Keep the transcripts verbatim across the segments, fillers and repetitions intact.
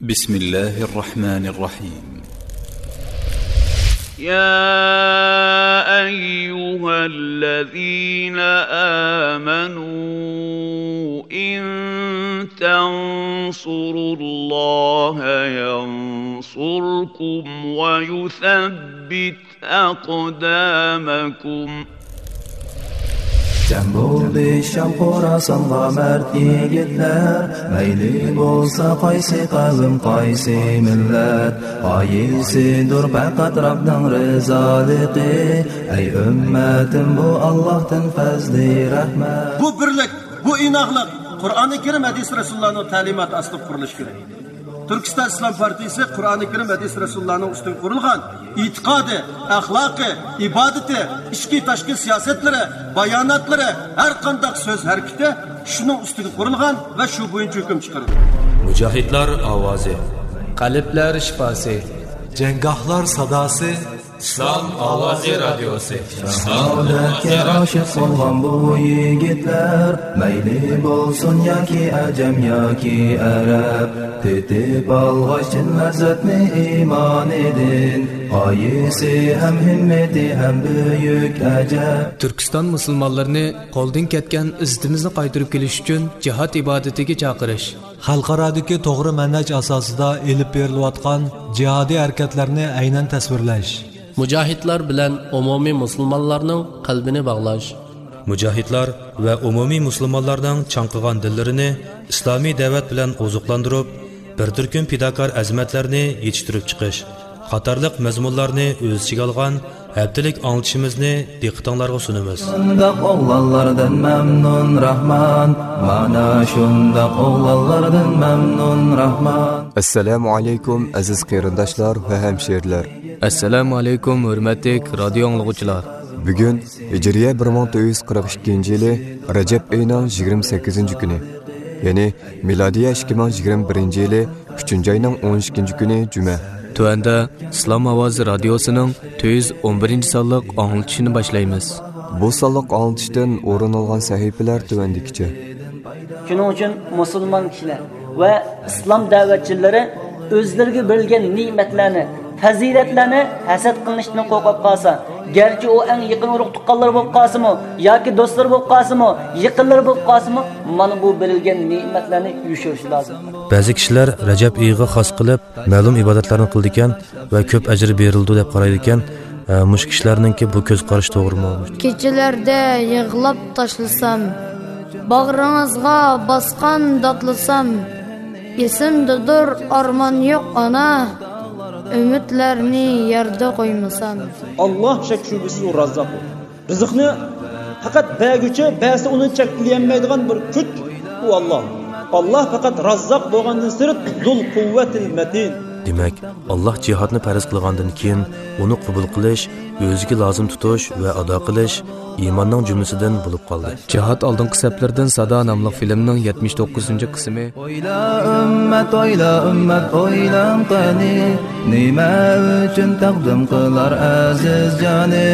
بسم الله الرحمن الرحيم. يا أيها الذين آمنوا إن تنصروا الله ينصركم ويثبت أقدامكم. جەم بولدى شام خوراسانغا مەرد يىگىتلەر، مەيلى بولسا قايسى قەۋم، قايسى مىللەت، غايىسىدۇر پەقەت رەبنىڭ رىزالىقى. ئەي ئۈممەتىم، بۇ ئاللاھتىن پەزلى رەھمەت. بۇ بىرلىك، بۇ ئىناقلىق قۇرئانى كەرىم، ھەدىس رەسۇلۇللانىڭ تەلىماتى ئاستىدا قۇرۇلۇشى كېرەك. تۈركىستان ئىسلام پارتىيىسى قۇرئانى كەرىم، ھەدىس رەسۇلۇللانىڭ ئۈستىگە قۇرۇلغان ئېتىقادى، ئەخلاقى، ئىبادىتى، ئىچكى تاشقى سىياسەتلىرى، باياناتلىرى، ھەر قانداق سۆز ھەرىكىتى شۇنىڭ ئۈستىگە قۇرۇلغان ۋە شۇ بويىچە ھۆكۈم چىقىرىدۇ. مۇجاھىدلار ئاۋازى. قەلبلەر شىپاسى. جەڭگاھلار ساداسى. ئىسلام ئاۋازى رادىيوسى. شاھادەتكە ئاشىق بولغان بۇ يىگىتلەر، مەيلى بولسۇن ياكى ئەجەم ياكى ئەرەب، تېتىپ ئالغاچ چىن لەززەتنى ئىمانىدىن، غايىسى ھەم ھىممىتى ھەم بۈيۈك ئەجەب. تۈركىستان مۇسۇلمانلىرىنى قولدىن كەتكەن ئىززىتىمىزنى قايتۇرۇپ كېلىش ئۈچۈن جىھاد ئىبادىتىگە چاقىرىش. خەلقئارادىكى توغرا مەنھەج ئاساسىدا ئېلىپ بېرىلىۋاتقان جىھادىي ھەرىكەتلەرنى ئەينەن تەسۋىرلەش. مۇجاھىدلار بىلەن ئومۇمىي مۇسۇلمانلارنىڭ قەلبىنى باغلاش. مۇجاھىدلار ۋە ئومۇمىي مۇسۇلمانلارنىڭ چاڭقىغان دىللىرىنى ئىسلامىي دەۋەت بىلەن ئوزۇقلاندۇرۇپ، بىر تۈركۈم پىداكار ئەزىمەتلەرنى يېتىشتۈرۈپ چىقىش قاتارلىق مەزمۇنلارنى ئۆز ئىچىگە ئالغان ھەپتىلىك ئاڭلىتىشىمىزنى دىققىتىڭلارغا سۇنىمىز. شۇنداق ئوغلانلاردىن مەمنۇن راھمان، مانا شۇنداق ئوغلانلاردىن مەمنۇن راھمان. ئەسسالامۇ ئەلەيكۇم، ئەزىز قېرىنداشلار ۋە ھەمشېرىلەر. ئەسسالامۇ ئەلەيكۇم، ھۆرمەتلىك رادىيو ئاڭلىغۇچىلار. بۈگۈن ھىجرىيە بىر مىڭ تۆت يۈز قىرىق ئىككىنچى يىلى رەجەب ئېيىنىڭ يىگىرمە سەككىزىنچى كۈنى، يەنى مىلادىيە ئىككى مىڭ يىگىرمە بىرىنچى يىلى ئۈچىنچى ئاينىڭ ئون ئىككىنچى كۈنى جۈمە. تۆۋەندە ئىسلام ئاۋازى رادىيوسىنىڭ تۆت يۈز ئون بىرىنچى سانلىق ئاڭلىتىشىنى باشلايمىز. بۇ سانلىق ئاڭلىتىشتىن ئورۇن ئالغان سەھىپىلەر تۆۋەندىكىچە. شۇنىڭ ئۈچۈن مۇسۇلمان كىشىلەر ۋە ئىسلام دەۋەتچىلىرى ئۆزلىرىگە بېرىلگەن نېمەتلەرنى، پەزىلەتلەرنى ھەسەت قىلىشتىن قورقۇپ قالسا، گەرچە ئۇ ئەڭ يېقىن ئۇرۇق تۇغقانلىرى بولۇپ قالسىمۇ ياكى دوستلىرى بولۇپ قالسىمۇ، يېقىنلىرى بولۇپ قالسىمۇ، مانا بۇ بېرىلگەن نېمەتلەرنى يوشۇرۇشى لازىم. بەزى كىشىلەر رەجەب ئېيىغا خاس قىلىپ مەلۇم ئىبادەتلەرنى قىلىدىكەن ۋە كۆپ ئەجىر بېرىلىدۇ دەپ قارايدىكەن. ئە، مۇشۇ كىشىلەرنىڭكى بۇ كۆز قارىشى توغرىمۇ؟ كېچىلەردە يىغلاپ تاشلىسام، باغرىڭىزغا باسقان داتلىسام، ئېسىمدىدۇر ئارمان يوق ئانا، ئۈمىدلەرنى يەردە قويمىسام. ئاللاھ شەك شۈبھىسىز ئۇ راززاق. رىزىقنى پەقەت بەرگۈچى، بەرسە ئۇنى چەكلىيەلمەيدىغان بىر كۈچ، ئۇ ئاللاھ. ئاللاھ پەقەت راززاق بولغاندىن سىرت، زۇل قۇۋۋەتىل مەتىن. دېمەك، ئاللاھ جىھادنى پەرز قىلغاندىن كېيىن، ئۇنى قوبۇل قىلىش ئۆزىگە لازىم تۇتۇش ۋە ئادا قىلىش ئىماننىڭ جۈملىسىدىن بولۇپ قالدى. جىھاد ئالدىنقى سەپلىرىدىن سادا ناملىق فىلىمنىڭ يەتمىش توققۇزىنچى قىسمى. ئويلا ئۈممەت، ئويلا ئۈممەت، ئويلاڭ قېنى، نېمە ئۈچۈن تەقدىم قىلار ئەزىز جانى؟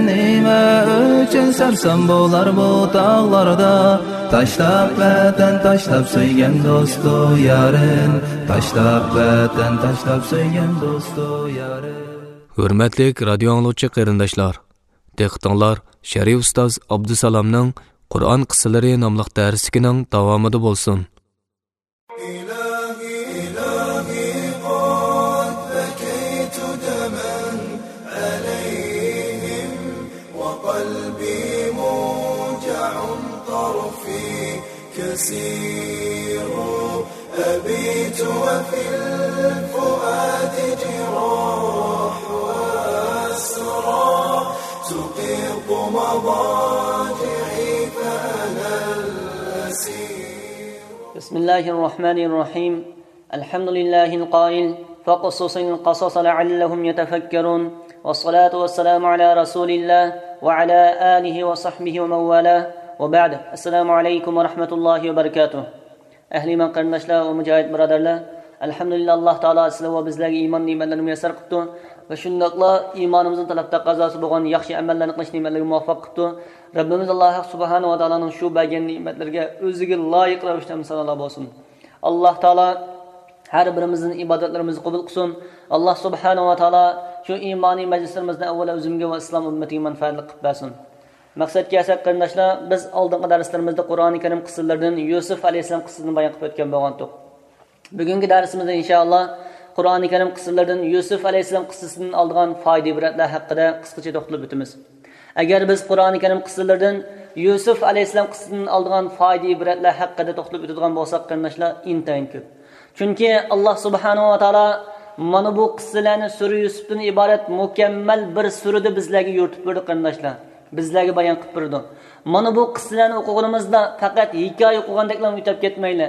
نېمە ئۈچۈن سەرسان بولار بۇ تاغلاردا؟ تاشلاپ ۋەتەن، تاشلاپ سۆيگەن دوستۇ يارىن، تاشلاپ ۋەتەن، تاشلاپ سۆيگەن دوستۇ يارىن. ھۆرمەتلىك رادىيو ئاڭلىغۇچى قېرىنداشلار، دىققىتىڭلار شەرئى ئۇستاز ئابدۇسالامنىڭ قۇرئان قىسسىلىرى ناملىق دەرسلىكىنىڭ داۋامىدا بولسۇن. إلهي قد بكيت دما عليهم وقلبي موجع طرفي كسير أبيت وفي الفؤاد جراح وأسرى تقيق مضاجعي فأنا الأسير. بسم الله الرحمن الرحيم. الحمد لله القائل: فاقصص القصص لعلهم يتفكرون. والصلاة والسلام على رسول الله وعلى آله وصحبه ومن والاه. وبعد. السلام عليكم ورحمة الله وبركاته. ئەھلى ئىمان قېرىنداشلار ۋە مۇجاھىد بۇرادەرلەر، ئەلھەمدۇلىللا، ئاللاھ تائالا سىلەر ۋە بىزلەرگە ئىمان نېمەتلىرىنى مۇيەسسەر قىپتۇ ۋە شۇنداقلا ئىمانىمىزنىڭ تەلەپ تەقەززاسى بولغان ياخشى ئەمەللەرنى قىلىش نېمەتلىرىگە مۇۋەپپەق قىپتۇ. رەببىمىز ئاللاھ ھەق سۇبھانەھۇ ۋە تائالانىڭ شۇ بەرگەن نېمەتلىرىگە ئۆزىگە لايىق رەۋىشتە ھەمدۇ سانالار بولسۇن. ئاللاھ تائالا ھەر بىرىمىزنىڭ ئىبادەتلىرىمىزنى قوبۇل قىلسۇن. ئاللا سۇبھانەھۇ ۋە تائالا شۇ ئىمانىي مەجلىسلىرىمىزنى ئەۋۋەلا ئۆزۈمگە ۋە ئىسلام ئۈممىتىگە مەنپەئەتلىك قىلىپ بەرسۇن. مەقسەتكە كەلسەك، قېرىنداشلار، بىز ئالدىنقى دەرسلىرىمىزدە قۇرئانى كەرىم قىسسىلىرىدىن يۈسۈپ ئەلەيھىسسالام قىسسىسىنى بايان قىلىپ ئۆتكەن بولغانتۇق. بۈگۈنكى دەرسىمىزدە ئىنشائاللا قۇرئانى كەرىم قىسسىلىرىدىن يۈسۈپ ئەلەيھىسسالام قىسسىسىدىن ئالىدىغان پايدا ئىبرەتلەر ھەققىدە قىسقىچە توختىلىپ ئۆتىمىز. ئەگەر بىز قۇرئانى كەرىم قىسسىلىرىدىن يۈسۈپ ئەلەيھىسسالام قىسسىسىدىن ئالىدىغان پايدا ئىبرەتلەر ھەققىدە توختىلىپ ئۆتىدىغان بولساق، قېرىنداشلار، ئىنتايىن كۆپ. چۈنكى ئاللا سۇبھانەھۇ ۋە تائالا مانا بۇ قىسسىلەرنى سۈرە يۈسۈپتىن ئىبارەت مۇكەممەل بىر سۈرىدە بىزلەرگە يورۇتۇپ بېرىدۇ، قېرىنداشلار. بىزلەرگە بايان قىلىپ بېرىدۇ. مانا بۇ قىسسىلەرنى ئوقۇغىنىمىزدا پەقەت ھېكايە ئوقۇغاندەكلا ئۆتۈپ كەتمەيلى.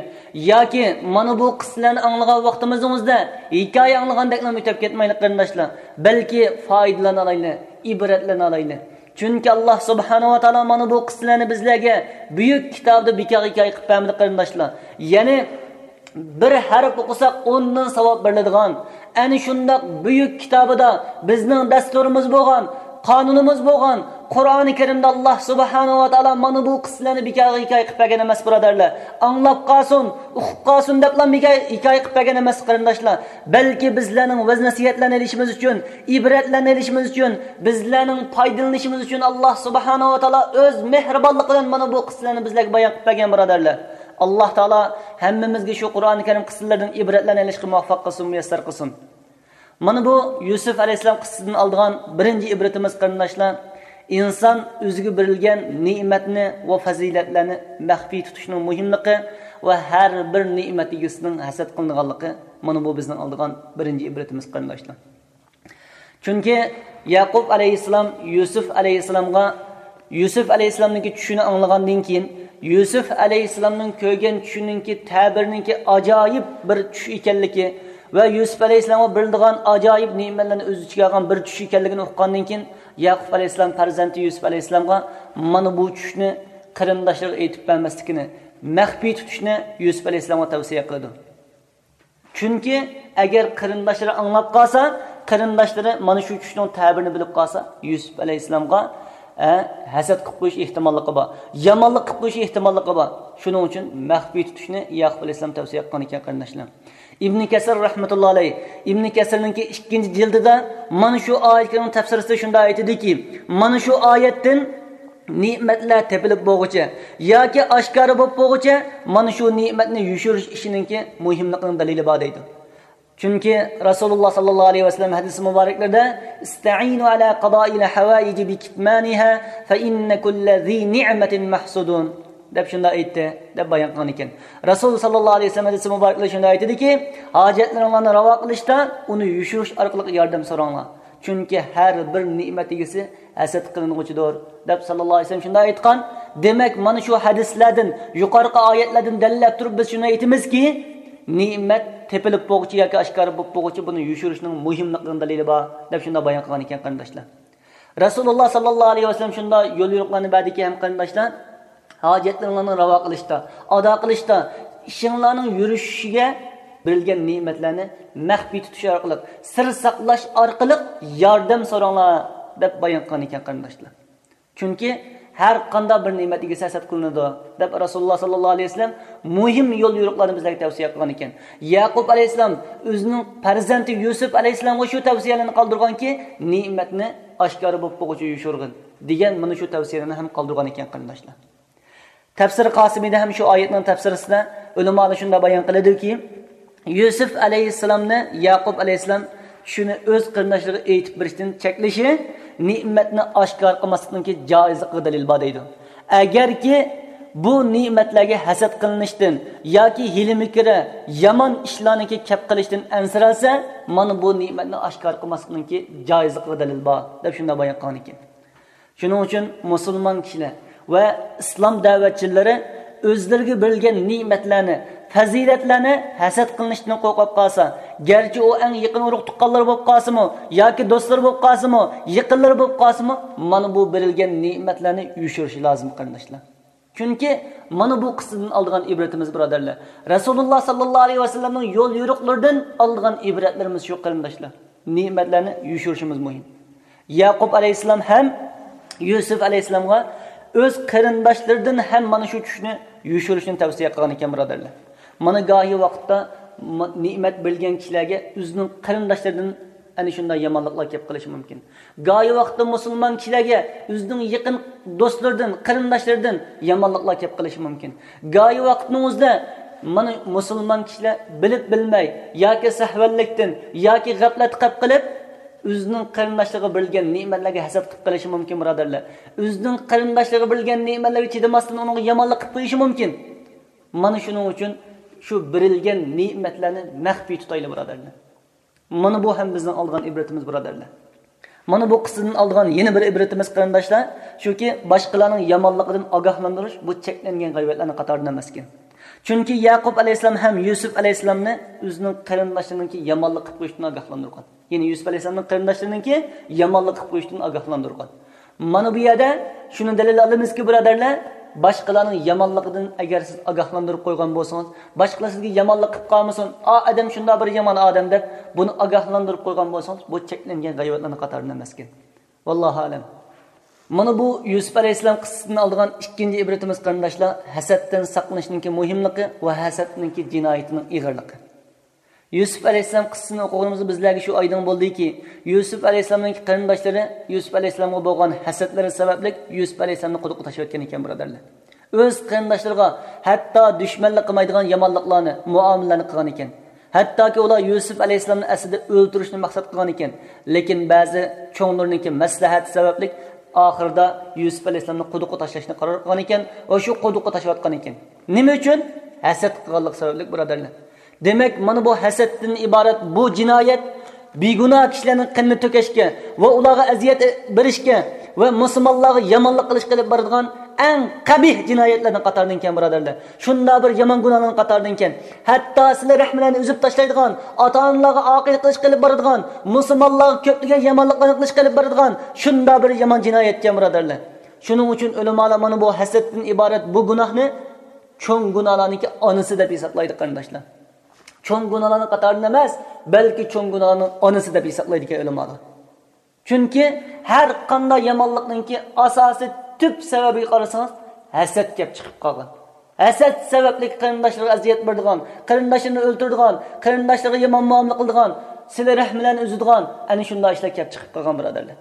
ياكى مانا بۇ قىسسىلەرنى ئاڭلىغان ۋاقتىمىزنىڭ ئۆزىدە ھېكايە ئاڭلىغاندەكلا ئۆتۈپ كەتمەيلى، قېرىنداشلار. بەلكى پايدىلىنالايلى، ئىبرەتلىنەلەيلى. چۈنكى ئاللا سۇبھانەھۇ ۋە تائالا مانا بۇ قىسسىلەرنى بىزلەرگە بۈيۈك كىتابىدا بىكارغا ھېكايە قىلىپ بەرمىدى، قېرىنداشلار. يەنى بىر ھەرپ ئوقۇساق ئوندىن ساۋاب بېرىلىدىغان، ئەنە شۇنداق بۈيۈك كىتابىدا بىزنىڭ دەستۇرىمىز بولغان، قانۇنىمىز بولغان قۇرئانى كەرىمدە ئاللا سۇبھانەھۇ ۋە تائالا مانا بۇ قىسسىلەرنى بىكارغا ھېكايە قىلىپ بەرگەن ئەمەس، بۇرادەرلەر. ئاڭلاپ قالسۇن، ئۇقۇپ قالسۇن دەپلا ھېكايە، ھېكايە قىلىپ بەرگەن ئەمەس، قېرىنداشلار. بەلكى بىزلەرنىڭ ۋەز نەسىھەتلەرنى ئېلىشىمىز ئۈچۈن، ئىبرەتلەرنى ئېلىشىمىز ئۈچۈن، بىزلەرنىڭ پايدىلىنىشىمىز ئۈچۈن ئاللا سۇبھانەھۇ ۋە تائالا ئۆز مېھرىبانلىقى بىلەن مانا بۇ قىسسىلەرنى بىزلەرگە بايان قىلىپ بەرگەن، بۇرادەرلەر. ئاللا تائالا ھەممىمىزگە شۇ قۇرئانى كەرىم قىسسىلىرىدىن ئىبرەتلەرنى ئېلىشقا مۇۋەپپەق قىلسۇن، مۇيەسسەر قىلسۇن. مانا بۇ يۈسۈپ ئەلەيھىسسالام قىسسىسىدىن ئالىدىغان بىرىنچى ئىبرىتىمىز، قېرىنداشلار، ئىنسان ئۆزىگە بېرىلگەن نېمەتنى ۋە پەزىلەتلەرنى مەخپىي تۇتۇشنىڭ مۇھىملىقى ۋە ھەر بىر نېمەت ئىگىسىنىڭ ھەسەت قىلىنىدىغانلىقى، مانا بۇ بىزنىڭ ئالىدىغان بىرىنچى ئىبرىتىمىز، قېرىنداشلار. چۈنكى يەقۇب ئەلەيھىسسالام يۈسۈپ ئەلەيھىسسالامغا، يۈسۈپ ئەلەيھىسسالامنىڭكى چۈشىنى ئاڭلىغاندىن كېيىن، يۈسۈپ ئەلەيھىسسالامنىڭ كۆرگەن چۈشىنىڭكى تەبىرىنىڭكى ئاجايىپ بىر چۈش ئىكەنلىكى ۋە يۈسۈپ ئەلەيھىسسالامغا بېرىلىدىغان ئاجايىپ نېمەتلەرنى ئۆز ئىچىگە ئالغان بىر چۈش ئىكەنلىكىنى ئۇققاندىن كېيىن، يەقۇب ئەلەيھىسسالام پەرزەنتى يۈسۈپ ئەلەيھىسسالامغا مانا بۇ چۈشنى قېرىنداشلىرىغا ئېيتىپ بەرمەسلىكىنى، مەخپىي تۇتۇشنى يۈسۈپ ئەلەيھىسسالامغا تەۋسىيە قىلىدۇ. چۈنكى ئەگەر قېرىنداشلىرى ئاڭلاپ قالسا، قېرىنداشلىرى مانا شۇ چۈشنىڭ تەبىرىنى بىلىپ قالسا، يۈسۈپ ئەلەيھىسسالامغا، ئە، ھەسەت قىلىپ قويۇش ئېھتىماللىقى بار، يامانلىق قىلىپ قويۇش ئېھتىماللىقى بار. شۇنىڭ ئۈچۈن مەخپىي تۇتۇشنى يەقۇب ئەلەيھىسسالام تەۋسىيە قىلغان ئىكەن، قېرىنداشلار. ئىبنى كەسىر رەھمەتۇللا ئەلەيھ، ئىبنى كەسىرنىڭكى ئىككىنچى جىلدىدا مانا شۇ ئايەتنىڭ تەپسىرىسىدە شۇنداق ئېيتىدىكى، مانا شۇ ئايەتتىن نېمەتلەر تېپىلىپ بولغۇچە ياكى ئاشكارا بولۇپ بولغۇچە مانا شۇ نېمەتنى يوشۇرۇش ئىشىنىڭكى مۇھىملىقىنىڭ دەلىلى بار دەيدۇ. چۈنكى رەسۇلۇللا ساللاللاھۇ ئەلەيھى ۋەسەللەم ھەدىسى مۇبارەكلىرىدە، «ئىستەئىنۇ ئەلا قازائىل ھەۋائىجى بىكىتمانىھا، فەئىننە كۇللە زى نىئمەتىن مەھسۇدۇن» دەپ شۇنداق ئېيتتى، دەپ بايان قىلغان ئىكەن. رەسۇل ساللاللاھۇ ئەلەيھى ۋەسەللەم ھەدىسى مۇبارەكلىرىدە شۇنداق ئېيتىدىكى، ھاجەتلىرىڭلارنى راۋا قىلىشتا ئۇنى يوشۇرۇش ئارقىلىق ياردەم سوراڭلار. چۈنكى ھەر بىر نېمەت ئىگىسى ھەسەت قىلىنغۇچىدۇر، دەپ ساللاللاھۇ ئەلەيھى ۋەسەللەم شۇنداق ئېيتقان. دېمەك، مانا شۇ ھەدىسلەردىن، يۇقىرىقى ئايەتلەردىن دەلىللەپ تۇرۇپ بىز شۇنى ئېيتىمىزكى، نېمەت تېپىلىپ بولغۇچە ياكى ئاشكارا بولۇپ بولغۇچە بۇنى يوشۇرۇشنىڭ مۇھىملىقىنىڭ دەلىلى بار، دەپ شۇنداق بايان قىلغان ئىكەن، قېرىنداشلار. رەسۇلۇللا ساللاللاھۇ ئەلەيھى ۋەسەللەم شۇنداق يول يورۇقلارنى بەردىكى ھەم، قېرىنداشلار، ھاجەتلىرىڭلارنى راۋا قىلىشتا، ئادا قىلىشتا، ئىشىڭلارنىڭ يۈرۈشۈشىگە بېرىلگەن نېمەتلەرنى مەخپىي تۇتۇش ئارقىلىق، سىر ساقلاش ئارقىلىق ياردەم سوراڭلار، دەپ بايان قىلغان ئىكەن، قېرىنداشلار. چۈنكى ھەر قانداق بىر نېمەت ئىگىسى ھەسەت قىلىنىدۇ، دەپ رەسۇلۇللا ساللاللاھۇ ئەلەيھى ۋەسەللەم مۇھىم يول يورۇقلارنى بىزلەرگە تەۋسىيە قىلغان ئىكەن. يەقۇب ئەلەيھىسسالام ئۆزىنىڭ پەرزەنتى يۈسۈپ ئەلەيھىسسالامغا شۇ تەۋسىيەلەرنى قالدۇرغانكى، نېمەتنى ئاشكارا بولۇپ بولغۇچە يوشۇرغىن، دېگەن مانا شۇ تەۋسىيەلەرنى ھەم قالدۇرغان ئىكەن، قېرىنداشلار. تەپسىرى قاسىمىدا ھەم شۇ ئايەتنىڭ تەپسىرىسىدە ئۆلىمالار شۇنداق بايان قىلىدۇكى، يۈسۈپ ئەلەيھىسسالامنى يەقۇب ئەلەيھىسسالام چۈشىنى ئۆز قېرىنداشلىرىغا ئېيتىپ بېرىشتىن چەكلىشى نېمەتنى ئاشكارا قىلماسلىقنىڭكى جائىزلىقىغا دەلىل بار دەيدۇ. ئەگەركى بۇ نېمەتلەرگە ھەسەت قىلىنىشتىن ياكى ھىيلە-مىكرى، يامان ئىشلارنىڭكى كەپ قىلىشتىن ئەنسىرەلسە، مانا بۇ نېمەتنى ئاشكارا قىلماسلىقنىڭكى جائىزلىقىغا دەلىل بار، دەپ شۇنداق بايان قىلغان ئىكەن. شۇنىڭ ئۈچۈن مۇسۇلمان كىشىلەر ۋە ئىسلام دەۋەتچىلىرى ئۆزلىرىگە بېرىلگەن نېمەتلەرنى، پەزىلەتلەرنى ھەسەت قىلىنىشتىن قورقۇپ قالسا، گەرچە ئۇ ئەڭ يېقىن ئۇرۇق-تۇغقانلىرى بولۇپ قالسىمۇ ياكى دوستلىرى بولۇپ قالسىمۇ، يېقىنلىرى بولۇپ قالسىمۇ، مانا بۇ بېرىلگەن نېمەتلەرنى يوشۇرۇشى لازىم، قېرىنداشلار. چۈنكى مانا بۇ قىسسىدىن ئالىدىغان ئىبرىتىمىز، بۇرادەرلەر، رەسۇلۇللا ساللاللاھۇ ئەلەيھى ۋەسەللەمنىڭ يول يورۇقلىرىدىن ئالىدىغان ئىبرەتلىرىمىز شۇ، قېرىنداشلار. نېمەتلەرنى يوشۇرۇشىمىز مۇھىم. يەقۇب ئەلەيھىسسالام ھەم يۈسۈپ ئەلەيھىسسالامغا ئۆز قېرىنداشلىرىدىن ھەم مانا شۇ چۈشنى يوشۇرۇشنى تەۋسىيە قىلغان ئىكەن، بۇرادەرلەر. مانا گاھى ۋاقىتتا نېمەت بېرىلگەن كىشىلەرگە ئۆزىنىڭ قېرىنداشلىرىدىن ئەنە شۇنداق يامانلىقلار كېلىپ قېلىشى مۇمكىن. گاھى ۋاقىتتا مۇسۇلمان كىشىلەرگە ئۆزىنىڭ يېقىن دوستلىرىدىن، قېرىنداشلىرىدىن يامانلىقلار كېلىپ قېلىشى مۇمكىن. گاھى ۋاقىتنىڭ ئۆزىدە مانا مۇسۇلمان كىشىلەر بىلىپ بىلمەي ياكى سەھۋەنلىكتىن ياكى غەپلەتتە قېلىپ قېلىپ، ئۆزىنىڭ قېرىنداشلىرىغا بېرىلگەن نېمەتلەرگە ھەسەت قىلىپ قېلىشى مۇمكىن، بۇرادەرلەر. ئۆزىنىڭ قېرىنداشلىرىغا بېرىلگەن نېمەتلەرگە چىدىماستىن ئۇنىڭغا يامانلىق قىلىپ قويۇشى مۇمكىن. مانا شۇنىڭ ئۈچۈن شۇ بېرىلگەن نېمەتلەرنى مەخپىي تۇتايلى، بۇرادەرلەر. مانا بۇ ھەم بىزنىڭ ئالغان ئىبرىتىمىز، بۇرادەرلەر. مانا بۇ قىسسىدىن ئالغان يەنە بىر ئىبرىتىمىز، قېرىنداشلار، شۇكى، باشقىلارنىڭ يامانلىقىدىن ئاگاھلاندۇرۇش بۇ چەكلەنگەن غەيۋەتلەرنىڭ قاتارىدىن ئەمەسكەن. چۈنكى يەقۇب ئەلەيھىسسالام ھەم يۈسۈپ ئەلەيھىسسالامنى ئۆزىنىڭ قېرىنداشلىرىنىڭكى يامانلىق قىلىپ قويۇشىدىن ئاگاھلاندۇرغان. يەنى يۈسۈپ ئەلەيھىسسالامنىڭ قېرىنداشلىرىنىڭكى يامانلىق قىلىپ قويۇشىدىن ئاگاھلاندۇرغان. مانا بۇ يەردە شۇنى دەلىل ئالىمىزكى، بۇرادەرلەر، باشقىلارنىڭ يامانلىقىدىن ئەگەر سىز ئاگاھلاندۇرۇپ قويغان بولسىڭىز، باشقىلار سىزگە يامانلىق قىلىپ قالمىسۇن، ئا ئادەم شۇنداق بىر يامان ئادەم دەپ، بۇنى ئاگاھلاندۇرۇپ قويغان بولسىڭىز، بۇ چەكلەنگەن غەيۋەتلەرنىڭ قاتارىدىن ئەمەسكەن. ۋاللاھۇ ئەلەم. مانا بۇ يۈسۈپ ئەلەيھىسسالام قىسسىسىدىن ئالىدىغان ئىككىنچى ئىبرىتىمىز، قېرىنداشلار، ھەسەتتىن ساقلىنىشنىڭكى مۇھىملىقى ۋە ھەسەتنىڭكى جىنايىتىنىڭ ئېغىرلىقى. يۈسۈپ ئەلەيھىسسالام قىسسىسىنى ئوقۇغىنىمىزدا بىزلەرگە شۇ ئايدىڭ بولدىكى، يۈسۈپ ئەلەيھىسسالامنىڭكى قېرىنداشلىرى يۈسۈپ ئەلەيھىسسالامغا بولغان ھەسەتلىرى سەۋەبلىك يۈسۈپ ئەلەيھىسسالامنى قۇدۇققا تاشلىۋەتكەن ئىكەن، بۇرادەرلەر. ئۆز قېرىنداشلىرىغا ھەتتا دۈشمەنلىك قىلمايدىغان يامانلىقلارنى، مۇئامىلىلەرنى قىلغان ئىكەن. ھەتتاكى ئۇلار يۈسۈپ ئەلەيھىسسالامنى ئەسلىدە ئۆلتۈرۈشنى مەقسەت قىلغان ئىكەن. لېكىن بەزى چوڭلىرىنىڭكى مەسلىھەتى سەۋەبلىك ئاخىرىدا يۈسۈپ ئەلەيھىسسالامنى قۇدۇققا تاشلاشنى قارار قىلغان ئىكەن ۋە شۇ قۇدۇققا تاشلىۋەتكەن ئىكەن. نېمە ئۈچۈن؟ ھەسەت قىلغانلىقى سەۋەبلىك، بۇرادەرلەر. دېمەك، مانا بۇ ھەسەتتىن ئىبارەت بۇ جىنايەت بىگۇناھ كىشىلەرنىڭ قېنىنى تۆكۈشكە ۋە ئۇلارغا ئەزىيەت بېرىشكە ۋە مۇسۇلمانلارغا يامانلىق قىلىشقا ئېلىپ بارىدىغان ئەڭ قەبىھ جىنايەتلەرنىڭ قاتارىدىن ئىكەن، بۇرادەرلەر. شۇنداق بىر يامان گۇناھلارنىڭ قاتارىدىن ئىكەن. ھەتتا سىلە رەھمىلەرنى ئۈزۈپ تاشلايدىغان، ئاتا-ئانىلارغا ئاقىلىق قىلىشقا ئېلىپ بارىدىغان، مۇسۇلمانلارغا كۆپلىگەن يامانلىقلارنى قىلىشقا ئېلىپ بارىدىغان شۇنداق بىر يامان جىنايەت ئىكەن، بۇرادەرلەر. شۇنىڭ ئۈچۈن ئۆلىمالار مانا بۇ ھەسەتتىن ئىبارەت بۇ گۇناھنى چوڭ گۇناھلارنىڭكى ئانىسى دەپ ھېسابلايدۇ، قېرىنداشلار. چوڭ گۇناھلارنىڭ قاتارىدىن ئەمەس، بەلكى چوڭ گۇناھلارنىڭ ئانىسى دەپ ھېسابلايدىكەن ئۆلىمالار. چۈنكى ھەر قانداق يامانلىقنىڭكى ئاساسىي تۈپ سەۋەبىگە قارىسىڭىز، ھەسەت كەپ چىقىپ قالغان. ھەسەت سەۋەبلىك قېرىنداشلىرىغا ئەزىيەت بېرىدىغان، قېرىنداشلىرىنى ئۆلتۈرىدىغان، قېرىنداشلىرىغا يامان مۇئامىلە قىلىدىغان، سىلە رەھمىلەرنى ئۈزىدىغان، ئەنە شۇنداق ئىشلار كەپ چىقىپ قالغان، بۇرادەرلەر.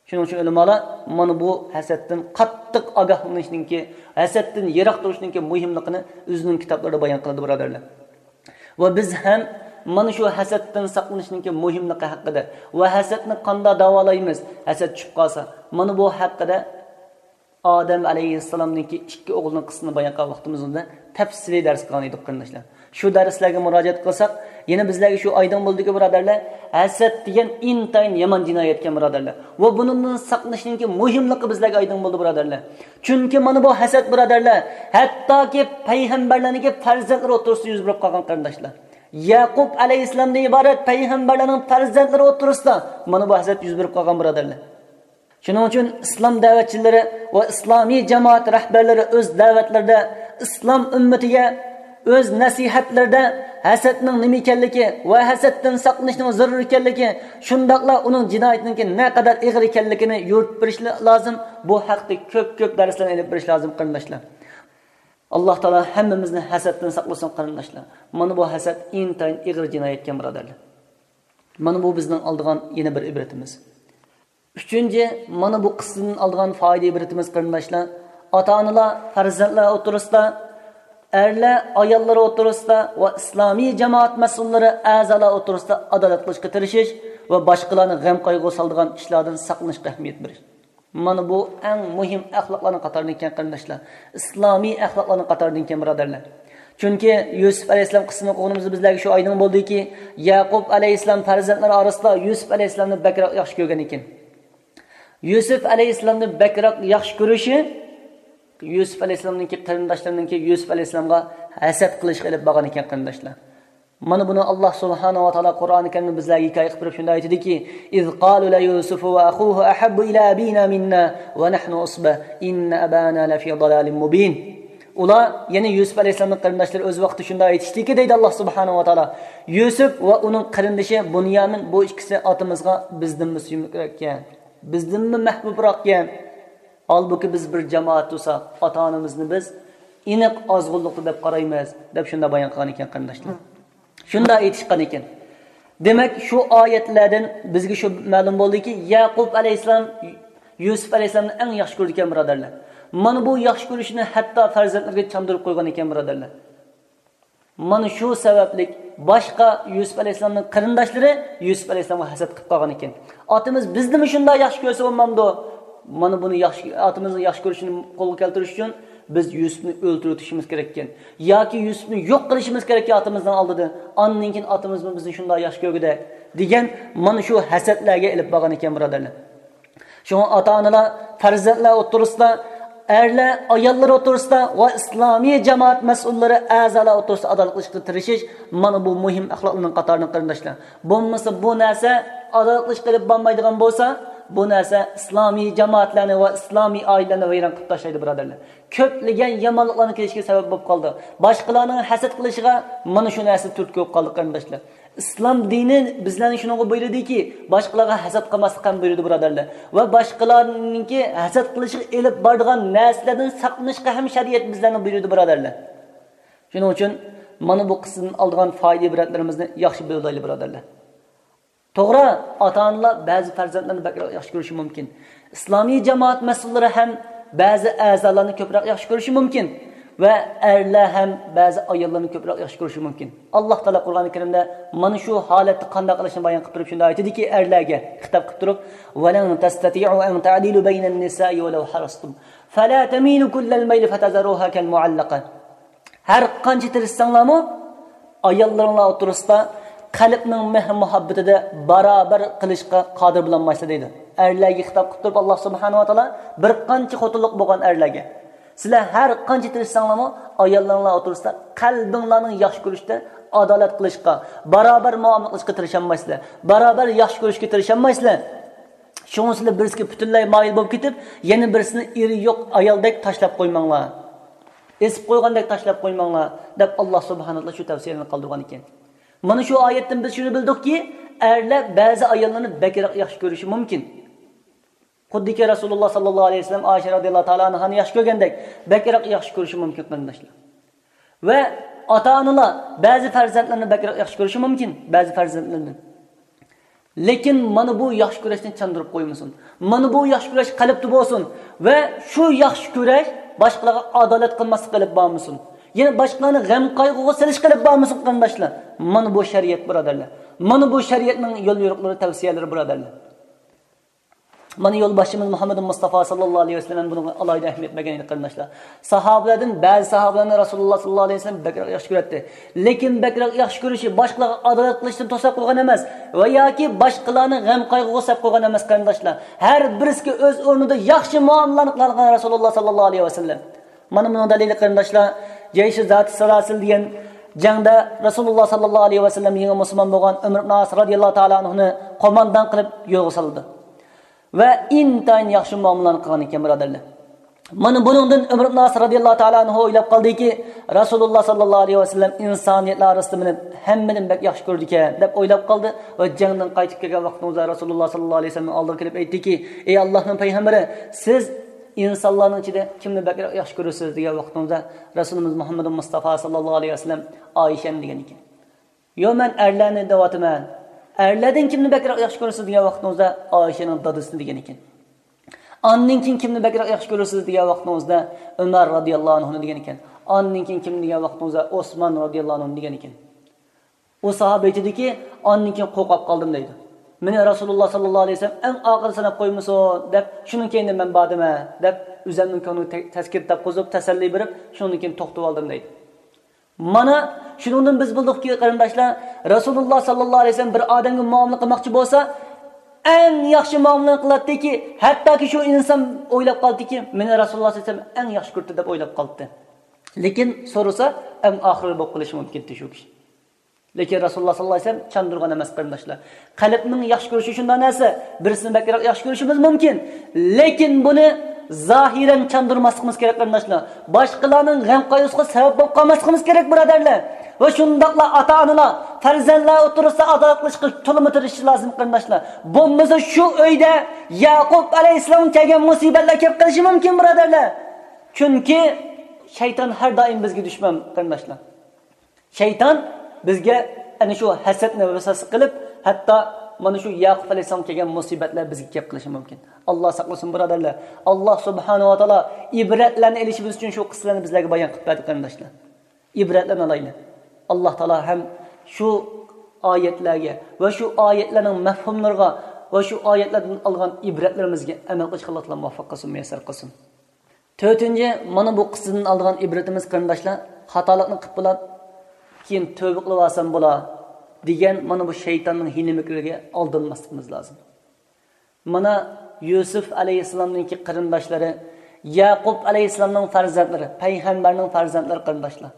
شۇنىڭ ئۈچۈن ئۆلىمالار مانا بۇ ھەسەتتىن قاتتىق ئاگاھلىنىشنىڭكى، ھەسەتتىن يىراق تۇرۇشنىڭكى مۇھىملىقىنى ئۆزىنىڭ كىتابلىرىدا بايان قىلىدۇ، بۇرادەرلەر. ۋە بىز ھەم مانا شۇ ھەسەتتىن ساقلىنىشنىڭكى مۇھىملىقى ھەققىدە ۋە ھەسەتنى قانداق داۋالايمىز، ھەسەت چۈشۈپ قالسا، مانا بۇ ھەققىدە ئادەم ئەلەيھىسسالامنىڭكى ئىككى ئوغلىنىڭ قىسسىسىنى بايان قىلغان ۋاقتىمىزدا تەپسىلىي دەرس قىلغان ئىدۇق، قېرىنداشلار. شۇ دەرسلەرگە مۇراجىئەت قىلساق، يەنە بىزلەرگە شۇ ئايدىڭ بولدىكى، بۇرادەرلەر، ھەسەت دېگەن ئىنتايىن يامان جىنايەتكەن، بۇرادەرلەر. ۋە بۇنىڭدىن ساقلىنىشنىڭكى مۇھىملىقى بىزلەرگە ئايدىڭ بولدى، بۇرادەرلەر. چۈنكى مانا بۇ ھەسەت، بۇرادەرلەر، ھەتتاكى پەيغەمبەرلەرنىڭكى پەرزەنتلىرى ئوتتۇرىسىدا يۈز بېرىپ قالغان، قېرىنداشلار. يەقۇب ئەلەيھىسسالامدىن ئىبارەت پەيغەمبەرلەرنىڭ پەرزەنتلىرى ئوتتۇرىسىدا مانا بۇ ھەسەت يۈز بېرىپ قالغان، بۇرادەرلەر. شۇنىڭ ئۈچۈن ئىسلام دەۋەتچىلىرى ۋە ئىسلامىي جامائەت رەھبەرلىرى ئۆز دەۋەتلىرىدە، ئىسلام ئۈممىتىگە ئۆز نەسىھەتلىرىدە ھەسەتنىڭ نېمە ئىكەنلىكى ۋە ھەسەتتىن ساقلىنىشنىڭ زۆرۈر ئىكەنلىكى، شۇنداقلا ئۇنىڭ جىنايىتىنىڭكى نەقەدەر ئېغىر ئىكەنلىكىنى يورۇتۇپ بېرىش لازىم. بۇ ھەقتە كۆپ-كۆپ دەرسلەرنى ئېلىپ بېرىش لازىم، قېرىنداشلار. ئاللاھ تائالا ھەممىمىزنى ھەسەتتىن ساقلىسۇن، قېرىنداشلار. مانا بۇ ھەسەت ئىنتايىن ئېغىر جىنايەتكەن، بۇرادەرلەر. مانا بۇ بىزنىڭ ئالىدىغان يەنە بىر ئىبرىتىمىز. ئۈچىنچى، مانا بۇ قىسسىدىن ئالىدىغان پايدا ئىبرىتىمىز، قېرىنداشلار، ئاتا-ئانىلار پەرزەنتلەر ئوتتۇرىسىدا، ئەرلەر ئاياللىرى ئوتتۇرىسىدا ۋە ئىسلامىي جامائەت مەسئۇللىرى، ئەزالار ئوتتۇرىسىدا ئادالەت قىلىشقا تىرىشىش ۋە باشقىلارنى غەم-قايغۇغا سالىدىغان ئىشلاردىن ساقلىنىشقا ئەھمىيەت بېرىش. مانا بۇ ئەڭ مۇھىم ئەخلاقلارنىڭ قاتارىدىن ئىكەن، قېرىنداشلار. ئىسلامىي ئەخلاقلارنىڭ قاتارىدىن ئىكەن، بۇرادەرلەر. چۈنكى يۈسۈپ ئەلەيھىسسالام قىسسىسىنى ئوقۇغىنىمىزدا بىزلەرگە شۇ ئايدىڭ بولدىكى، يەقۇب ئەلەيھىسسالام پەرزەنتلىرى ئارىسىدا يۈسۈپ ئەلەيھىسسالامنى بەكرەك ياخشى كۆرگەن ئىكەن. يۈسۈپ ئەلەيھىسسالامنى بەكرەك ياخشى كۆرۈشى يۈسۈپ ئەلەيھىسسالامنىڭكى قېرىنداشلىرىنىڭكى يۈسۈپ ئەلەيھىسسالامغا ھەسەت قىلىشقا ئېلىپ بارغان ئىكەن، قېرىنداشلار. مانا بۇنى ئاللاھ سۇبھانەھۇ ۋە تائالا قۇرئانى كەرىمدە بىزلەرگە ھېكايە قىلىپ بېرىپ شۇنداق ئېيتىدىكى، إذ قالوا ليوسف وأخوه أحب إلى أبينا منا ونحن عصبة إن أبانا لفي ضلال مبين. ئۇلار، يەنى يۈسۈپ ئەلەيھىسسالامنىڭ قېرىنداشلىرى ئۆز ۋاقتىدا شۇنداق ئېيتىشتىكى، دەيدۇ ئاللاھ سۇبھانەھۇ ۋە تائالا، يۈسۈپ ۋە ئۇنىڭ قېرىندىشى بۇنيامىن، بۇ ئىككىسى ئاتىمىزغا بىزدىنمۇ سۆيۈملۈكرەككەن، بىزدىنمۇ مەھبۇبراقكەن. ھالبۇكى، بىز بىر جامائەت تۇرساق، ئاتا-ئانىمىزنى بىز ئېنىق ئازغۇنلۇقتا دەپ قارايمىز، دەپ شۇنداق بايان قىلغان ئىكەن، قېرىنداشلار. شۇنداق ئېيتىشقان ئىكەن. دېمەك، شۇ ئايەتلەردىن بىزگە شۇ مەلۇم بولدىكى، يەقۇب ئەلەيھىسسالام يۈسۈپ ئەلەيھىسسالامنى ئەڭ ياخشى كۆرىدىكەن، بۇرادەرلەر. مانا بۇ ياخشى كۆرۈشىنى ھەتتا پەرزەنتلىرىگە چاندۇرۇپ قويغان ئىكەن، بۇرادەرلەر. مانا شۇ سەۋەبلىك باشقا يۈسۈپ ئەلەيھىسسالامنىڭ قېرىنداشلىرى يۈسۈپ ئەلەيھىسسالامغا ھەسەت قىلىپ قالغان ئىكەن. ئاتىمىز بىزنىمۇ شۇنداق ياخشى كۆرسە بولمامدۇ؟ مانا بۇنى ياخشى، ئاتىمىزنىڭ ياخشى كۆرۈشىنى قولغا كەلتۈرۈش ئۈچۈن بىز يۈسۈپنى ئۆلتۈرۈۋېتىشىمىز كېرەككەن. ياكى يۈسۈپنى يوق قىلىشىمىز كېرەككەن ئاتىمىزنىڭ ئالدىدا. ئاندىن كېيىن ئاتىمىزمۇ بىزنى شۇنداق ياخشى كۆرگۈدەك، دېگەن مانا شۇ ھەسەتلەرگە ئېلىپ بارغان ئىكەن، بۇرادەرلەر. شۇڭا ئاتا-ئانىلار پەرزەنتلەر ئوتتۇرىسىدا، ئەرلەر ئاياللار ئوتتۇرىسىدا ۋە ئىسلامىي جامائەت مەسئۇللىرى، ئەزالار ئوتتۇرىسىدا ئادالەت قىلىشقا تىرىشىش، مانا بۇ مۇھىم ئەخلاقلارنىڭ قاتارىدىن، قېرىنداشلار. بولمىسا بۇ نەرسە ئادالەت قىلىشقا ئېلىپ بارمايدىغان بولسا، بۇ نەرسە ئىسلامىي جامائەتلەرنى ۋە ئىسلامىي ئائىلىلەرنى ۋەيران قىلىپ تاشلايدۇ، بۇرادەرلەر. كۆپلىگەن يامانلىقلارنىڭ كېلىشىگە سەۋەب بولۇپ قالىدۇ. باشقىلارنىڭ ھەسەت قىلىشىغا مانا شۇ نەرسە تۈرتكە بولۇپ قالدى، قېرىنداشلار. ئىسلام دىنى بىزلەرنى شۇنىڭغا بۇيرۇدىكى، باشقىلارغا ھەسەت قىلماسلىققا ھەم بۇيرۇدى، بۇرادەرلەر. ۋە باشقىلارنىڭكى ھەسەت قىلىشىغا ئېلىپ بارىدىغان نەرسىلەردىن ساقلىنىشقا ھەم شەرىئەت بىزلەرنى بۇيرۇدى، بۇرادەرلەر. شۇنىڭ ئۈچۈن مانا بۇ قىسسىدىن ئالىدىغان پايدا ئىبرەتلىرىمىزنى ياخشى بىلىۋالايلى، بۇرادەرلەر. توغرا، ئاتا-ئانىلار بەزى پەرزەنتلەرنى بەكرەك ياخشى كۆرۈشى مۇمكىن. ئىسلامىي جامائەت مەسئۇللىرى ھەم بەزى ئەزالارنى كۆپرەك ياخشى كۆرۈشى مۇمكىن ۋە ئەرلەر ھەم بەزى ئاياللارنى كۆپرەك ياخشى كۆرۈشى مۇمكىن. ئاللاھ تائالا قۇرئان كەرىمدە مانا شۇ ھالەتتە قانداق قىلىشنى بايان قىلىپ تۇرۇپ شۇنداق ئېيتىدىكى، ئەرلەرگە خىتاب قىلىپ تۇرۇپ، ولن تستطيعوا أن تعدلوا بين النساء ولو حرصتم فلا تميلوا كل الميل فتذروها كالمعلقة. ھەر قانچە تىرىشساڭلارمۇ، ئاياللىرىڭلار ئوتتۇرىسىدا قەلبنىڭ مېھىر-مۇھەببىتىدە باراۋەر قىلىشقا قادىر بولالمايسىلەر دەيدۇ. ئەرلەرگە خىتاب قىلىپ تۇرۇپ، ئاللاھ سۇبھانەھۇ ۋە تائالا بىر قانچە خوتۇنلۇق بولغان ئەرلەرگە، سىلەر ھەر قانچە تىرىشساڭلارمۇ، ئاياللىرىڭلار ئوتتۇرىسىدا قەلبىڭلارنىڭ ياخشى كۆرۈشتە ئادالەت قىلىشقا، باراۋەر مۇئامىلە قىلىشقا تىرىشالمايسىلەر. باراۋەر ياخشى كۆرۈشكە تىرىشالمايسىلەر. شۇڭا سىلەر بىرسىگە پۈتۈنلەي مايىل بولۇپ كېتىپ، يەنە بىرسىنى ئېرى يوق ئايالدەك تاشلاپ قويماڭلار. ئېسىپ قويغاندەك تاشلاپ قويماڭلار، دەپ ئاللاھ سۇبھانەھۇ ۋە تائالا شۇ تەۋسىيەنى قالدۇرغان ئىكەن. مانا شۇ ئايەتتىن بىز شۇنى بىلدۇقكى، ئەرلەر بەزى ئاياللارنى بەكرەك ياخشى كۆرۈشى مۇمكىن. خۇددىكى رەسۇلۇللاھ ساللاللاھۇ ئەلەيھى ۋەسەللەم ئائىشە رازىياللاھۇ تائالا ئەنھانى ياخشى كۆرگەندەك، بەكرەك ياخشى كۆرۈشى مۇمكىن، قېرىنداشلار. ۋە ئاتا-ئانىلار بەزى پەرزەنتلىرىنى بەكرەك ياخشى كۆرۈشى مۇمكىن، بەزى پەرزەنتلىرىدىن. لېكىن مانا بۇ ياخشى كۆرۈشنى چاندۇرۇپ قويمىسۇن. مانا بۇ ياخشى كۆرۈش قەلبتە بولسۇن. ۋە شۇ ياخشى كۆرۈش باشقىلارغا ئادالەت قىلماسلىققا ئېلىپ بارمىسۇن. يەنى باشقىلارنى غەم-قايغۇغا سېلىشقا ئېلىپ بارمىسۇن، قېرىنداشلار. مانا بۇ شەرىئەت، بۇرادەرلەر. مانا بۇ شەرىئەتنىڭ يول-يورۇقلىرى، تەۋسىيەلىرى، بۇرادەرلەر. مانا يولباشچىمىز مۇھەممەد مۇستافا ساللاللاھۇ ئەلەيھى ۋەسەللەم بۇنىڭغا ئالاھىدە ئەھمىيەت بەرگەن ئىدى، قېرىنداشلار. ساھابىلەردىن بەزى ساھابىلەرنى رەسۇلۇللاھ ساللاللاھۇ ئەلەيھى ۋەسەللەم بەكرەك ياخشى كۆرەتتى. لېكىن بەكرەك ياخشى كۆرۈشى باشقىلارغا ئادالەت قىلىشتىن توساپ قويغان ئەمەس ۋە ياكى باشقىلارنى غەم-قايغۇغا سەپ قويغان ئەمەس، قېرىنداشلار. ھەر بىرسىگە ئۆز ئورنىدا ياخشى مۇئامىلىلەرنى قىلغان رەسۇلۇللاھ ساللاللاھۇ ئەلەيھى ۋەسەللەم. مانا بۇنىڭ دەلىلى، قېرىنداشلار، جەيشى زاتى سالاسىل دېگەن جەڭدە رەسۇلۇللاھ ساللاللاھۇ ئەلەيھى ۋەسەللەم يېڭى مۇسۇلمان بولغان ئۆمەر ئىبن ئاس رازىياللاھۇ تائالا ئەنھۇنى قوماندان قىلىپ يولغا سالىدۇ. ۋە ئىنتايىن ياخشى مۇئامىلىلەرنى قىلغان ئىكەن، بۇرادەرلەر. مانا بۇنىڭدىن ئۆمەر ئىبن ئاس رازىياللاھۇ تائالا ئەنھۇ ئويلاپ قالدىكى، رەسۇلۇللاھ ساللاللاھۇ ئەلەيھى ۋەسەللەم ئىنسانىيەتلەر ئارىسىدا مېنى ھەممىدىن بەك ياخشى كۆرىدىكەن، دەپ ئويلاپ قالدى ۋە جەڭدىن قايتىپ كەلگەن ۋاقتىڭىزدا رەسۇلۇللاھ ساللاللاھۇ ئەلەيھى ۋەسەللەمنىڭ ئالدىغا كېلىپ ئېيتتىكى، ئەي ئاللاھنىڭ پەيغەمبىرى، سىز ئىنسانلارنىڭ ئىچىدە كىمنى بەكرەك ياخشى كۆرىسىز؟ دېگەن ۋاقتىڭىزدا رەسۇلىمىز مۇھەممەد مۇستافا ساللاللاھۇ ئەلەيھى ۋەسەللەم ئائىشەنى دېگەن ئىكەن. يوق، مەن ئەرلەرنى دەۋاتىمەن. ئەرلەردىن كىمنى بەكرەك ياخشى كۆرىسىز؟ دېگەن ۋاقتىڭىزدا ئائىشەنىڭ دادىسىنى دېگەن ئىكەن. ئاندىن كېيىن كىمنى بەكرەك ياخشى كۆرىسىز؟ دېگەن ۋاقتىڭىزدا ئۆمەر رازىياللاھۇ ئەنھۇنى دېگەن ئىكەن. ئاندىن كېيىن كىمنى دېگەن ۋاقتىڭىزدا ئوسمان رازىياللاھۇ ئەنھۇنى دېگەن ئىكەن. ئۇ ساھابە ئېيتىدۇكى، ئاندىن كېيىن قورقۇپ قالدىم دەيدۇ. مېنى رەسۇلۇللاھ ساللاللاھۇ ئەلەيھى ۋەسەللەم ئەڭ ئاخىرى ساناپ قويمىسۇن دەپ، شۇنىڭ كەينىدىن مەن باردىمەن دەپ، ئۆزۈمنىڭ كۆڭلىگە تە-، تەسكىن تاپقۇزۇپ، تەسەللى بېرىپ، شۇنىڭدىن كېيىن توختىۋالدىم دەيدۇ. مانا شۇنىڭدىن بىز بىلدۇقكى، قېرىنداشلار، رەسۇلۇللاھ ساللاللاھۇ ئەلەيھى ۋەسەللەم بىر ئادەمگە مۇئامىلە قىلماقچى بولسا، ئەڭ ياخشى مۇئامىلىنى قىلاتتىكى، ھەتتاكى شۇ ئىنسان ئويلاپ قالدىكى، مېنى رەسۇلۇللاھ ساللاللاھۇ ئەلەيھى ۋەسەللەم ئەڭ ياخشى كۆرىدۇ دەپ ئويلاپ قالدى. لېكىن سورىسا، ئەڭ ئاخىرى بولۇپ قېلىشى مۇمكىن ئىدى شۇ كىشى. لېكىن رەسۇلۇللاھ ساللاللاھۇ ئەلەيھى ۋەسەللەم چاندۇرغان ئەمەس، قېرىنداشلار. قەلبنىڭ ياخشى كۆرۈشى شۇنداق نەرسە، بىرسىنى بەكرەك ياخشى كۆرۈشىمىز مۇمكىن، لېكىن بۇنى زاھىرەن چاندۇرماسلىقىمىز كېرەك، قېرىنداشلار. باشقىلارنىڭ غەم-قايغۇسىغا سەۋەب بولۇپ قالماسلىقىمىز كېرەك، بۇرادەرلەر. ۋە شۇنداقلا ئاتا-ئانىلار پەرزەنتلەر ئوتتۇرىسىدا ئادالەت قىلىشقا تولىمۇ تىرىشىشى لازىم، قېرىنداشلار. بولمىسا شۇ ئۆيدە يەقۇب ئەلەيھىسسالامغا كەلگەن مۇسىبەتلەر كېلىپ قېلىشى مۇمكىن، بۇرادەرلەر. چۈنكى شەيتان ھەر دائىم بىزگە دۈشمەن، قېرىنداشلار. شەيتان بىزگە ئەنە شۇ ھەسەتنى ۋەسۋەسە قىلىپ، ھەتتا مانا شۇ يەقۇب ئەلەيھىسسالامغا كەلگەن مۇسىبەتلەر بىزگە كەپ قېلىشى مۇمكىن. ئاللا ساقلىسۇن، بۇرادەرلەر. ئاللا سۇبھانەھۇ ۋە تائالا ئىبرەتلەرنى ئېلىشىمىز ئۈچۈن شۇ قىسسىلەرنى بىزلەرگە بايان قىلىپ بەردى، قېرىنداشلار. ئىبرەتلەرنى ئالايلى. ئاللا تائالا ھەم شۇ ئايەتلەرگە ۋە شۇ ئايەتلەرنىڭ مەفھۇملىرىغا ۋە شۇ ئايەتلەردىن ئالغان ئىبرەتلىرىمىزگە ئەمەل قىلىشقا ئاللا تائالا مۇۋەپپەق قىلسۇن، مۇيەسسەر قىلسۇن. تۆتىنچى، مانا بۇ قىسسىدىن ئالىدىغان ئىبرىتىمىز، قېرىنداشلار، خاتالىقنى قىلىپ بولۇپ، كېيىن تۆبە قىلىۋالسام بولا دېگەن مانا بۇ شەيتاننىڭ ھىيلە-مىكرىگە ئالدانماسلىقىمىز لازىم. مانا يۈسۈپ ئەلەيھىسسالامنىڭكى قېرىنداشلىرى، يەقۇب ئەلەيھىسسالامنىڭ پەرزەنتلىرى، پەيغەمبەرنىڭ پەرزەنتلىرى، قېرىنداشلار،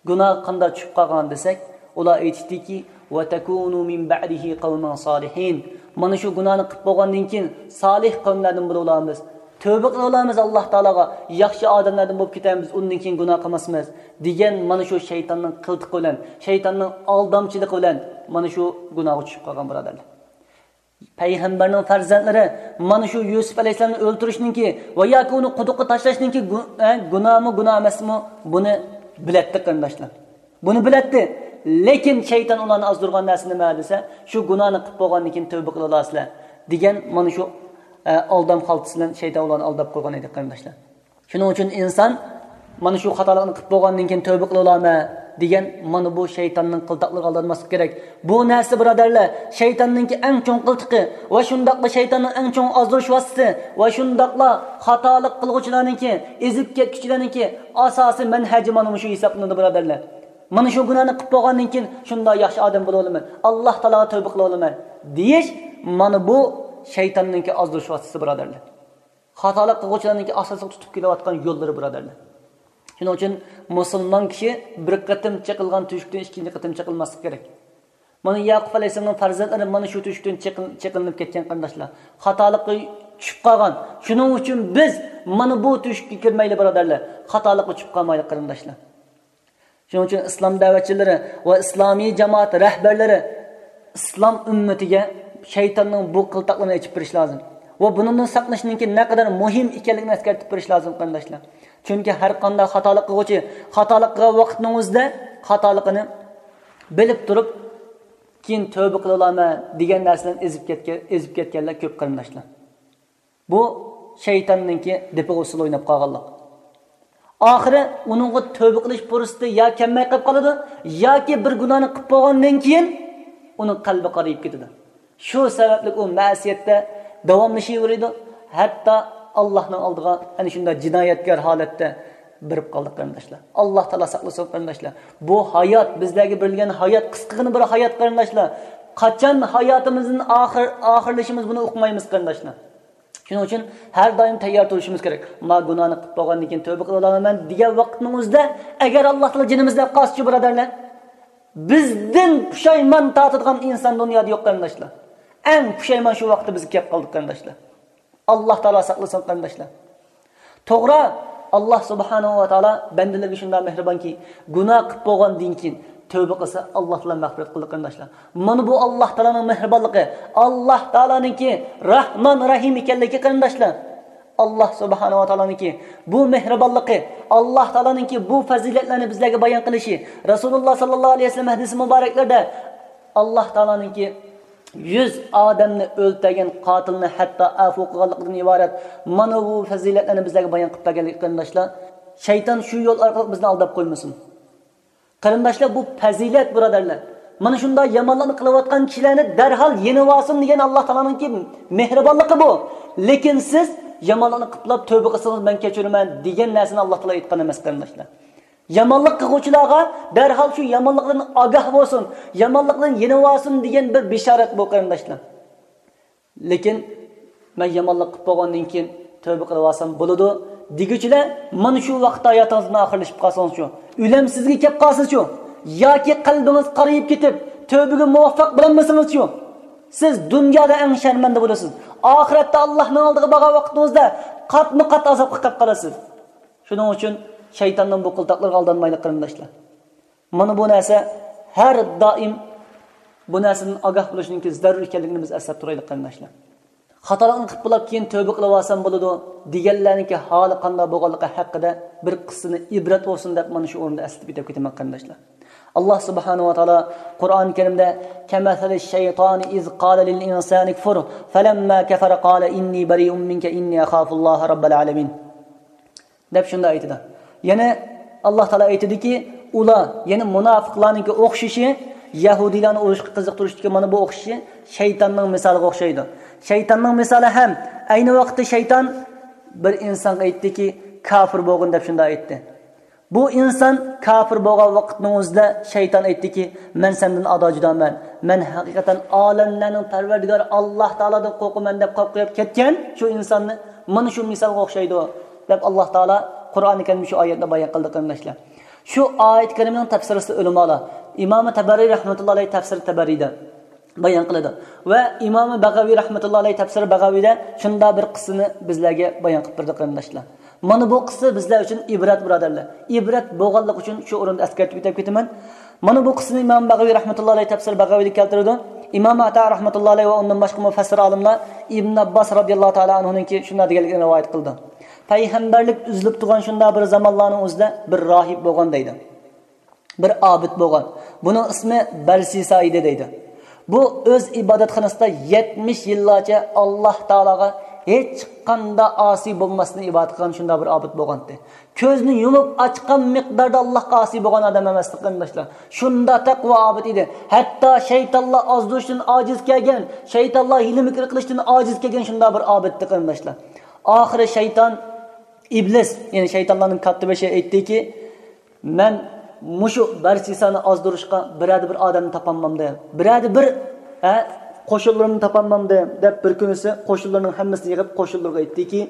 گۇناھقا قانداق چۈشۈپ قالغان دېسەك، ئۇلار ئېيتىشتىكى، «وتكونوا من بعده قوما صالحين»، مانا شۇ گۇناھنى قىلىپ بولغاندىن كېيىن سالىھ قەۋملەردىن بولۇۋالامىز، تۆبە قىلىۋالامىز ئاللا تائالاغا، ياخشى ئادەملەردىن بولۇپ كېتەمىز، ئۇندىن كېيىن گۇناھ قىلماسمىز، دېگەن مانا شۇ شەيتاننىڭ قىلتىقى بىلەن، شەيتاننىڭ ئالدامچىلىقى بىلەن مانا شۇ گۇناھقا چۈشۈپ قالغان، بۇرادەرلەر. پەيغەمبەرنىڭ پەرزەنتلىرى مانا شۇ يۈسۈپ ئەلەيھىسسالامنى ئۆلتۈرۈشنىڭكى ۋە ياكى ئۇنى قۇدۇققا تاشلاشنىڭكى گۇ-، ئە، گۇناھمۇ گۇناھ ئەمەسمۇ، بۇنى بىلەتتى، قېرىنداشلار. بۇنى بىلەتتى. لېكىن شەيتان ئۇلارنى ئازدۇرغان نەرسە نېمە دېسە، شۇ گۇناھنى قىلىپ بولغاندىن كېيىن تۆبە قىلىۋالارسىلەر دېگەن مانا شۇ، ئە، ئالدام خالتىسى بىلەن شەيتان ئۇلارنى ئالداپ قويغان ئىدى، قېرىنداشلار. شۇنىڭ ئۈچۈن ئىنسان مانا شۇ خاتالىقنى قىلىپ بولغاندىن كېيىن تۆبە قىلىۋالامەن دېگەن مانا بۇ شەيتاننىڭ قىلتاقلىرىغا ئالدانماسلىق كېرەك. بۇ نەرسە، بۇرادەرلەر، شەيتاننىڭكى ئەڭ چوڭ قىلتىقى ۋە شۇنداقلا شەيتاننىڭ ئەڭ چوڭ ئازدۇرۇش ۋاسىتىسى ۋە شۇنداقلا خاتالىق قىلغۇچىلارنىڭكى، ئېزىپ كەتكۈچىلەرنىڭكى ئاساسىي مەنھەجى مانا مۇشۇ ھېسابلىنىدۇ، بۇرادەرلەر. مانا شۇ گۇناھنى قىلىپ بولغاندىن كېيىن شۇنداق ياخشى ئادەم بولۇۋالىمەن، ئاللا تائالاغا تۆبە قىلىۋالىمەن دېيىش، مانا بۇ شەيتاننىڭكى ئازدۇرۇش ۋاسىتىسى، بۇرادەرلەر. خاتالىق قىلغۇچىلارنىڭكى ئاساسلىق تۇتۇپ كېلىۋاتقان يوللىرى، بۇرادەرلەر. شۇنىڭ ئۈچۈن مۇسۇلمان كىشى بىر قېتىم چېقىلغان تۆشۈكتىن ئىككىنچى قېتىم چېقىلماسلىقى كېرەك. مانا يەقۇب ئەلەيھىسسالامنىڭ پەرزەنتلىرى مانا شۇ تۆشۈكتىن چېقىل-، چېقىلىپ كەتكەن، قېرىنداشلار. خاتالىققا چۈشۈپ قالغان. شۇنىڭ ئۈچۈن بىز مانا بۇ تۆشۈككە كىرمەيلى، بۇرادەرلەر. خاتالىققا چۈشۈپ قالمايلى، قېرىنداشلار. شۇنىڭ ئۈچۈن ئىسلام دەۋەتچىلىرى ۋە ئىسلامىي جامائەت رەھبەرلىرى ئىسلام ئۈممىتىگە شەيتاننىڭ بۇ قىلتاقلىرىنى ئېچىپ بېرىش لازىم ۋە بۇنىڭدىن ساقلىنىشنىڭكى نەقەدەر مۇھىم ئىكەنلىكىنى ئەسكەرتىپ بېرىش لازىم، قېرىنداشلار. چۈنكى ھەر قانداق خاتالىق قىلغۇچى خاتالىق قىلغان ۋاقىتنىڭ ئۆزىدە خاتالىقىنى بىلىپ تۇرۇپ، كېيىن تۆبە قىلىۋالىمەن دېگەن نەرسىدىن ئېزىپ كەتكەن، ئېزىپ كەتكەنلەر كۆپ، قېرىنداشلار. بۇ شەيتاننىڭكى دېپىغا ئۇسسۇل ئويناپ قالغانلىق. ئاخىرى ئۇنىڭغا تۆبە قىلىش پۇرسىتى يا كەلمەي قېلىپ قالىدۇ، ياكى بىر گۇناھنى قىلىپ بولغاندىن كېيىن ئۇنىڭ قەلبى قارىيىپ كېتىدۇ. شۇ سەۋەبلىك ئۇ مەسىيەتتە داۋاملىشىۋېرىدۇ. ھەتتا ئاللاھنىڭ ئالدىغا ئەنە شۇنداق جىنايەتكار ھالەتتە بېرىپ قالدى، قېرىنداشلار. ئاللاھ تائالا ساقلىسۇن، قېرىنداشلار. بۇ ھايات، بىزلەرگە بېرىلگەن ھايات، قىسقىغىنە بىر ھايات، قېرىنداشلار. قاچان ھاياتىمىزدىن ئاخىر، ئاخىرلىشىمىز، بۇنى ئۇقمايمىز، قېرىنداشلار. شۇنىڭ ئۈچۈن ھەر دائىم تەييار تۇرۇشىمىز كېرەك. ما گۇناھنى قىلىپ بولغاندىن كېيىن تۆبە قىلىۋالىمەن دېگەن ۋاقىتنىڭ ئۆزىدە، ئەگەر ئاللاھ تائالا جېنىمىزنى ئەپ قالسىچۇ، بۇرادەرلەر، بىزدىن پۇشايمان تارتىدىغان ئىنسان دۇنيادا يوق، قېرىنداشلار. ئەڭ پۇشايمان شۇ ۋاقىتتا بىزگە كەپ قالدى، قېرىنداشلار. ئاللاھ تائالا ساقلىسۇن، قېرىنداشلار. توغرا، ئاللاھ سۇبھانەھۇ ۋە تائالا بەندىلىرىگە شۇنداق مېھرىبانكى، گۇناھ قىلىپ بولغاندىن كېيىن تۆبە قىلسا، ئاللاھ تائالا مەغپىرەت قىلىدۇ، قېرىنداشلار. مانا بۇ ئاللاھ تائالانىڭ مېھرىبانلىقى، ئاللاھ تائالانىڭكى راھمان راھىم ئىكەنلىكى، قېرىنداشلار. ئاللاھ سۇبھانەھۇ ۋە تائالانىڭكى بۇ مېھرىبانلىقى، ئاللاھ تائالانىڭكى بۇ پەزىلەتلەرنى بىزلەرگە بايان قىلىشى، رەسۇلۇللاھ ساللاللاھۇ ئەلەيھى ۋەسەللەم ھەدىسى مۇبارەكلىرىدە ئاللاھ تائالانىڭكى يۈز ئادەمنى ئۆلتۈرگەن قاتىلنى ھەتتا ئەپۇ قىلغانلىقىدىن ئىبارەت مانا بۇ پەزىلەتلەرنى بىزلەرگە بايان قىلىپ بەرگەنلىكى، قېرىنداشلار، شەيتان شۇ يول ئارقىلىق بىزنى ئالداپ قويمىسۇن. قېرىنداشلار، بۇ پەزىلەت، بۇرادەرلەر. مانا شۇنداق يامانلىقنى قىلىۋاتقان كىشىلەرنى دەرھال يېنىۋالسۇن دېگەن ئاللاھ تائالانىڭكى مېھرىبانلىقى بۇ. لېكىن سىز يامانلىقنى قىلىپلا تۆبە قىلسىڭىز مەن كەچۈرىمەن دېگەن نەرسىنى ئاللاھ تائالا ئېيتقان ئەمەس، قېرىنداشلار. يامانلىق قىلغۇچىلارغا دەرھال شۇ يامانلىقتىن ئاگاھ بولسۇن، يامانلىقتىن يېنىۋالسۇن دېگەن بىر بېشارەت بۇ، قېرىنداشلار. لېكىن مەن يامانلىق قىلىپ بولغاندىن كېيىن تۆبە قىلىۋالسام بولىدۇ دېگۈچىلەر، مانا شۇ ۋاقىتتا ھاياتىڭىزدىن ئاخىرلىشىپ قالسىڭىزچۇ؟ ئۆلۈمسىزگە كەپ قالسىچۇ؟ ياكى قەلبىڭىز قارىيىپ كېتىپ، تۆبىگە مۇۋەپپەق بولالمىسىڭىزچۇ؟ سىز دۇنيادا ئەڭ شەرمەندە بولىسىز. ئاخىرەتتە ئاللاھنىڭ ئالدىغا بارغان ۋاقتىڭىزدا قاتمۇ قات ئازابقا قېلىپ قالىسىز. شۇنىڭ ئۈچۈن شەيتاننىڭ بۇ قىلتاقلىرىغا ئالدانمايلى، قېرىنداشلار. مانا بۇ نەرسە ھەر دائىم بۇ نەرسىدىن ئاگاھ بولۇشنىڭكى زەرۇر ئىكەنلىكىنى بىز ئەسلەپ تۇرايلى، قېرىنداشلار. خاتالىقنى قىلىپ بولاپ كېيىن تۆبە قىلىۋالسام بولىدۇ دېگەنلەرنىڭكى ھالى قانداق بولغانلىقى ھەققىدە بىر قىسسىنى ئىبرەت بولسۇن دەپ مانا شۇ ئورۇندا ئەسلىتىپ ئۆتۈپ كېتىمەن، قېرىنداشلار. ئاللاھ سۇبھانەھۇ ۋە تائالا قۇرئان كەرىمدە، كەمەسەلىش شەيتانى ئىز قالە لىل ئىنسانى كفۇر فەلەمما كەفەرە قالە ئىننى بەرىئۇم مىنكە ئىننى ئەخافۇللاھە رەببەل ئالەمىن، دەپ شۇنداق ئېيتىدۇ. يەنە ئاللاھ تائالا ئېيتىدۇكى، ئۇلار، يەنى مۇناپىقلارنىڭكى ئوخشىشى، يەھۇدىيلارنى ئۇرۇشقا قىزىقتۇرۇشتىكى مانا بۇ ئوخشىشى شەيتاننىڭ مىسالىغا ئوخشايدۇ. شەيتاننىڭ مىسالى ھەم ئەينى ۋاقىتتا شەيتان بىر ئىنسانغا ئېيتتىكى، كاپىر بولغىن دەپ شۇنداق ئېيتتى. بۇ ئىنسان كاپىر بولغان ۋاقىتنىڭ ئۆزىدە شەيتان ئېيتتىكى، مەن سەندىن ئادا جۇدامەن، مەن ھەقىقەتەن ئالەملەرنىڭ پەرۋەردىگارى ئاللاھ تائالادىن قورقىمەن دەپ قورقۇپ كەتكەن شۇ ئىنساننى مانا شۇ مىسالغا ئوخشايدۇ دەپ ئاللاھ تائالا قۇرئانى كەرىمدە شۇ ئايەتنى بايان قىلدى قېرىنداشلار. شۇ ئايەت كەرىمنىڭ تەپسىرىسى ئۆلىمالار، ئىمامى تەبەرى رەھمەتۇللاھى ئەلەيھى تەپسىرى تەبەرىدە بايان قىلىدۇ. ۋە ئىمامى بەغەۋى رەھمەتۇللاھى ئەلەيھى تەپسىرى بەغەۋىدە شۇنداق بىر قىسسىنى بىزلەرگە بايان قىلىپ بېرىدۇ قېرىنداشلار. مانا بۇ قىسسا بىزلەر ئۈچۈن ئىبرەت بۇرادەرلەر. ئىبرەت بولغانلىقى ئۈچۈن شۇ ئورۇندا ئەسكەرتىپ ئۆتۈپ كېتىمەن. مانا بۇ قىسسىنى ئىمام بەغەۋى رەھمەتۇللاھى ئەلەيھى تەپسىر بەغەۋىدە كەلتۈرىدۇ. ئىمام ئاتا رەھمەتۇللاھى ئەلەيھى ۋە ئۇندىن باشقا مۇفەسسىر ئالىملار ئىبن ئابباس رەزىياللاھۇ تائالا ئەنھۇنىڭكى شۇنداق دېگەنلىكىنى رىۋايەت قىلىدۇ. پەيغەمبەرلىك ئۈزۈلۈپ تۇرغان شۇنداق بىر زامانلارنىڭ ئۆزىدە بىر راھىب بولغان دەيدۇ. بىر ئابىد بولغان. بۇنىڭ ئىسمى بەرسىسا ئىدى دەيدۇ. بۇ ئۆز ئىبادەتخانىسىدا يەتمىش يىللارچە ئاللاھ تائالاغا ھېچقانداق ئاسىي بولماستىن ئىبادەت قىلغان شۇنداق بىر ئابىد بولغانتى. كۆزنى يۇمۇپ ئاچقان مىقداردا ئاللاھقا ئاسىي بولغان ئادەم ئەمەستى قېرىنداشلار. شۇنداق تەقۋا ئابىد ئىدى. ھەتتا شەيتانلار ئازدۇرۇشتىن ئاجىز كەلگەن، شەيتانلار ھىيلە-مىكىر قىلىشتىن ئاجىز كەلگەن شۇنداق بىر ئابىدتى قېرىنداشلار. ئاخىرى شەيتان ئىبلىس، يەنى شەيتانلارنىڭ كاتتىبېشى ئېيتتىكى، مەن مۇشۇ بەرسىسانى ئازدۇرۇشقا بىرەردە بىر ئادەمنى تاپالمامدىم. بىرەردە بىر، ھە، قوشۇنلىرىمنى تاپالمامدىم، دەپ بىر كۈنىسى قوشۇنلىرىنىڭ ھەممىسىنى يىغىپ قوشۇنلىرىغا ئېيتتىكى،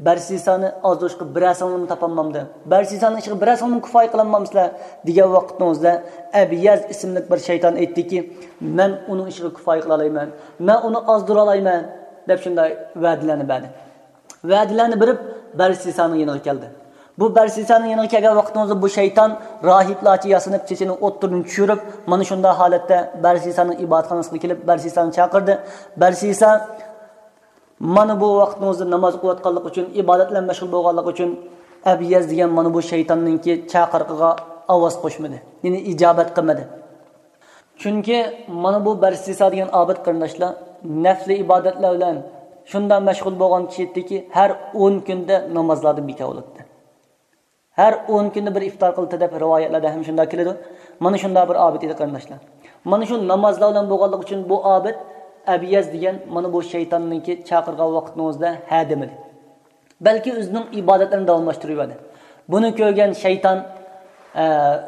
بەرسىسانى ئازدۇرۇشقا بىرەرسىڭلارمۇ تاپالمامدىم. بەرسىسانىڭ ئىشىغا بىرەرسىڭلارمۇ كۇپايە قىلالمامسىلەر دېگەن ۋاقىتنىڭ ئۆزىدە ئەبيەز ئىسىملىك بىر شەيتان ئېيتتىكى، مەن ئۇنىڭ ئىشىغا كۇپايە قىلالايمەن، مەن ئۇنى ئازدۇرالايمەن، دەپ شۇنداق ۋەدىلەرنى بەردى. ۋەدىلەرنى بېرىپ، بەرسىسانىڭ يېنىغا كەلدى. بۇ بەرسىسانىڭ يېنىغا كەلگەن ۋاقتىڭىزدا بۇ شەيتان راھىبلارچە ياسىنىپ، چېچىنى ئوتتۇرىدىن چۈشۈرۈپ، مانا شۇنداق ھالەتتە بەرسىسانىڭ ئىبادەتخانىسىغا كېلىپ، بەرسىسانى چاقىردى. بەرسىسا مانا بۇ ۋاقتىڭىزدا ناماز ئوقۇۋاتقانلىقى ئۈچۈن، ئىبادەت بىلەن مەشغۇل بولغانلىقى ئۈچۈن، ئەبيەز دېگەن مانا بۇ شەيتاننىڭكى چاقىرىقىغا ئاۋاز قوشمىدى، يەنى ئىجابەت قىلمىدى. چۈنكى مانا بۇ بەرسىسا دېگەن ئابىد قېرىنداشلار نەپلى ئىبادەتلەر بىلەن شۇنداق مەشغۇل بولغان كىشى ئىدىكى، ھەر ئون كۈندە نامازلاردىن بىكار بولاتتى. ھەر ئون كۈندە بىر ئىپتار قىلاتتى دەپ رىۋايەتلەردە ھەم شۇنداق كېلىدۇ. مانا شۇنداق بىر ئابىد ئىدى قېرىنداشلار. مانا شۇ نامازلار بىلەن بولغانلىقى ئۈچۈن بۇ ئابىد ئەبيەز دېگەن مانا بۇ شەيتاننىڭكى چاقىرغان ۋاقتىنىڭ ئۆزىدە ھە دېمىدى. بەلكى ئۆزىنىڭ ئىبادەتلىرىنى داۋاملاشتۇرۇۋەردى. بۇنى كۆرگەن شەيتان، ئە،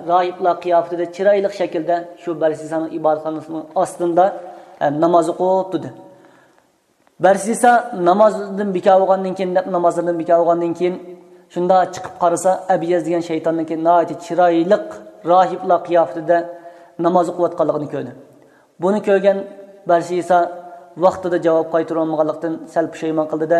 راھىبلار قىياپىتىدە چىرايلىق شەكىلدە شۇ بەرسىسانىڭ ئىبادەتخانىسىنىڭ ئاستىدا، ئە، ناماز ئوقۇپ تۇردى. بەرسىسا نامازدىن بىكار بولغاندىن كېيىن، نەپ نامازلىرىدىن بىكار بولغاندىن كېيىن، شۇنداق چىقىپ قارىسا، ئەبيەز دېگەن شەيتاننىڭكى ناھايىتى چىرايلىق راھىبلار قىياپىتىدە ناماز ئوقۇۋاتقانلىقىنى كۆردى. بۇنى كۆرگەن بەرسىسا ۋاقتىدا جاۋاب قايتۇرالمىغانلىقتىن سەل پۇشايمان قىلدى-دە،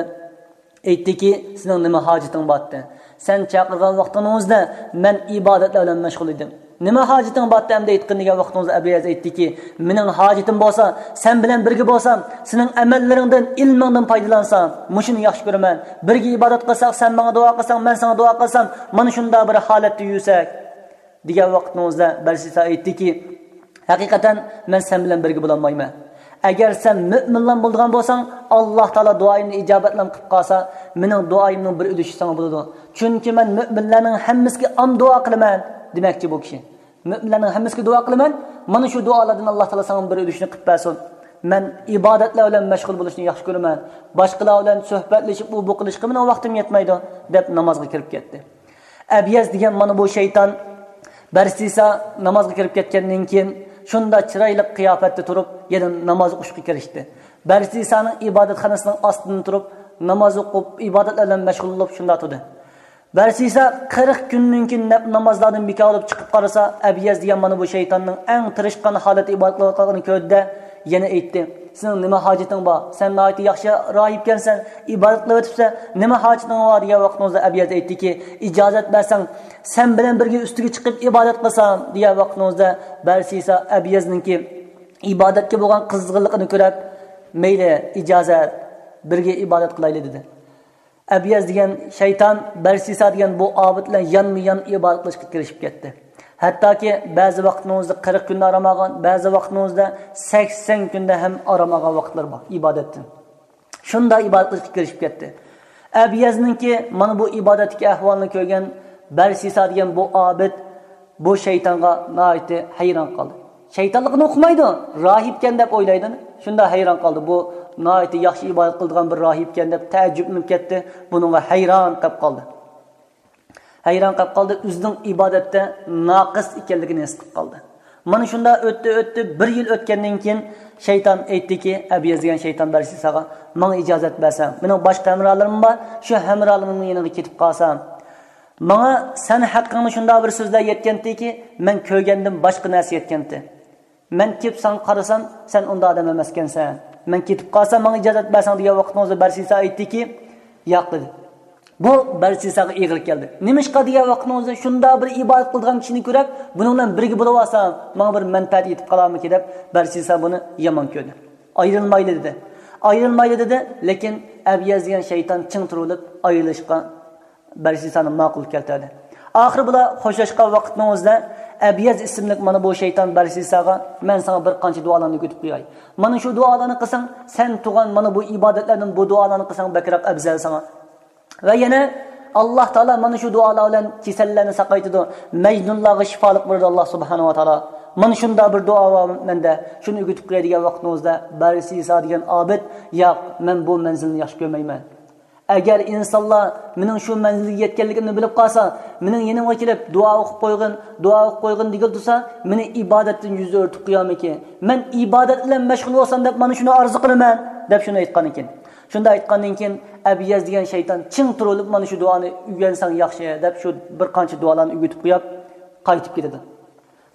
ئېيتتىكى، سېنىڭ نېمە ھاجىتىڭ بارتتى؟ سەن چاقىرغان ۋاقتىڭنىڭ ئۆزىدە مەن ئىبادەتلەر بىلەن مەشغۇل ئىدىم. نېمە ھاجىتىڭ بارتتى ئەمدى ئېيتقىن دېگەن ۋاقتىڭىزدا ئەبۇ يەز ئېيتتىكى، مېنىڭ ھاجىتىم بولسا سەن بىلەن بىرگە بولسام، سېنىڭ ئەمەللىرىڭدىن، ئىلمىڭدىن پايدىلانسام، مۇشۇنى ياخشى كۆرىمەن. بىرگە ئىبادەت قىلساق، سەن ماڭا دۇئا قىلساڭ، مەن ساڭا دۇئا قىلسام، مانا شۇنداق بىر ھالەتتە يۈرسەك، دېگەن ۋاقتىڭىزدا بەرسىسا ئېيتتىكى، ھەقىقەتەن مەن سەن بىلەن بىرگە بولالمايمەن. ئەگەر سەن مۆمىنلار بولىدىغان بولساڭ، ئاللاھ تائالا دۇئايىمنى ئىجابەتلەم قىلىپ قالسا، مېنىڭ دۇئايىمنىڭ بىر ئۈلۈشى ساڭا بولىدۇ. چۈنكى مەن مۆمىنلەرنىڭ ھەممىسىگە ئام دۇئا قىلىمەن، دېمەكچى بۇ كىشى. مۆمىنلەرنىڭ ھەممىسىگە دۇئا قىلىمەن، مانا شۇ دۇئالاردىن ئاللاھ تائالا ساڭا بىر ئۈلۈشنى قىلىپ بەرسۇن. مەن ئىبادەتلەر بىلەن مەشغۇل بولۇشنى ياخشى كۆرىمەن. باشقىلار بىلەن سۆھبەتلىشىپ، ئۇ بۇ قىلىشقا مېنىڭ ۋاقتىم يەتمەيدۇ، دەپ نامازغا كىرىپ كەتتى. ئەبيەز دېگەن مانا بۇ شەيتان بەرسىسا نامازغا كىرىپ كەتكەندىن كېيىن، شۇنداق چىرايلىق قىياپەتتە تۇرۇپ، يەنە ناماز ئوقۇشقا كىرىشتى. بەرسىسانىڭ ئىبادەتخانىسىنىڭ ئاستىدىن تۇرۇپ، ناماز ئوقۇپ، ئىبادەتلەر بىلەن مەشغۇل بولۇپ، شۇنداق تۇردى. بەرسىسا قىرىق كۈندىن كېيىن نەپ نامازلاردىن بىكار بولۇپ چىقىپ قارىسا، ئەبيەز دېگەن مانا بۇ شەيتاننىڭ ئەڭ تىرىشقان ھالەتتە ئىبادەت قىلىۋاتقانلىقىنى كۆردى-دە، يەنە ئېيتتى، سېنىڭ نېمە ھاجىتىڭ بار؟ سەن ناھايىتى ياخشى راھىبكەنسەن، ئىبادەت قىلىۋېتىپسەن، نېمە ھاجىتىڭ بار؟ دېگەن ۋاقتىڭىزدا ئەبيەز ئېيتتىكى، ئىجازەت بەرسەڭ، سەن بىلەن بىرگە ئۈستىگە چىقىپ ئىبادەت قىلسام، دېگەن ۋاقتىڭىزدا بەرسىسا ئەبيەزنىڭكى ئىبادەتكە بولغان قىزغىنلىقىنى كۆرۈپ، مەيلى، ئىجازەت، بىرگە ئىبادەت قىلايلى، دېدى. ئەبيەز دېگەن شەيتان بەرسىسا دېگەن بۇ ئابىد بىلەن يانمۇ يان ئىبادەت قىلىشقا كىرىشىپ كەتتى. ھەتتاكى بەزى ۋاقىتنىڭ ئۆزىدە قىرىق كۈندە ئارام ئالغان، بەزى ۋاقىتنىڭ ئۆزىدە سەكسەن كۈندە ھەم ئارام ئالغان ۋاقىتلىرى بار ئىبادەتتىن. شۇنداق ئىبادەت قىلىشقا كىرىشىپ كەتتى. ئەبىيەزنىڭكى مانا بۇ ئىبادەتتىكى ئەھۋالىنى كۆرگەن بەرسىسا دېگەن بۇ ئابىد بۇ شەيتانغا ناھايىتى ھەيران قالدى. شەيتانلىقىنى ئۇقمايدۇ، راھىبكەن دەپ ئويلايدۇ. شۇنداق ھەيران قالدى. بۇ ناھايىتى ياخشى ئىبادەت قىلىدىغان بىر راھىبكەن دەپ تەئەججۈپلىنىپ كەتتى. بۇنىڭغا ھەيران قېلىپ قالدى. ھەيران قېلىپ قالدى، ئۆزىنىڭ ئىبادەتتە ناقىس ئىكەنلىكىنى ھېس قىلىپ قالدى. مانا شۇنداق ئۆتتى، ئۆتتى، بىر يىل ئۆتكەندىن كېيىن شەيتان ئېيتتىكى، ئەبىيەز دېگەن شەيتان بەرسىساغا، ماڭا ئىجازەت بەرسەڭ، مېنىڭ باشقا ھەمراھلىرىم بار، شۇ ھەمراھلىرىمنىڭ يېنىغا كېتىپ قالسام، ماڭا سەن ھەققىڭدە شۇنداق بىر سۆزلەر يەتكەنتىكى، مەن كۆرگەندىن باشقا نەرسە يەتكەنتى. مەن كېلىپ ساڭا قارىسام، سەن ئۇنداق ئادەم ئەمەسكەنسەن. مەن كېتىپ قالسام، ماڭا ئىجازەت بەرسەڭ دېگەن ۋاقىتنىڭ ئۆزىدە بەرسىسا ئېيتتىكى، ياق دېدى. بۇ بەرسىساغا ئېغىر كەلدى. نېمىشقا دېگەن ۋاقىتنىڭ ئۆزىدە شۇنداق بىر ئىبادەت قىلىدىغان كىشىنى كۆرۈپ، بۇنىڭ بىلەن بىرگە بولۇۋالسام، ماڭا بىر مەنپەئەت يېتىپ قالارمىكىن دەپ، بەرسىسا بۇنى يامان كۆردى. ئايرىلمايلى دېدى. ئايرىلمايلى دېدى، لېكىن ئەبىيەز دېگەن شەيتان چىڭ تۇرۇلۇپ، ئايرىلىشقا بەرسىسانى ماقۇل كەلتۈردى. ئاخىرى بۇلار خوشلاشقان ۋاقىتنىڭ ئۆزىدە ئەبىيەز ئىسىملىك مانا بۇ شەيتان بەرسىساغا، مەن ساڭا بىر قانچە دۇئالارنى ئۆگىتىپ قوياي. مانا شۇ دۇئالارنى قىلساڭ، سەن تۇغان مانا بۇ ئىبادەتلەردىن بۇ دۇئالارنى قىلساڭ بەكرەك ئەۋزەل ساڭا. ۋە يەنە ئاللاھ تائالا مانا شۇ دۇئالار بىلەن كېسەللەرنى ساقايتىدۇ، مەجنۇنلارغا شىپالىق بېرىدۇ ئاللاھ سۇبھانەھۇ ۋە تائالا. مانا شۇنداق بىر دۇئا بار مەندە، شۇنى ئۆگىتىپ قوياي دېگەن ۋاقىتنىڭ ئۆزىدە بەرسىسا دېگەن ئابىد، ياق، مەن بۇ مەنزىلنى ياخشى كۆرمەيمەن. ئەگەر ئىنسانلار مېنىڭ شۇ مەنزىلگە يەتكەنلىكىمنى بىلىپ قالسا، مېنىڭ يېنىمغا كېلىپ، دۇئا ئوقۇپ قويغىن، دۇئا ئوقۇپ قويغىن دېگىلى تۇرسا، مېنى ئىبادەتتىن يۈز ئۆرتۈپ قويارمىكىن؟ مەن ئىبادەت بىلەن مەشغۇل بولسام دەپ مانا شۇنى ئارزۇ قىلىمەن، دەپ شۇنى ئېيتقان ئىكەن. شۇنداق ئېيتقاندىن كېيىن، ئەبىيەز دېگەن شەيتان چىڭ تۇرۇلۇپ، مانا شۇ دۇئانى ئۆگەنسەڭ ياخشى، دەپ شۇ بىر قانچە دۇئالارنى ئۆگىتىپ قويۇپ، قايتىپ كېتىدۇ.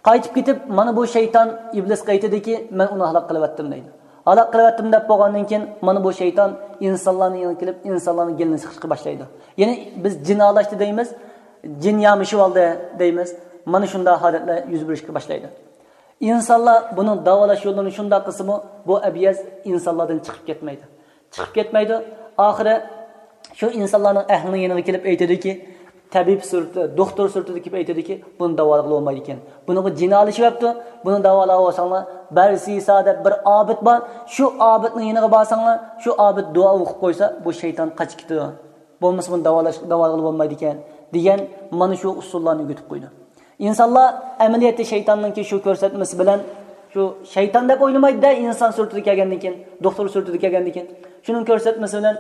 قايتىپ كېتىپ، مانا بۇ شەيتان ئىبلىسقا ئېيتىدىكى، مەن ئۇنى ھالاك قىلىۋەتتىم دەيدۇ. ھالاك قىلىۋەتتىم دەپ بولغاندىن كېيىن، مانا بۇ شەيتان ئىنسانلارنىڭ يېنىغا كېلىپ، ئىنسانلارنىڭ گېلىنى سىقىشقا باشلايدۇ. يەنى بىز جىن ئالاشتى دەيمىز، جىن يامىشىۋالدى دەيمىز. مانا شۇنداق ھالەتلەر يۈز بېرىشكە باشلايدۇ. ئىنسانلار بۇنىڭ داۋالاش يوللىرىنى شۇنداق قىلسىمۇ، بۇ ئەبىيەز ئىنسانلاردىن چىقىپ كەتمەيدۇ. چىقىپ كەتمەيدۇ. ئاخىرى شۇ ئىنسانلارنىڭ ئەھلىنىڭ يېنىغا كېلىپ ئېيتىدۇكى، تەبىب سۈرىتىدە، دوختۇر سۈرىتىدە كېلىپ ئېيتىدۇكى، بۇنى داۋالىغىلى بولمايدىكەن. بۇنىڭغا جىن ئالىشىۋەپتۇ. بۇنى داۋالاۋالساڭلار، بەرسىسا دەپ بىر ئابىد بار. شۇ ئابىدنىڭ يېنىغا بارساڭلار، شۇ ئابىد دۇئا ئوقۇپ قويسا، بۇ شەيتان قاچىپ كېتىدۇ. بولمىسا بۇنى داۋالاش، داۋالىغىلى بولمايدىكەن، دېگەن مانا شۇ ئۇسۇللارنى ئۆگىتىپ قويدى. ئىنسانلار ئەمەلىيەتتە شەيتاننىڭكى شۇ كۆرسەتمىسى بىلەن، شۇ شەيتان دەپ ئويلىمايدۇ-دە، ئىنسان سۈرىتىدە كەلگەندىن كېيىن، دوختۇر سۈرىتىدە كەلگەندىن كېيىن، شۇنىڭ كۆرسەتمىسى بىلەن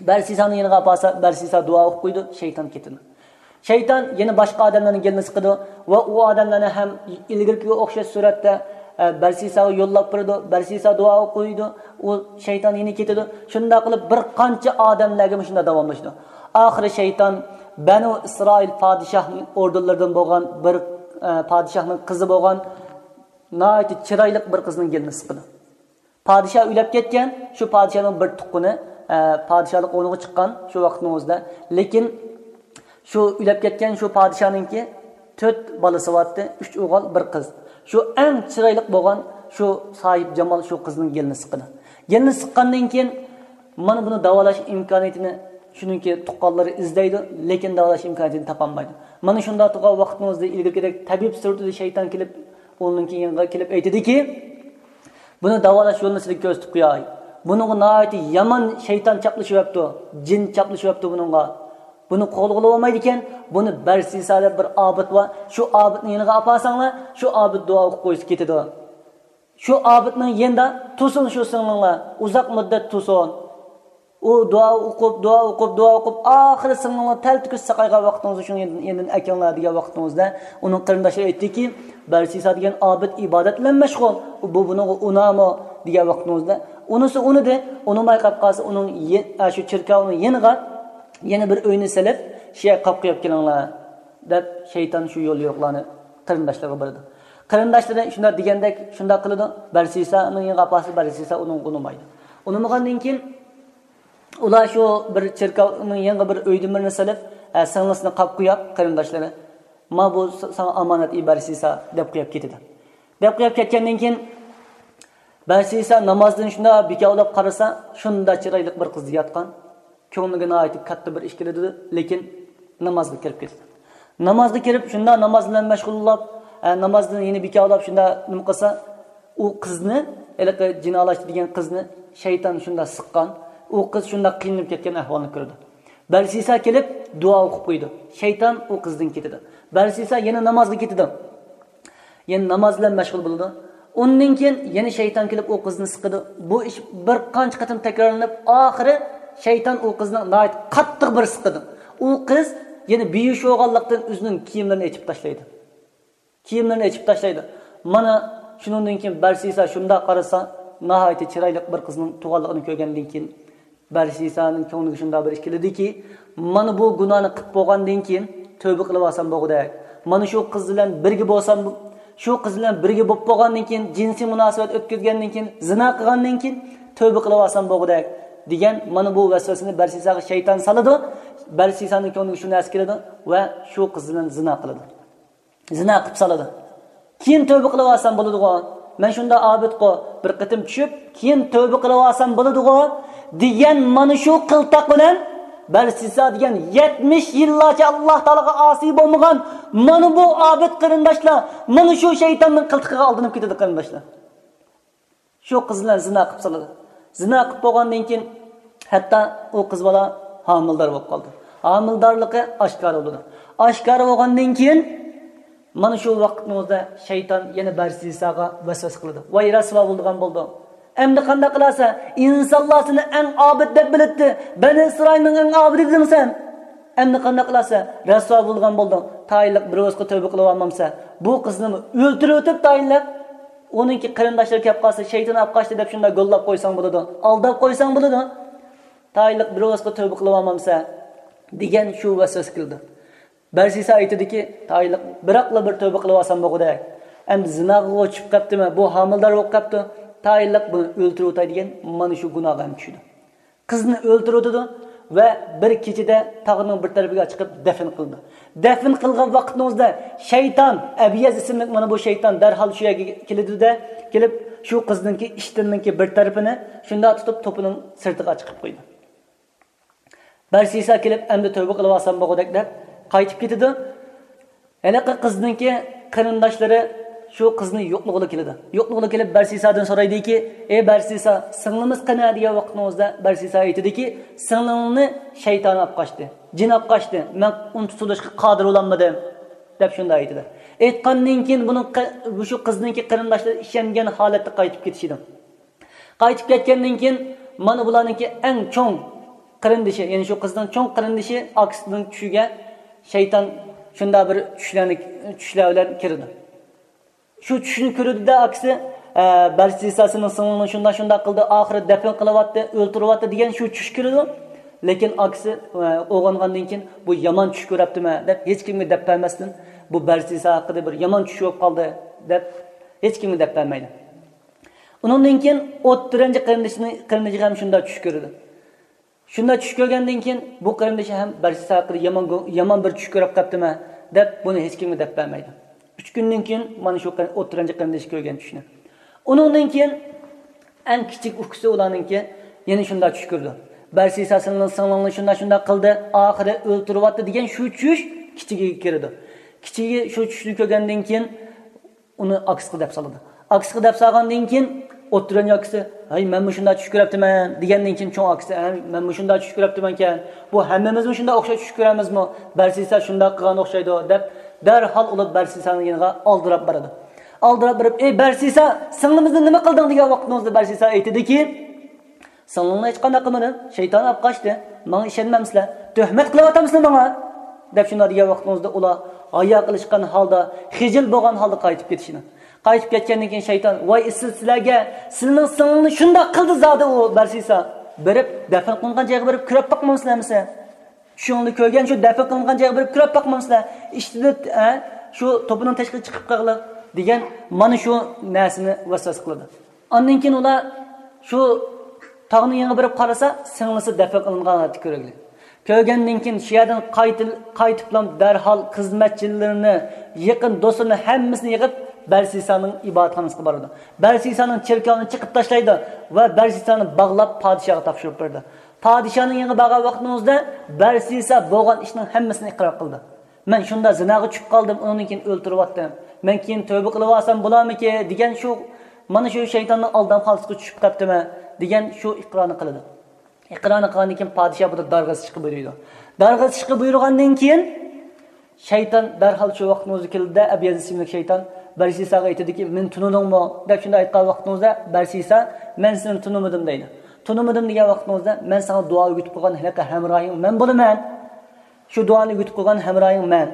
بەرسىسانىڭ يېنىغا ئاپارسا، بەرسىسا دۇئا ئوقۇپ قويىدۇ، شەيتان كېتىدۇ. شەيتان يەنە باشقا ئادەملەرنىڭ گېلىنى سىقىدۇ ۋە ئۇ ئادەملەرنى ھەم ئىلگىرىكىگە ئوخشاش سۈرەتتە، ئە، بەرسىساغا يوللاپ بېرىدۇ، بەرسىسا دۇئا ئوقۇيدۇ، ئۇ شەيتان يەنە كېتىدۇ. شۇنداق قىلىپ بىر قانچە ئادەملەرگە مۇشۇنداق داۋاملىشىدۇ. ئاخىرى شەيتان بەنۇ ئىسرائىل پادىشاھنىڭ ئوردۇنلىرىدىن بولغان بىر، ئە، پادىشاھنىڭ قىزى بولغان ناھايىتى چىرايلىق بىر قىزنىڭ گېلىنى سىقىدۇ. پادىشاھ ئۆلۈپ كەتكەن، شۇ پادىشاھنىڭ بىر تۇغقىنى، ئە، پادىشاھلىق ئورنىغا چىققان شۇ ۋاقىتنىڭ ئۆزىدە. لېكىن شۇ ئۆلۈپ كەتكەن شۇ پادىشاھنىڭكى تۆت بالىسى بارتتى، ئۈچ ئوغۇل، بىر قىز. شۇ ئەڭ چىرايلىق بولغان شۇ ساھىب جامال شۇ قىزنىڭ گېلىنى سىقىدۇ. گېلىنى سىققاندىن كېيىن، مانا بۇنى داۋالاش ئىمكانىيىتىنى شۇنىڭكى تۇغقانلىرى ئىزدەيدۇ، لېكىن داۋالاش ئىمكانىيىتىنى تاپالمايدۇ. مانا شۇنداق تۇرغان ۋاقتىڭىزدا ئىلگىرىكىدەك تەبىب سۈرىتىدە شەيتان كېلىپ، ئۇنىڭكى يېنىغا كېلىپ ئېيتىدىكى، بۇنى داۋالاش يولىنى سىزگە كۆرسىتىپ قوياي. بۇنىڭغا ناھايىتى يامان شەيتان چاپلىشىۋەپتۇ، جىن چاپلىشىۋەپتۇ بۇنىڭغا. بۇنى قوغلىغىلى بولمايدىكەن، بۇنى بەرسىسا دەپ بىر ئابىد بار، شۇ ئابىدنىڭ يېنىغا ئاپارساڭلار، شۇ ئابىد دۇئا ئوقۇپ قويسا كېتىدۇ. شۇ ئابىدنىڭ يېنىدا تۇرسۇن شۇ سىڭلىڭلار، ئۇزاق مۇددەت تۇرسۇن. ئۇ دۇئا ئوقۇپ، دۇئا ئوقۇپ، دۇئا ئوقۇپ، ئاخىرى سىڭلىڭلار تەلتۆكۈس ساقايغان ۋاقتىڭىزدا شۇنىڭ يېنىدىن ئەكىڭلار دېگەن ۋاقتىڭىزدا، ئۇنىڭ قېرىنداشلىرى ئېيتتىكى، بەرسىسا دېگەن ئابىد ئىبادەت بىلەن مەشغۇل، بۇ بۇنىڭغا ئۇنامۇ دېگەن ۋاقتىڭىزدا، ئۇنىسى ئۇنىدى، ئۇنىماي قاپ قالسا، ئۇنىڭ يە-، ئە، شۇ چېركاۋنىڭ يېنىغا يەنە بىر ئۆينى سېلىپ، شۇ يەرگە قاپ قويۇپ كېلىڭلار، دەپ شەيتان شۇ يول يورۇقلارنى قېرىنداشلىرىغا بېرىدۇ. قېرىنداشلىرى شۇنداق دېگەندەك شۇنداق قىلىدۇ. بەرسىسانىڭ يېنىغا ئاپارسا، بەرسىسا ئۇنىڭغا ئۇنىمايدۇ. ئۇنىمىغاندىن كېيىن ئۇلار شۇ بىر چېركاۋنىڭ يېنىغا بىر ئۆيدىن بىرنى سېلىپ، ئە، سىڭلىسىنى قاپ قويۇپ، قېرىنداشلىرى، ما بۇ س-، ساڭا ئامانەت ئى بەرسىسا، دەپ قويۇپ كېتىدۇ. دەپ قويۇپ كەتكەندىن كېيىن، بەرسىسا نامازدىن شۇنداق بىكاۋلاپ قارىسا، شۇنداق چىرايلىق بىر قىز ياتقان. كۆڭلىگە ناھايىتى كاتتا بىر ئىش كېلىدۇ، لېكىن نامازغا كىرىپ كېتىدۇ. نامازغا كىرىپ، شۇنداق ناماز بىلەن مەشغۇللاپ، ئە، نامازدىن يەنە بىكارلاپ، شۇنداق نېمە قىلسا، ئۇ قىزنى، ھېلىقى جىنالاشتى دېگەن قىزنى شەيتان شۇنداق سىققان. ئۇ قىز شۇنداق قىينىلىپ كەتكەن ئەھۋالنى كۆرىدۇ. بەرسىسا كېلىپ دۇئا ئوقۇپ قويىدۇ. شەيتان ئۇ قىزدىن كېتىدۇ. بەرسىسا يەنە نامازغا كېتىدۇ. يەنە ناماز بىلەن مەشغۇل بولىدۇ. ئۇندىن كېيىن يەنە شەيتان كېلىپ ئۇ قىزنى سىقىدۇ. بۇ ئىش بىر قانچە قېتىم تەكرارلىنىپ، ئاخىرى شەيتان ئۇ قىزنى ناھايىتى قاتتىق بىر سىقىدۇ. ئۇ قىز يەنە بىھۇش بولغانلىقتىن ئۆزىنىڭ كىيىملىرىنى ئېچىپ تاشلايدۇ. كىيىملىرىنى ئېچىپ تاشلايدۇ. مانا شۇنىڭدىن كېيىن بەرسىسا شۇنداق قارىسا، ناھايىتى چىرايلىق بىر قىزنىڭ تۇغانلىقىنى كۆرگەندىن كېيىن، بەرسىسانىڭ كۆڭلىگە شۇنداق بىر ئىش كېلىدۇكى، مانا بۇ گۇناھنى قىلىپ بولغاندىن كېيىن تۆبە قىلىۋالسام بولغۇدەك. مانا شۇ قىز بىلەن بىرگە بولسام، شۇ قىز بىلەن بىرگە بولۇپ بولغاندىن كېيىن، جىنسىي مۇناسىۋەت ئۆتكۈزگەندىن كېيىن، زىنا قىلغاندىن كېيىن تۆبە قىلىۋالسام بولغۇدەك، دېگەن مانا بۇ ۋەسۋەسىنى بەرسىساغا شەيتان سالىدۇ. بەرسىسانىڭ كۆڭلىگە شۇ نەرسە كېلىدۇ ۋە شۇ قىز بىلەن زىنا قىلىدۇ. زىنا قىلىپ سالىدۇ. كېيىن تۆبە قىلىۋالسام بولىدىغۇ. مەن شۇنداق ئابىدقۇ، بىر قېتىم چۈشۈپ، كېيىن تۆبە قىلىۋالسام بولىدىغۇ، دېگەن مانا شۇ قىلتاق بىلەن بەرسىسا دېگەن يەتمىش يىللارچە ئاللا تائالاغا ئاسىي بولمىغان مانا بۇ ئابىد قېرىنداشلار مانا شۇ شەيتاننىڭ قىلتىقىغا ئالدىنىپ كېتىدۇ، قېرىنداشلار. شۇ قىز بىلەن زىنا قىلىپ سالىدۇ. زىنا قىلىپ بولغاندىن كېيىن، ھەتتا ئۇ قىز بالا ھامىلىدار بولۇپ قالىدۇ. ھامىلىدارلىقى ئاشكارا بولىدۇ. ئاشكارا بولغاندىن كېيىن، مانا شۇ ۋاقىتنىڭ ئۆزىدە شەيتان يەنە بەرسىساغا ۋەسۋەسە قىلىدۇ. ۋاي، رەسۋا بولىدىغان بولدۇڭ. ئەمدى قانداق قىلارسەن؟ ئىنسانلار سېنى ئەڭ ئابىد دەپ بىلەتتى. بەنى ئىسرائىلنىڭ ئەڭ ئابىدى ئىدىڭ سەن. ئەمدى قانداق قىلارسەن؟ رەسۋا بولىدىغان بولدۇڭ. تايىنلىق بىر ۋاقىتقا تۆبە قىلىۋالمامسەن؟ بۇ قىزنى ئۆلتۈرۈۋېتىپ تايىنلىق، ئۇنىڭكى قېرىنداشلىرى كەپ قالسا، شەيتان ئاپ قاچتى دەپ شۇنداق گوللاپ قويساڭ بولىدۇ، ئالداپ قويساڭ بولىدۇ. تايىنلىق بىر ۋاقىتقا تۆبە قىلىۋالمامسەن؟ دېگەن شۇ ۋەسۋەسە كېلىدۇ. بەرسىسا ئېيتىدۇكى، تايىنلىق بىراقلا بىر تۆبە قىلىۋالسام بولغۇدەك. ئەمدى زىناغا چۈشۈپ قاپتىمەن، بۇ ھامىلىدار بولۇپ قاپتۇ. تايىنلىق بۇنى ئۆلتۈرۈۋېتەي دېگەن مانا شۇ گۇناھقا ھەم چۈشىدۇ. قىزنى ئۆلتۈرۈۋېتىدۇ ۋە بىر كېچىدە تاغنىڭ بىر تەرىپىگە چىقىپ دەپنە قىلىدۇ. دەپنە قىلغان ۋاقتىنىڭ ئۆزىدە شەيتان، ئەبيەز ئىسىملىك مانا بۇ شەيتان دەرھال شۇ يەرگە كېلىدۇ-دە، كېلىپ شۇ قىزنىڭكى ئىشتىنىنىڭكى بىر تەرىپىنى شۇنداق تۇتۇپ توپىنىڭ سىرتىغا چىقىپ قويىدۇ. بەرسىسا كېلىپ، ئەمدى تۆبە قىلىۋالسام بولغۇدەك دەپ قايتىپ كېتىدۇ. ھېلىقى قىزنىڭكى قېرىنداشلىرى شۇ قىزنى يوقلىغىلى كېلىدۇ. يوقلىغىلى كېلىپ، بەرسىسادىن سورايدۇكى، ئەي بەرسىسا، سىڭلىمىز قېنى؟ دېگەن ۋاقتىنىڭ ئۆزىدە بەرسىسا ئېيتىدۇكى، سىڭلىڭنى شەيتان ئاپ قاچتى، جىن ئاپ قاچتى، مەن ئۇنى تۇتۇۋېلىشقا قادىر بولالمىدىم، دەپ شۇنداق ئېيتىدۇ. ئېيتقاندىن كېيىن بۇنىڭ قە-، شۇ قىزنىڭكى قېرىنداشلىرى ئىشەنگەن ھالەتتە قايتىپ كېتىشىدۇ. قايتىپ كەتكەندىن كېيىن، مانا بۇلارنىڭكى ئەڭ چوڭ قېرىندىشى، يەنى شۇ قىزنىڭ چوڭ قېرىندىشى ئاكىسىنىڭ چۈشىگە شەيتان شۇنداق بىر چۈشلەرنى، چۈشلەر بىلەن كىرىدۇ. شۇ چۈشنى كۆرىدۇ-دە ئاكىسى، ئە، بەرسىسا سېنىڭ سىڭلىڭنى شۇنداق، شۇنداق قىلدى، ئاخىرى دەپنە قىلىۋاتتى، ئۆلتۈرۈۋاتتى دېگەن شۇ چۈش كۆرىدۇ. لېكىن ئاكىسى، ئە، ئويغانغاندىن كېيىن، بۇ يامان چۈش كۆرۈپتىمەن دەپ ھېچكىمگە دەپ بەرمەستىن، بۇ بەرسىسا ھەققىدە بىر يامان چۈش بولۇپ قالدى دەپ ھېچكىمگە دەپ بەرمەيدۇ. ئۇنىڭدىن كېيىن ئوتتۇرىنچى قېرىندىشىنى، قېرىندىشىغا ھەم شۇنداق چۈش كۆرىدۇ. شۇنداق چۈش كۆرگەندىن كېيىن بۇ قېرىندىشى ھەم بەرسىسا ھەققىدە يامان گۇ-، يامان بىر چۈش كۆرۈپ قاپتىمەن دەپ بۇنى ھېچكىمگە دەپ بەرمەيدۇ. ئۈچ كۈندىن كېيىن مانا شۇ قېرىن-، ئوتتۇرىنچى قېرىندىشى كۆرگەن چۈشنى. ئۇنىڭدىن كېيىن ئەڭ كىچىك ئۇكىسى ئۇلارنىڭكى يەنە شۇنداق چۈش كۆرىدۇ. بەرسىسا سىڭلىڭ-، سىڭلىڭنى شۇنداق شۇنداق قىلدى، ئاخىرى ئۆلتۈرۈۋەتتى دېگەن شۇ چۈش كىچىكىگە كىرىدۇ. كىچىكى شۇ چۈشنى كۆرگەندىن كېيىن ئۇنى ئاكىسىغا دەپ سالىدۇ. ئاكىسىغا دەپ سالغاندىن كېيىن ئوتتۇرىنچى ئاكىسى، ھەي، مەنمۇ شۇنداق چۈش كۆرۈپتىمەن دېگەندىن كېيىن چوڭ ئاكىسى، ھەي، مەنمۇ شۇنداق چۈش كۆرۈپتىمەنكەن، بۇ ھەممىمىزمۇ شۇنداق ئوخشاش چۈش كۆرەمىزمۇ؟ بەرسىسا شۇنداق قىلغان ئوخشايدۇ دەپ دەرھال ئۇلار بەرسىسانىڭ يېنىغا ئالدىراپ بارىدۇ. ئالدىراپ بېرىپ، ئەي بەرسىسا، سىڭلىمىزنى نېمە قىلدىڭ دېگەن ۋاقتىڭىزدا بەرسىسا ئېيتىدۇكى، سىڭلىڭنى ھېچقانداق قىلمىدىم، شەيتان ئاپ قاچتى، ماڭا ئىشەنمەمسىلەر، تۆھمەت قىلىۋاتامسىلەر ماڭا؟ دەپ شۇنداق دېگەن ۋاقتىڭىزدا ئۇلار ھايا قىلىشقان ھالدا، خىجىل بولغان ھالدا قايتىپ كېتىشىنى. قايتىپ كەتكەندىن كېيىن شەيتان، ۋاي ئېسىل سىلەرگە، سىلىنىڭ سىڭلىڭنى شۇنداق قىلدى زادى ئۇ بەرسىسا، بېرىپ دەپنە قىلىنغان جايغا بېرىپ كۆرۈپ باقمامسىلەر ئەمىسە؟ چۈشۈڭلاردا كۆرگەن شۇ دەپنە قىلىنغان جايغا بېرىپ كۆرۈپ باقمامسىلەر؟ ئىشتىدە، ئە، شۇ توپىنىڭ تەشقىرىگە چىقىپ قالغىلى دېگەن مانا شۇ نەرسىنى ۋەسۋەسە قىلىدۇ. ئاندىن كېيىن ئۇلار شۇ تاغنىڭ يېنىغا بېرىپ قارىسا، سىڭلىسى دەپنە قىلىنغان ھالەتتە كۆرگىلى. كۆرگەندىن كېيىن شۇ يەردىن قايتىل-، قايتىپلا دەرھال خىزمەتچىلىرىنى، يېقىن دوستلىرىنى ھەممىسىنى يىغىپ، بەرسىسانىڭ ئىبادەتخانىسىغا بارىدۇ. بەرسىسانىڭ چېركاۋىنى چېقىپ تاشلايدۇ ۋە بەرسىسانى باغلاپ پادىشاھقا تاپشۇرۇپ بېرىدۇ. پادىشاھنىڭ يېنىغا بارغان ۋاقتىڭىزدا بەرسىسا بولغان ئىشنىڭ ھەممىسىنى ئىقرار قىلدى. مەن شۇنداق زىناغا چۈشۈپ قالدىم، ئۇنىڭدىن كېيىن ئۆلتۈرۈۋەتتىم. مەن كېيىن تۆبە قىلىۋالسام بولارمىكى دېگەن شۇ، مانا شۇ شەيتاننىڭ ئالدامخانىسىغا چۈشۈپ قاپتىمەن دېگەن شۇ ئىقرارنى قىلىدۇ. ئىقرارنى قىلغاندىن كېيىن پادىشاھ بۇنى دارغا سىشقا بۇيرۇيدۇ. دارغا سىشقا بۇيرۇغاندىن كېيىن شەيتان دەرھال شۇ ۋاقىتنىڭ ئۆزىدە كېلىدۇ-دە، ئەبۇ يەزىد ئىسىملىك شەيتان بەرسىساغا ئېيتىدۇكى، مېنى تونۇدۇڭمۇ؟ دەپ شۇنداق ئېيتقان ۋاقتىڭىزدا بەرسىسا، مەن سېنى تونۇمىدىم دەيدۇ. تونۇمىدىم دېگەن ۋاقتىڭىزدا، مەن ساڭا دۇئا ئۆگىتىپ قويغان ھېلىقى ھەمراھىڭ مەن بولىمەن. شۇ دۇئانى ئۆگىتىپ قويغان ھەمراھىڭ مەن.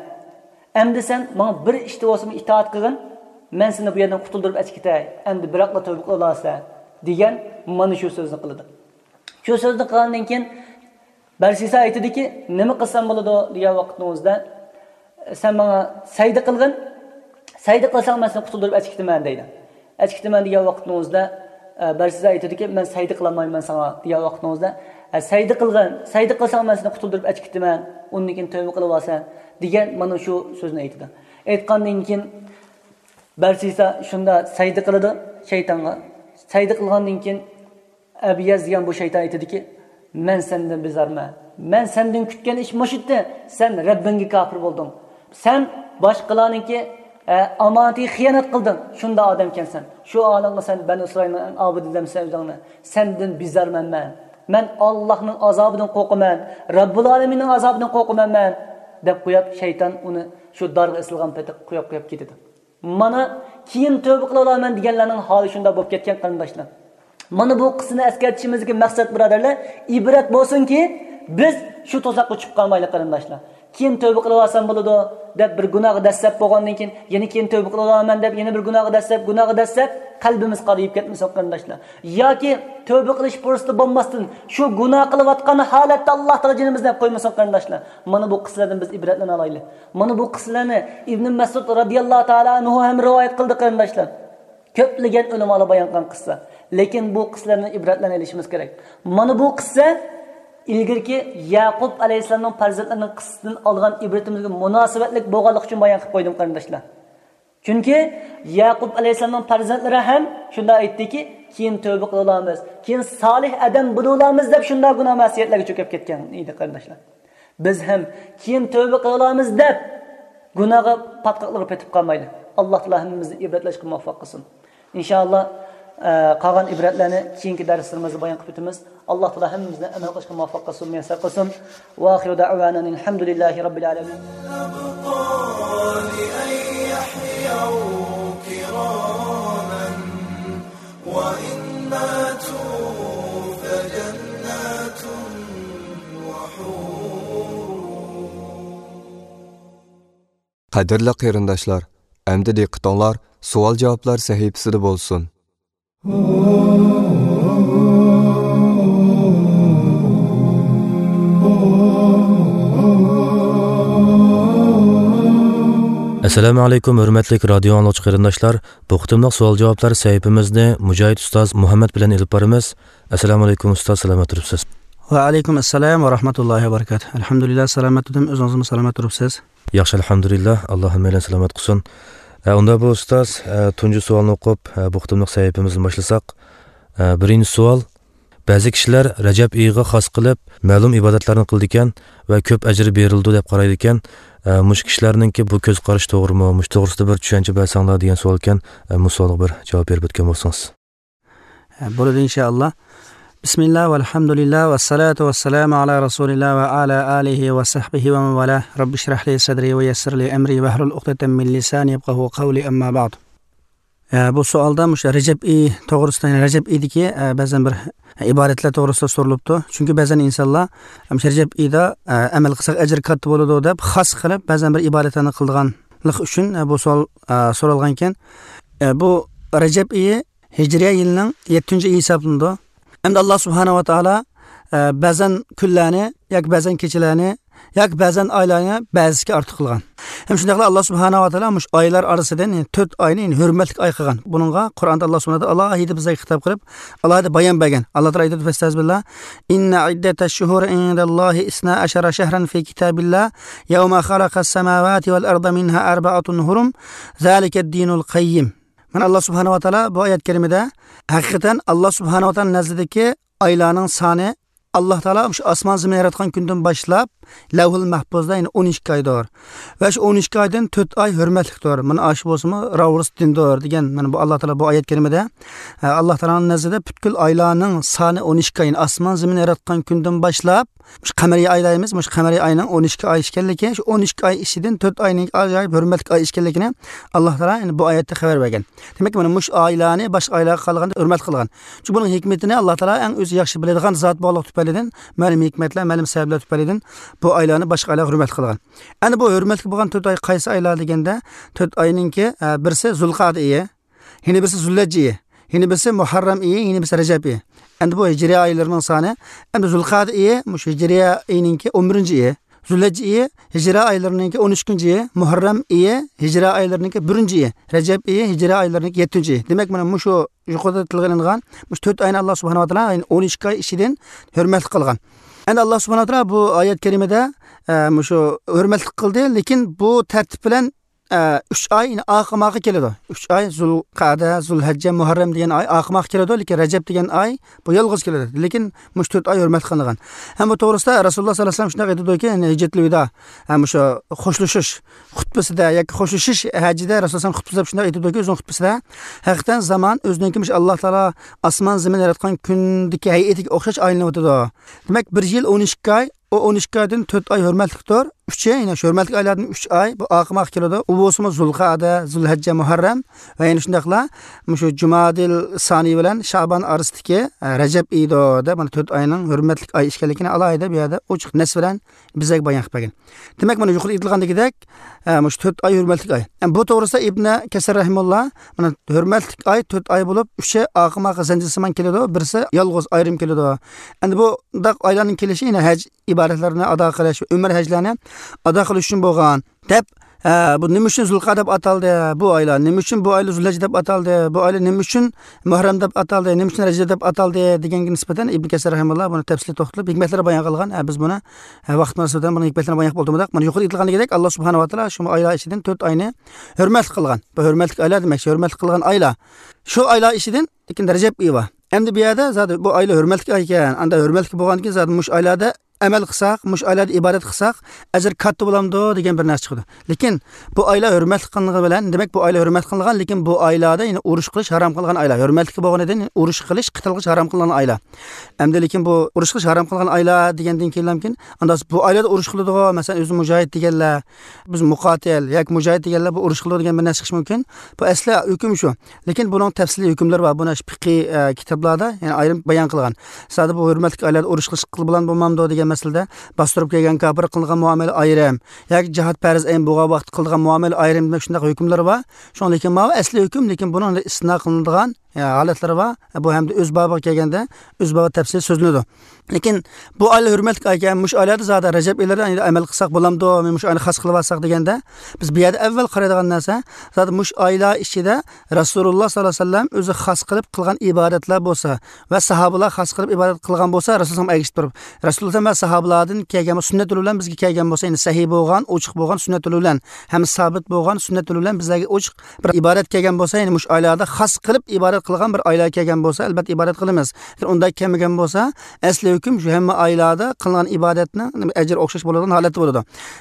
ئەمدى سەن ماڭا بىر ئىشتا بولسىمۇ ئىتائەت قىلغىن، مەن سېنى بۇ يەردىن قۇتۇلدۇرۇپ ئەچىكىتەي، ئەمدى بىراقلا تۆبە قىلىۋالارسەن، دېگەن مانا شۇ سۆزنى قىلىدۇ. شۇ سۆزنى قىلغاندىن كېيىن بەرسىسا ئېيتىدۇكى، نېمە قىلسام بولىدۇ دېگەن ۋاقتىڭىزدا، سەن ماڭا سەجدە قىلغىن، سەجدە قىلساڭ مەن سېنى قۇتۇلدۇرۇپ ئەچىكىتىمەن دەيدۇ. ئەچىكىتىمەن دېگەن ۋاقتىڭىزدا، ئە، بەرسىسا ئېيتىدۇكى، مەن سەجدە قىلالمايمەن ساڭا دېگەن ۋاقتىڭىزدا، ئە، سەجدە قىلغىن، سەجدە قىلساڭ مەن سېنى قۇتۇلدۇرۇپ ئەچىكىتىمەن، ئۇندىن كېيىن تۆبە قىلىۋالسەن دېگەن مانا شۇ سۆزنى ئېيتىدۇ. ئېيتقاندىن كېيىن بەرسىسا شۇنداق سەجدە قىلىدۇ شەيتانغا. سەجدە قىلغاندىن كېيىن ئەبىيەز دېگەن بۇ شەيتان ئېيتىدۇكى، مەن سەندىن بىزارمەن. مەن سەندىن كۈتكەن ئىش مۇشۇ ئىدى. سەن رەببىڭگە كاپىر بولدۇڭ. سەن باشقىلارنىڭكى، ئە، ئامانىتىگە خىيانەت قىلدىڭ. شۇنداق ئادەمكەنسەن. شۇ ھالىڭغا سەن بەنۇ ئىسرائىلنىڭ ئەڭ ئابىدى دەمسەن ئۆزۈڭنى. سەندىن بىزارمەن مەن. مەن ئاللاھنىڭ ئازابىدىن قورقىمەن. رەببۇل ئالەمىننىڭ ئازابىدىن قورقىمەن مەن. دەپ قويۇپ شەيتان ئۇنى شۇ دارغا ئېسىلغان پېتى قويۇپ قويۇپ كېتىدۇ. مانا، كېيىن تۆبە قىلىۋالىمەن دېگەنلەرنىڭ ھالى شۇنداق بولۇپ كەتكەن، قېرىنداشلار. مانا بۇ قىسسىنى ئەسكەرتىشىمىزدىكى مەقسەت، بۇرادەرلەر، ئىبرەت بولسۇنكى، بىز شۇ تۇزاققا چۈشۈپ قالمايلى، قېرىنداشلار. كېيىن تۆبە قىلىۋالسام بولىدۇ دەپ بىر گۇناھقا دەسسەپ بولغاندىن كېيىن، يەنە كېيىن تۆبە قىلىۋالىمەن دەپ يەنە بىر گۇناھقا دەسسەپ، گۇناھقا دەسسەپ، قەلبىمىز قارىيىپ كەتمىسۇن، قېرىنداشلار. ياكى تۆبە قىلىش پۇرسىتى بولماستىن، شۇ گۇناھ قىلىۋاتقان ھالەتتە ئاللا تائالا جېنىمىزنى ئېلىپ قويمىسۇن، قېرىنداشلار. مانا بۇ قىسسىلەردىن بىز ئىبرەتلىنى ئالايلى. مانا بۇ قىسسىلەرنى ئىبنى مەسئۇد رازىياللاھۇ تائالا ئەنھۇ ھەم رىۋايەت قىلدى، قېرىنداشلار. كۆپلىگەن ئۆلىمالار بايان قىلغان قىسسا. لېكىن بۇ قىسسىلەردىن ئىبرەتلەرنى ئېلىشىمىز كېرەك. مانا بۇ قىسسا ئىلگىرىكى يەقۇب ئەلەيھىسسالامنىڭ پەرزەنتلىرىنىڭ قىسسىسىدىن ئالغان ئىبرىتىمىزگە مۇناسىۋەتلىك بولغانلىقى ئۈچۈن بايان قىلىپ قويدۇم، قېرىنداشلار. چۈنكى يەقۇب ئەلەيھىسسالامنىڭ پەرزەنتلىرى ھەم شۇنداق ئېيتتىكى، كېيىن تۆبە قىلىۋالامىز، كېيىن سالىھ ئادەم بولۇۋالامىز دەپ شۇنداق گۇناھ مەسىيەتلەرگە چۆكۈپ كەتكەن ئىدى، قېرىنداشلار. بىز ھەم كېيىن تۆبە قىلىۋالامىز دەپ گۇناھقا پاتقاقلىرىغا پېتىپ قالمايلى. ئاللا تائالا ھەممىمىزنى ئىبرەتلەشكە مۇۋەپپەق قىلسۇن. ئىنشائاللا، ئە، قالغان ئىبرەتلەرنى كېيىنكى دەرسلىرىمىزدە بايان قىلىپ ئۆتىمىز. ئاللا تائالا ھەممىمىزنى ئەمەل قىلىشقا مۇۋەپپەق قىلسۇن، مۇيەسسەر قىلسۇن. ۋە ئاخىرۇ دەئۋانا ئەنىل ھەمدۇلىللاھى رەببىل ئالەمىن. الأبطال أن يحيوا كراما وإن ماتوا فجنات وحور. قەدىرلىك قېرىنداشلار، ئەمدى دىققىتىڭلار سوئال-جاۋابلار سەھىپىسىدە بولسۇن. ئەسسالامۇ ئەلەيكۇم، ھۆرمەتلىك رادىيو ئاڭلىغۇچى قېرىنداشلار. بۇ قېتىملىق سوئال-جاۋابلار سەھىپىمىزنى مۇجاھىد ئۇستاز مۇھەممەد بىلەن ئېلىپ بارىمىز. ئەسسالامۇ ئەلەيكۇم ئۇستاز، سالامەت تۇرۇپسىز؟ ۋەئەلەيكۇم ئەسسالام ۋە رەھمەتۇللاھى ۋە بەرىكاتۇھ. ئەلھەمدۇلىللا، سالامەت تۇردۇم. ئۆزىڭىزمۇ سالامەت تۇرۇپسىز؟ ياخشى، ئەلھەمدۇلىللا. ئاللا ھەممەيلەن سالامەت قىلسۇن. ئە، ئۇندا بۇ ئۇستاز، ئە، تۇنجى سوئالنى ئوقۇپ، ئە، بۇ قېتىملىق سەھىپىمىزنى باشلىساق. ئە، بىرىنچى سوئال. بەزى كىشىلەر رەجەب ئېيىغا خاس قىلىپ مەلۇم ئىبادەتلەرنى قىلىدىكەن ۋە كۆپ ئەجىر بېرىلىدۇ دەپ قارايدىكەن. ئە، مۇشۇ كىشىلەرنىڭكى بۇ كۆز قارىشى توغرىمۇ؟ مۇشۇ توغرىسىدا بىر چۈشەنچە بەرسەڭلار دېگەن سوئالكەن. ئە، بۇ سوئالغا بىر جاۋاب بېرىپ ئۆتكەن بولسىڭىز. بولىدۇ، ئىنشائاللا. بىسمىللا، ۋەلھەمدۇلىللا، ۋەسسالاتۇ ۋەسسالامۇ ئالا رەسۇلىللا ۋە ئالا ئالىھى ۋە سەھبىھى ۋە مەن ۋالا. رەببىشرەھلى سەدرى ۋە يەسسىرلى ئەمرى ۋەھلۇل ئۇقدەتەن مىن لىسانى يەپقەھۇ قەۋلى، ئەمما بەئد. ئە، بۇ سوئالدا مۇشۇ رەجەب ئېيى توغرىسىدا، يەنى رەجەب ئېيىدىكى، ئە، بەزەن بىر ئىبادەتلەر توغرىسىدا سورىلىپتۇ. چۈنكى بەزەن ئىنسانلار، ئە، مۇشۇ رەجەب ئېيىدا، ئە، ئەمەل قىلساق ئەجرى كاتتا بولىدۇ دەپ خاس قىلىپ بەزەن بىر ئىبادەتلەرنى قىلىدىغانلىق ئۈچۈن، ئە، بۇ سوئال، ئە، سورالغانىكەن. ئە، بۇ رەجەب ئېيى ھىجرىيە يىلىنىڭ يەتتىنچى ئېيى ھېسابلىنىدۇ. ئەمدى ئاللا سۇبھانەھۇ ۋە تائالا، ئە، بەزەن كۈنلەرنى ياكى بەزەن كېچىلەرنى ياكى بەزەن ئايلارنى بەزىسىگە ئارتۇق قىلغان. ھەم شۇنداقلا ئاللا سۇبھانەھۇ ۋە تائالا مۇشۇ ئايلار ئارىسىدىن، يەنى تۆت ئاينى، يەنى ھۆرمەتلىك ئاي قىلغان. بۇنىڭغا قۇرئاندا ئاللا سۇبھانەھۇ ۋە تائالا ئالاھىدە بىزگە خىتاب قىلىپ، ئالاھىدە بايان بەرگەن. ئاللا تائالا ئېيتىدۇ، فەستەئىزبىللا، إن عدة الشهور عند الله اثنا عشر شهرا في كتاب الله يوم خلق السماوات والأرض منها أربعة حرم ذلك الدين القيم. مانا ئاللا سۇبھانەھۇ ۋە تائالا بۇ ئايەت كەرىمىدە ھەقىقەتەن ئاللا سۇبھانەھۇ ۋە تائالا نەزىرىدىكى ئايلارنىڭ سانى ئاللا تائالا شۇ ئاسمان زېمىن ياراتقان كۈندىن باشلاپ لەۋھۇل مەھپۇزدا، يەنى ئون ئىككى ئايدۇر. ۋە شۇ ئون ئىككى ئايدىن تۆت ئاي ھۆرمەتلىكتۇر. مانا ئاشۇ بولسىمۇ راۋۇرۇس دىندۇر دېگەن، مانا بۇ ئاللا تائالا بۇ ئايەت كەرىمىدە، ئە، ئاللا تائالانىڭ نەزىرىدە پۈتكۈل ئايلارنىڭ سانى ئون ئىككى ئاي، يەنى ئاسمان زېمىن ياراتقان كۈندىن باشلاپ، مۇشۇ قەمەرىي ئاي دەيمىز، مۇشۇ قەمەرىي ئاينىڭ ئون ئىككى ئاي ئىكەنلىكى، شۇ ئون ئىككى ئاي ئىچىدىن تۆت ئاينىڭ ئاجايىپ ھۆرمەتلىك ئاي ئىكەنلىكىنى ئاللا تائالا، يەنى بۇ ئايەتتە خەۋەر بەرگەن. دېمەك، مانا مۇشۇ ئايلارنى باشقا ئايلارغا قارىغاندا ھۆرمەتلىك قىلغان. چۈنكى بۇنىڭ ھېكمىتىنى ئاللا تائالا ئەڭ ئۆزى ياخشى بىلىدىغان زات بولغانلىقى تۈپەيلىدىن، مەلۇم ھېكمەتلەر، مەلۇم سەۋەبلەر تۈپەيلىدىن بۇ ئايلارنى باشقا ئايلارغا ھۆرمەتلىك قىلغان. ئەنە بۇ ھۆرمەتلىك بولغان تۆت ئاي قايسى ئايلار دېگەندە، تۆت ئاينىڭكى، ئە، بىرسى زۇلقەئدە ئېيى، يەنە بىرسى زۇلھەججە ئېيى، يەنە بىرسى مۇھەررەم ئېيى، يەنە بىرسى رەجەب ئېيى. ئەمدى بۇ ھىجرىيە ئايلىرىنىڭ سانى، ئەمدى زۇلقەدە ئېيى، مۇشۇ ھىجرىيە ئېيىنىڭكى ئون بىرىنچى ئېيى. زۇلھەججە ئېيى ھىجرىيە ئايلىرىنىڭكى ئون ئۈچىنچى ئېيى، مۇھەررەم ئېيى ھىجرىيە ئايلىرىنىڭكى بىرىنچى ئېيى، رەجەب ئېيى ھىجرىيە ئايلىرىنىڭكى يەتتىنچى ئېيى. دېمەك، مانا مۇشۇ يۇقىرىدا تىلغا ئېلىنغان مۇشۇ تۆت ئاينى ئاللا سۇبھانەھۇ ۋە تائالا، يەنى ئون ئىككى ئاي ئىچىدىن ھۆرمەتلىك قىلغان. ئەمدى ئاللا سۇبھانەھۇ ۋە تائالا بۇ ئايەت كەرىمىدە، ئە، مۇشۇ ھۆرمەتلىك قىلدى، لېكىن بۇ تەرتىپ بىلەن ئە، ئۈچ ئاي، يەنى ئاخىرماغا كېلىدۇ. ئۈچ ئاي، زۇلقەدە، زۇلھەججە، مۇھەررەم دېگەن ئاي ئاخىرماغا كېلىدۇ، لېكىن رەجەب دېگەن ئاي بۇ يالغۇز كېلىدۇ. لېكىن مۇشۇ تۆت ئاي ھۆرمەتلىك قىلىنغان. ھەم بۇ توغرىسىدا رەسۇلۇللا ساللاللاھۇ ئەلەيھى ۋەسەللەم شۇنداق ئېيتىدۇكى، يەنى ھىجرەتۇل ۋىدا، ھەم مۇشۇ خوشلىشىش خۇتبىسىدە ياكى خوشلىشىش ھەججىدە رەسۇلۇللا خۇتبىسىدە شۇنداق ئېيتىدۇكى، ئۆزىنىڭ خۇتبىسىدە، ھەقىقەتەن زامان ئۆزىنىڭكى مۇشۇ ئاللا تائالا ئاسمان زېمىن ياراتقان كۈندىكى ھەيئىتىگە ئوخشاش ئايلىنىۋاتىدۇ. دېمەك، بىر يىل ئون ئىككى ئاي، ئۇ ئون ئىككى ئايدىن تۆت ئاي ھۆرمەتلىكتۇر. ئۈچى، يەنى شۇ ھۆرمەتلىك ئايلاردىن ئۈچ ئاي، بۇ ئاخىرماغا كېلىدۇ. ئۇ بولسىمۇ زۇلقەدە، زۇلھەججە، مۇھەررەم ۋە يەنە شۇنداقلا مۇشۇ جۇمادىل سانى بىلەن شابان ئارىسىدىكى، ئە، رەجەب ئېيىدۇ دەپ، مانا تۆت ئاينىڭ ھۆرمەتلىك ئاي ئىكەنلىكىنى ئالاھىدە بۇ يەردە ئوچۇق نەس بىلەن بىزگە بايان قىلىپ بەرگەن. دېمەك، مانا يۇقىرىدا ئېيتىلغاندىكىدەك، ئە، مۇشۇ تۆت ئاي ھۆرمەتلىك ئاي. ئە، بۇ توغرىسىدا ئىبنە كەسىر رەھىمۇللا، مانا ھۆرمەتلىك ئاي تۆت ئاي بولۇپ، ئۈچى ئارقىماققا زەنجىر سىمان كېلىدۇ، بىرسى يالغۇز ئايرىم كېلىدۇ. ئەمدى بۇنداق ئايلارنىڭ كېلىشى يەنە ھەج ئىبادەتلىرىنى ئادا قىلىش، ئۆمرە ھەجلەرنى ئادا قىلىش ئۈچۈن بولغان، دەپ، ئە، بۇ نېمە ئۈچۈن زۇلقەدە دەپ ئاتالدى؟ بۇ ئايلار نېمە ئۈچۈن بۇ ئايلار زۇلھەججە دەپ ئاتالدى؟ بۇ ئايلار نېمە ئۈچۈن مۇھەررەم دەپ ئاتالدى؟ نېمە ئۈچۈن رەجەب دەپ ئاتالدى؟ دېگەنگە نىسبەتەن ئىبن كەسىر رەھىمۇللا بۇنى تەپسىلىي توختىلىپ، ھېكمەتلەر بايان قىلغان. ئە، بىز بۇنى، ئە، ۋاقىت مۇناسىۋىتى بىلەن بۇنىڭ ھېكمەتلىرىنى بايان قىلىپ ئولتۇرمىدۇق. مانا يۇقىرىدا ئېيتىلغاندىكىدەك، ئاللا سۇبھانەھۇ ۋە تائالا شۇ ئايلار ئىچىدىن تۆت ئاينى ھۆرمەتلىك قىلغان. بۇ ھۆرمەتلىك ئايلار دېمەكچى، ھۆرمەتلىك قىلغان ئايلار. شۇ ئايلار ئىچىدىن لېكىن رەجەب ئېيى بار. ئەمدى بۇ يەردە زادى بۇ ئايلار ھۆرمەتلىك ئاي ئىكەن، ئاندا ھۆرمەتلىك بولغاندىن كېيىن زادى مۇشۇ ئايلاردا ئەمەل قىلساق، مۇشۇ ئايلاردا ئىبادەت قىلساق، ئەجىر كاتتا بولامدۇ دېگەن بىر نەرسە چىقىدۇ. لېكىن بۇ ئايلار ھۆرمەتلىك قىلىنغىنى بىلەن، دېمەك، بۇ ئايلار ھۆرمەتلىك قىلىنغان، لېكىن بۇ ئايلاردا يەنە ئۇرۇش قىلىش ھارام قىلغان ئايلار. ھۆرمەتلىك بولغىنىدىن ئۇرۇش قىلىش، قىتال قىلىش ھارام قىلىنغان ئايلار. ئەمدى لېكىن بۇ ئۇرۇش قىلىش ھارام قىلىنغان ئايلار دېگەندىن كېيىنلامكىن، ئاندا بۇ ئايلاردا ئۇرۇش قىلىدىغۇ، مەسىلەن، ئۆزى مۇجاھىد دېگەنلەر، بىز مۇقاتىل ياكى مۇجاھىد دېگەنلەر بۇ ئۇرۇش قىلىدۇ دېگەن بىر نەرسە چىقىشى مۇمكىن. بۇ ئەسلى ھۆكۈم شۇ. لېكىن بۇنىڭ تەپسىلىي ھۆكۈملىرى بار. بۇنى فىقھىي، ئە، كىتابلاردا، يەنى ئايرىم بايان قىلغان. زادى بۇ ھۆرمەتلىك ئايلاردا ئۇرۇش قىلىش قىلىپ بولامدۇ بولمامدۇ دېگەن مەسىلىدە، باستۇرۇپ كەلگەن كاپىرغا قىلىنغان مۇئامىلە ئايرىم ياكى جىھاد پەرز ئەين بولغان ۋاقىتتا قىلىدىغان مۇئامىلە ئايرىم دېمەك شۇنداق ھۆكۈملىرى بار. شۇڭا لېكىن ماۋۇ ئەسلى ھۆكۈم، لېكىن بۇنىڭ ئىستىسنا قىلىنىدىغان، يا، ھالەتلىرى بار. بۇ ھەمدە ئۆز بابىغا كەلگەندە، ئۆز بابى تەپسىلىي سۆزلىنىدۇ. لېكىن بۇ ئايلار ھۆرمەتلىك ئايكەن، مۇشۇ ئايلاردا زادى رەجەب ئېيلىرىدا ئەمەل قىلساق بولامدۇ؟ مۇشۇ ئاينى خاس قىلىپ ئالساق دېگەندە، بىز بۇ يەردە ئەۋۋەل قارايدىغان نەرسە، زادى مۇشۇ ئايلار ئىچىدە رەسۇلۇللا ساللاللاھۇ ئەلەيھى ۋەسەللەم ئۆزى خاس قىلىپ قىلغان ئىبادەتلەر بولسا ۋە ساھابىلار خاس قىلىپ ئىبادەت قىلغان بولسا، رەسۇلۇللا ئەگىشتۈرۈپ، رەسۇلۇللا ۋە ساھابىلاردىن كەلگەن سۈننەت يولى بىلەن بىزگە كەلگەن بولسا، يەنى سەھىھ بولغان، ئوچۇق بولغان سۈننەت يولى بىلەن ھەم سابىت بولغان سۈننەت يولى بىلەن بىزلەرگە ئوچۇق بىر ئىبادەت كەلگەن بولسا، يەنى مۇشۇ ئايلاردا خاس قىلىپ ئىبادەت قىلغان بىر ئايلار كەلگەن بولسا، ئەلۋەتتە ئىبادەت قىلىمىز. لېكىن ئۇنداق كەلمىگەن بولسا، ئەسلى ھۆكۈم شۇ ھەممە ئايلاردا قىلىنغان ئىبادەتنىڭ ئەجرى ئوخشاش بولىدىغان ھالەتتە بولىدۇ.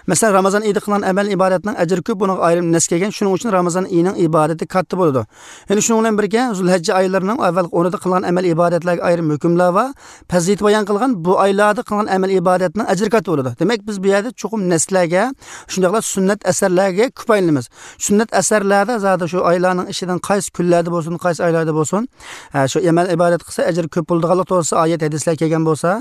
مەسىلەن، رامازان ئېيىدا قىلىنغان ئەمەل ئىبادەتنىڭ ئەجرى كۆپ، بۇنىڭغا ئايرىم نەس كەلگەن. شۇنىڭ ئۈچۈن رامازان ئېيىنىڭ ئىبادىتى كاتتا بولىدۇ. يەنە شۇنىڭ بىلەن بىرگە، زۇلھەججە ئايلىرىنىڭ ئەۋۋەلقى ئونىدا قىلغان ئەمەل ئىبادەتلەرگە ئايرىم ھۆكۈملەر بار. پەزىلىتى بايان قىلغان بۇ ئايلاردا قىلغان ئەمەل ئىبادەتنىڭ ئەجرى كاتتا بولىدۇ. دېمەك، بىز بۇ يەردە چوقۇم نەسلەرگە، شۇنداقلا سۈننەت ئەسەرلەرگە كۆپ ئايلىنىمىز. سۈننەت ئەسەرلەردە زادى شۇ ئايلارنىڭ ئىچىدىن قايسى كۈنلەردە بولسۇن، قايسى ئايلاردا بولسۇن، ھە، شۇ ئەمەل ئىبادەت قىلسا ئەجرى كۆپ بولىدىغانلىق توغرىسىدا ئايەت، ھەدىسلەر كەلگەن بولسا،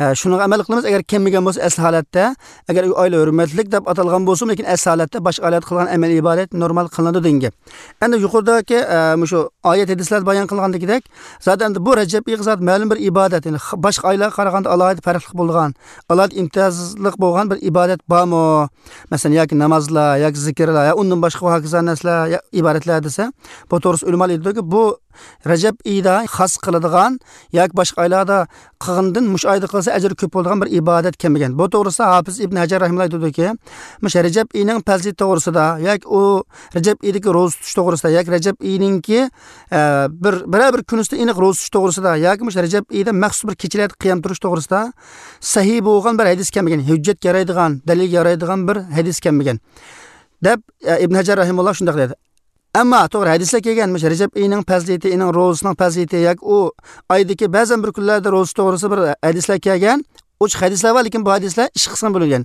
ھە، شۇنىڭغا ئەمەل قىلىمىز. ئەگەر كەلمىگەن بولسا ئەسلى ھالەتتە، ئەگەر ئۇ ئايلار ھۆرمەتلىك دەپ ئاتالغان بولسىمۇ، لېكىن ئەسلى ھالەتتە باشقا ئايلاردا قىلغان ئەمەل ئىبادەت نورمال قىلىنىدۇ دېگەن گەپ. ئەمدى يۇقىرىدىكى، ئە، مۇشۇ ئايەت، ھەدىسلەردە بايان قىلغاندىكىدەك، زادى ئەمدى بۇ رەجەب ئېيىغا زادى مەلۇم بىر ئىبادەت، يەنى خ-، باشقا ئايلارغا قارىغاندا ئالاھىدە پەرقلىق بولىدىغان، ئالاھىدە ئىمتىيازلىق بولغان بىر ئىبادەت بارمۇ؟ مەسىلەن، ياكى نامازلار، ياكى زىكىرلار، يا ئۇندىن باشقا ۋە ھاكازا نەرسىلەر، يا ئىبادەتلەر دېسە، بۇ توغرىسىدا ئۆلىمالار ئېيتىدۇكى، بۇ رەجەب ئېيىدا خاس قىلىدىغان ياكى باشقا ئايلاردا قىلغىنىدىن مۇشۇ ئايدا قىلسا ئەجرى كۆپ بولىدىغان بىر ئىبادەت كەلمىگەن. بۇ توغرىسىدا ھاپىز ئىبن ھەجەر رەھىمەھۇللاھ دېدىكى، مۇشۇ رەجەب ئېيىنىڭ پەزىلىتى توغرىسىدا ياكى ئۇ رەجەب ئېيىدىكى روزا تۇتۇش توغرىسىدا ياكى رەجەب ئېيىنىڭكى، ئە، بىر، بىرەر بىر كۈنىسىدە ئېنىق روزا تۇتۇش توغرىسىدا ياكى مۇشۇ رەجەب ئېيىدا مەخسۇس بىر كېچىلەردە قىيام تۇرۇش توغرىسىدا سەھىھ بولغان بىر ھەدىس كەلمىگەن، ھۆججەتكە يارايدىغان، دەلىلگە يارايدىغان بىر ھەدىس كەلمىگەن، دەپ، ئە، ئىبن ھەجەر رەھىمەھۇللاھ شۇنداق دېدى. ئەمما توغرا ھەدىسلەر كەلگەن، مۇشۇ رەجەب ئېيىنىڭ پەزىلىتى، ئېنىڭ روزىسىنىڭ پەزىلىتى ياكى ئۇ ئايدىكى بەزەن بىر كۈنلەردە روزا توغرىسىدا بىر ھەدىسلەر كەلگەن. ئوچۇق ھەدىسلەر بار، لېكىن بۇ ھەدىسلەر ئىككى قىسىمغا بۆلۈنگەن.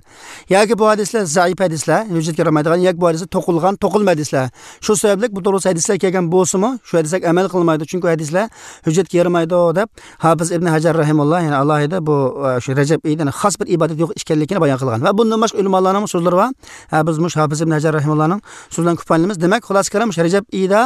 ياكى بۇ ھەدىسلەر زەئىپ ھەدىسلەر، ھۆججەتكە يارىمايدىغان، ياكى بۇ ھەدىسلەر توقۇلغان، توقۇلما ھەدىسلەر. شۇ سەۋەبلىك بۇ توغرىسىدا ھەدىسلەر كەلگەن بولسىمۇ، شۇ ھەدىسلەرگە ئەمەل قىلمايدۇ، چۈنكى ئۇ ھەدىسلەر ھۆججەتكە يارىمايدۇ، دەپ ھاپىز ئىبن ھەجەر رەھىمەھۇللاھ، يەنى ئالاھىدە بۇ، ئە، شۇ رەجەب ئېيىدا خاس بىر ئىبادەت يوق ئىكەنلىكىنى بايان قىلغان. ۋە بۇندىن باشقا ئۆلىمالارنىڭ سۆزلىرى بار. ھە، بىز مۇشۇ ھاپىز ئىبن ھەجەر رەھىمەھۇللاھنىڭ سۆزلىرىدىن كۇپايلىنىمىز. دېمەك، خۇلاسە كالام، مۇشۇ رەجەب ئېيىدا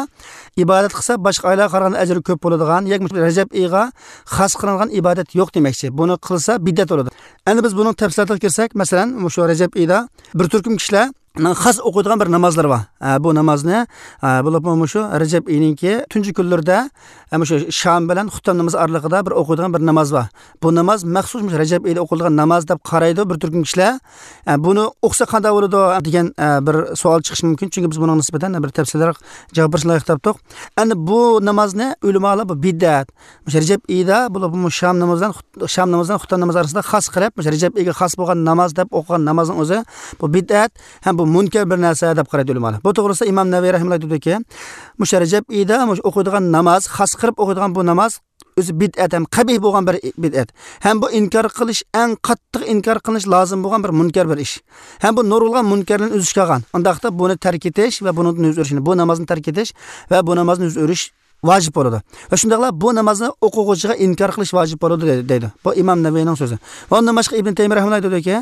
ئىبادەت قىلسا، باشقا ئايلارغا قارىغاندا ئەجرى كۆپ بولىدىغان، ياكى مۇشۇ رەجەب ئېيىغا خاس قىلىنغان ئىبادەت يوق دېمەكچى. بۇنى قىلسا، بىدئەت بولىدۇ. ئەمدى بىز بۇنىڭ تەپسىلاتىغا كىرسەك، مەسىلەن، مۇشۇ رەجەب ئېيىدا بىر تۈركۈم كىشىلەر خاس ئوقۇيدىغان بىر نامازلىرى بار. ھە، بۇ نامازنى، ھە، بولۇپمۇ مۇشۇ رەجەب ئېيىنىڭكى تۇنجى كۈنلىرىدە، ھە، مۇشۇ شام بىلەن خۇتتەم نامىزى ئارىلىقىدا بىر ئوقۇيدىغان بىر ناماز بار. بۇ ناماز مەخسۇس مۇشۇ رەجەب ئېيىدا ئوقۇلىدىغان ناماز دەپ قارايدۇ بىر تۈركۈم كىشىلەر. ھە، بۇنى ئوقۇسا قانداق بولىدۇ دېگەن، ھە، بىر سوئال چىقىشى مۇمكىن. چۈنكى بىز بۇنىڭغا نىسبەتەن بىر تەپسىلىيرەك جاۋاب بېرىشنى لايىق تاپتۇق. ئەمدى بۇ نامازنى ئۆلىمالار بۇ بىدئەت، مۇشۇ رەجەب ئېيىدا بولۇپمۇ شام نامىزى بىلەن خۇت-، شام نامىزى بىلەن خۇتتەم نامىزى ئارىسىدا خاس قىلىپ، مۇشۇ رەجەب ئېيىغا خاس بولغان ناماز دەپ ئوقۇغان نامازنىڭ ئۆزى بۇ بىدئەت ھەم بۇ مۇنكەر بىر نەرسە دەپ قارايدۇ ئۆلىمالار. بۇ توغرىسىدا ئىمام نەۋەۋى رەھىمەھۇللاھ دېدىكى، مۇشۇ رەجەب ئېيىدا مۇشۇ ئوقۇيدىغان ناماز، خاس قىلىپ ئوقۇيدىغان بۇ ناماز ئۆزى بىدئەت ھەم قەبىھ بولغان بىر بىدئەت. ھەم بۇ ئىنكار قىلىش، ئەڭ قاتتىق ئىنكار قىلىش لازىم بولغان بىر مۇنكەر بىر ئىش. ھەم بۇ نۇرغۇنلىغان مۇنكەرلەرنى ئۆز ئىچىگە ئالغان. ئۇنداقتا بۇنى تەرك ئېتىش ۋە بۇنىڭدىن يۈز ئۆرۈشنى، بۇ نامازنى تەرك ئېتىش ۋە بۇ نامازنى يۈز ئۆرۈش ۋاجىپ بولىدۇ. ۋە شۇنداقلا بۇ نامازنى ئوقۇغۇچىغا ئىنكار قىلىش ۋاجىپ بولىدۇ، دەي-، دەيدۇ. بۇ ئىمام نەۋەۋىنىڭ سۆزى. ۋە ئۇندىن باشقا ئىبن تەيمىيە رەھىمەھۇللاھ دېدىكى،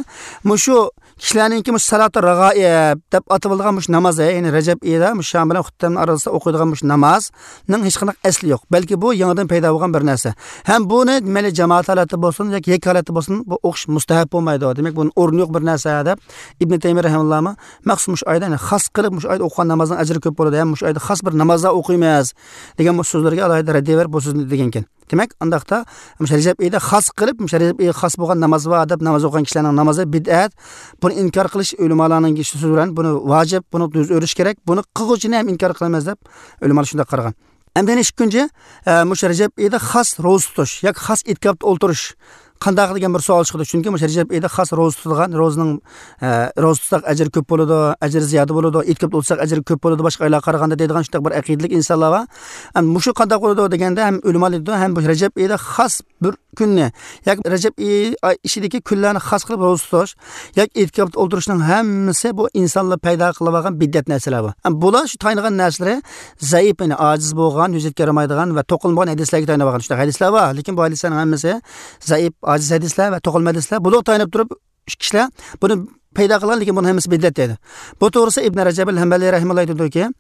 مۇشۇ كىشىلەرنىڭكى مۇشۇ سالاتۇ رەغائىب دەپ ئاتىۋالغان مۇشۇ ناماز، يەنى رەجەب ئېيىدا مۇشۇ شام بىلەن خۇتتەمنىڭ ئارىسىدا ئوقۇيدىغان مۇشۇ نامازنىڭ ھېچقانداق ئەسلى يوق. بەلكى بۇ يېڭىدىن پەيدا بولغان بىر نەرسە. ھەم بۇنى مەيلى جامائەت ھالەتتە بولسۇن ياكى يەككە ھالەتتە بولسۇن، بۇ ئوقۇش مۇستەھەب بولمايدۇ. دېمەك، بۇنىڭ ئورنى يوق بىر نەرسە دەپ ئىبن تەيمىيە رەھىمەھۇللاھمۇ مەخسۇس مۇشۇ ئايدا، يەنى خاس قىلىپ مۇشۇ ئايدا ئوقۇغان نامازنىڭ ئەجرى كۆپ بولىدۇ، ھەم مۇشۇ ئايدا خاس بىر نامازلار ئوقۇيمىز دېگەن بۇ سۆزلەرگە ئالاھىدە رەددىيە بېرىپ بۇ سۆزنى دېگەنكەن. دېمەك، ئانداقتا مۇشۇ رەجەب ئېيىدا خاس قىلىپ، مۇشۇ رەجەب ئېيىغا خاس بولغان ناماز بار دەپ ناماز ئوقۇغان كىشىلەرنىڭ نامازى بىدئەت. بۇنى ئىنكار قىلىش ئۆلىمالارنىڭ سۆزى بىلەن بۇنى ۋاجىپ، بۇنى يۈز ئۆرۈش كېرەك، بۇنى قىلغۇچىنى ھەم ئىنكار قىلىمىز دەپ ئۆلىمالار شۇنداق قارىغان. ئەمدى يەنە ئىككىنچى، ئە، مۇشۇ رەجەب ئېيىدا خاس روزا تۇتۇش ياكى خاس ئېتىكاپتا ئولتۇرۇش قانداق دېگەن بىر سوئال چىقىدۇ. چۈنكى مۇشۇ رەجەب ئېيىدا خاس روزا تۇتىدىغان، روزىنىڭ، ئە، روزا تۇتساق ئەجرى كۆپ بولىدۇ، ئەجرى زىيادە بولىدۇ، ئېتىكاپتا ئولتۇرساق ئەجرى كۆپ بولىدۇ باشقا ئايلارغا قارىغاندا دەيدىغان شۇنداق بىر ئەقىدىلىك ئىنسانلار بار. ئەمدى مۇشۇ قانداق بولىدۇ دېگەندە ھەم ئۆلىمالار دەيدۇ، ھەم بۇ رەجەب ئېيىدا خاس بىر كۈننى ياكى رەجەب ئېيى، ئاي ئىچىدىكى كۈنلەرنى خاس قىلىپ روزا تۇتۇش ياكى ئېتىكاپتا ئولتۇرۇشنىڭ ھەممىسى بۇ ئىنسانلار پەيدا قىلىۋالغان بىدئەت نەرسىلەر بۇ. ئەمما بۇلار شۇ تايىنىدىغان نەرسىلىرى زەئىپ، يەنى ئاجىز بولغان، ھۆججەتكە يارىمايدىغان ۋە توقۇلمىغان ھەدىسلەرگە تايىنىۋالغان شۇنداق ھەدىسلەر بار. لېكىن بۇ ھەدىسلەرنىڭ ھەممىسى زەئىپ، ئاجىز ھەدىسلەر ۋە توقۇلما ھەدىسلەر. بۇلارغا تايىنىپ تۇرۇپ، كىشىلەر بۇنى پەيدا قىلغان، لېكىن بۇنىڭ ھەممىسى بىدئەت دەيدۇ. بۇ توغرىسىدا ئىبن رەجەب ئەل ھەمبەلى رەھىمەھۇللاھ ئېيتىدۇكى،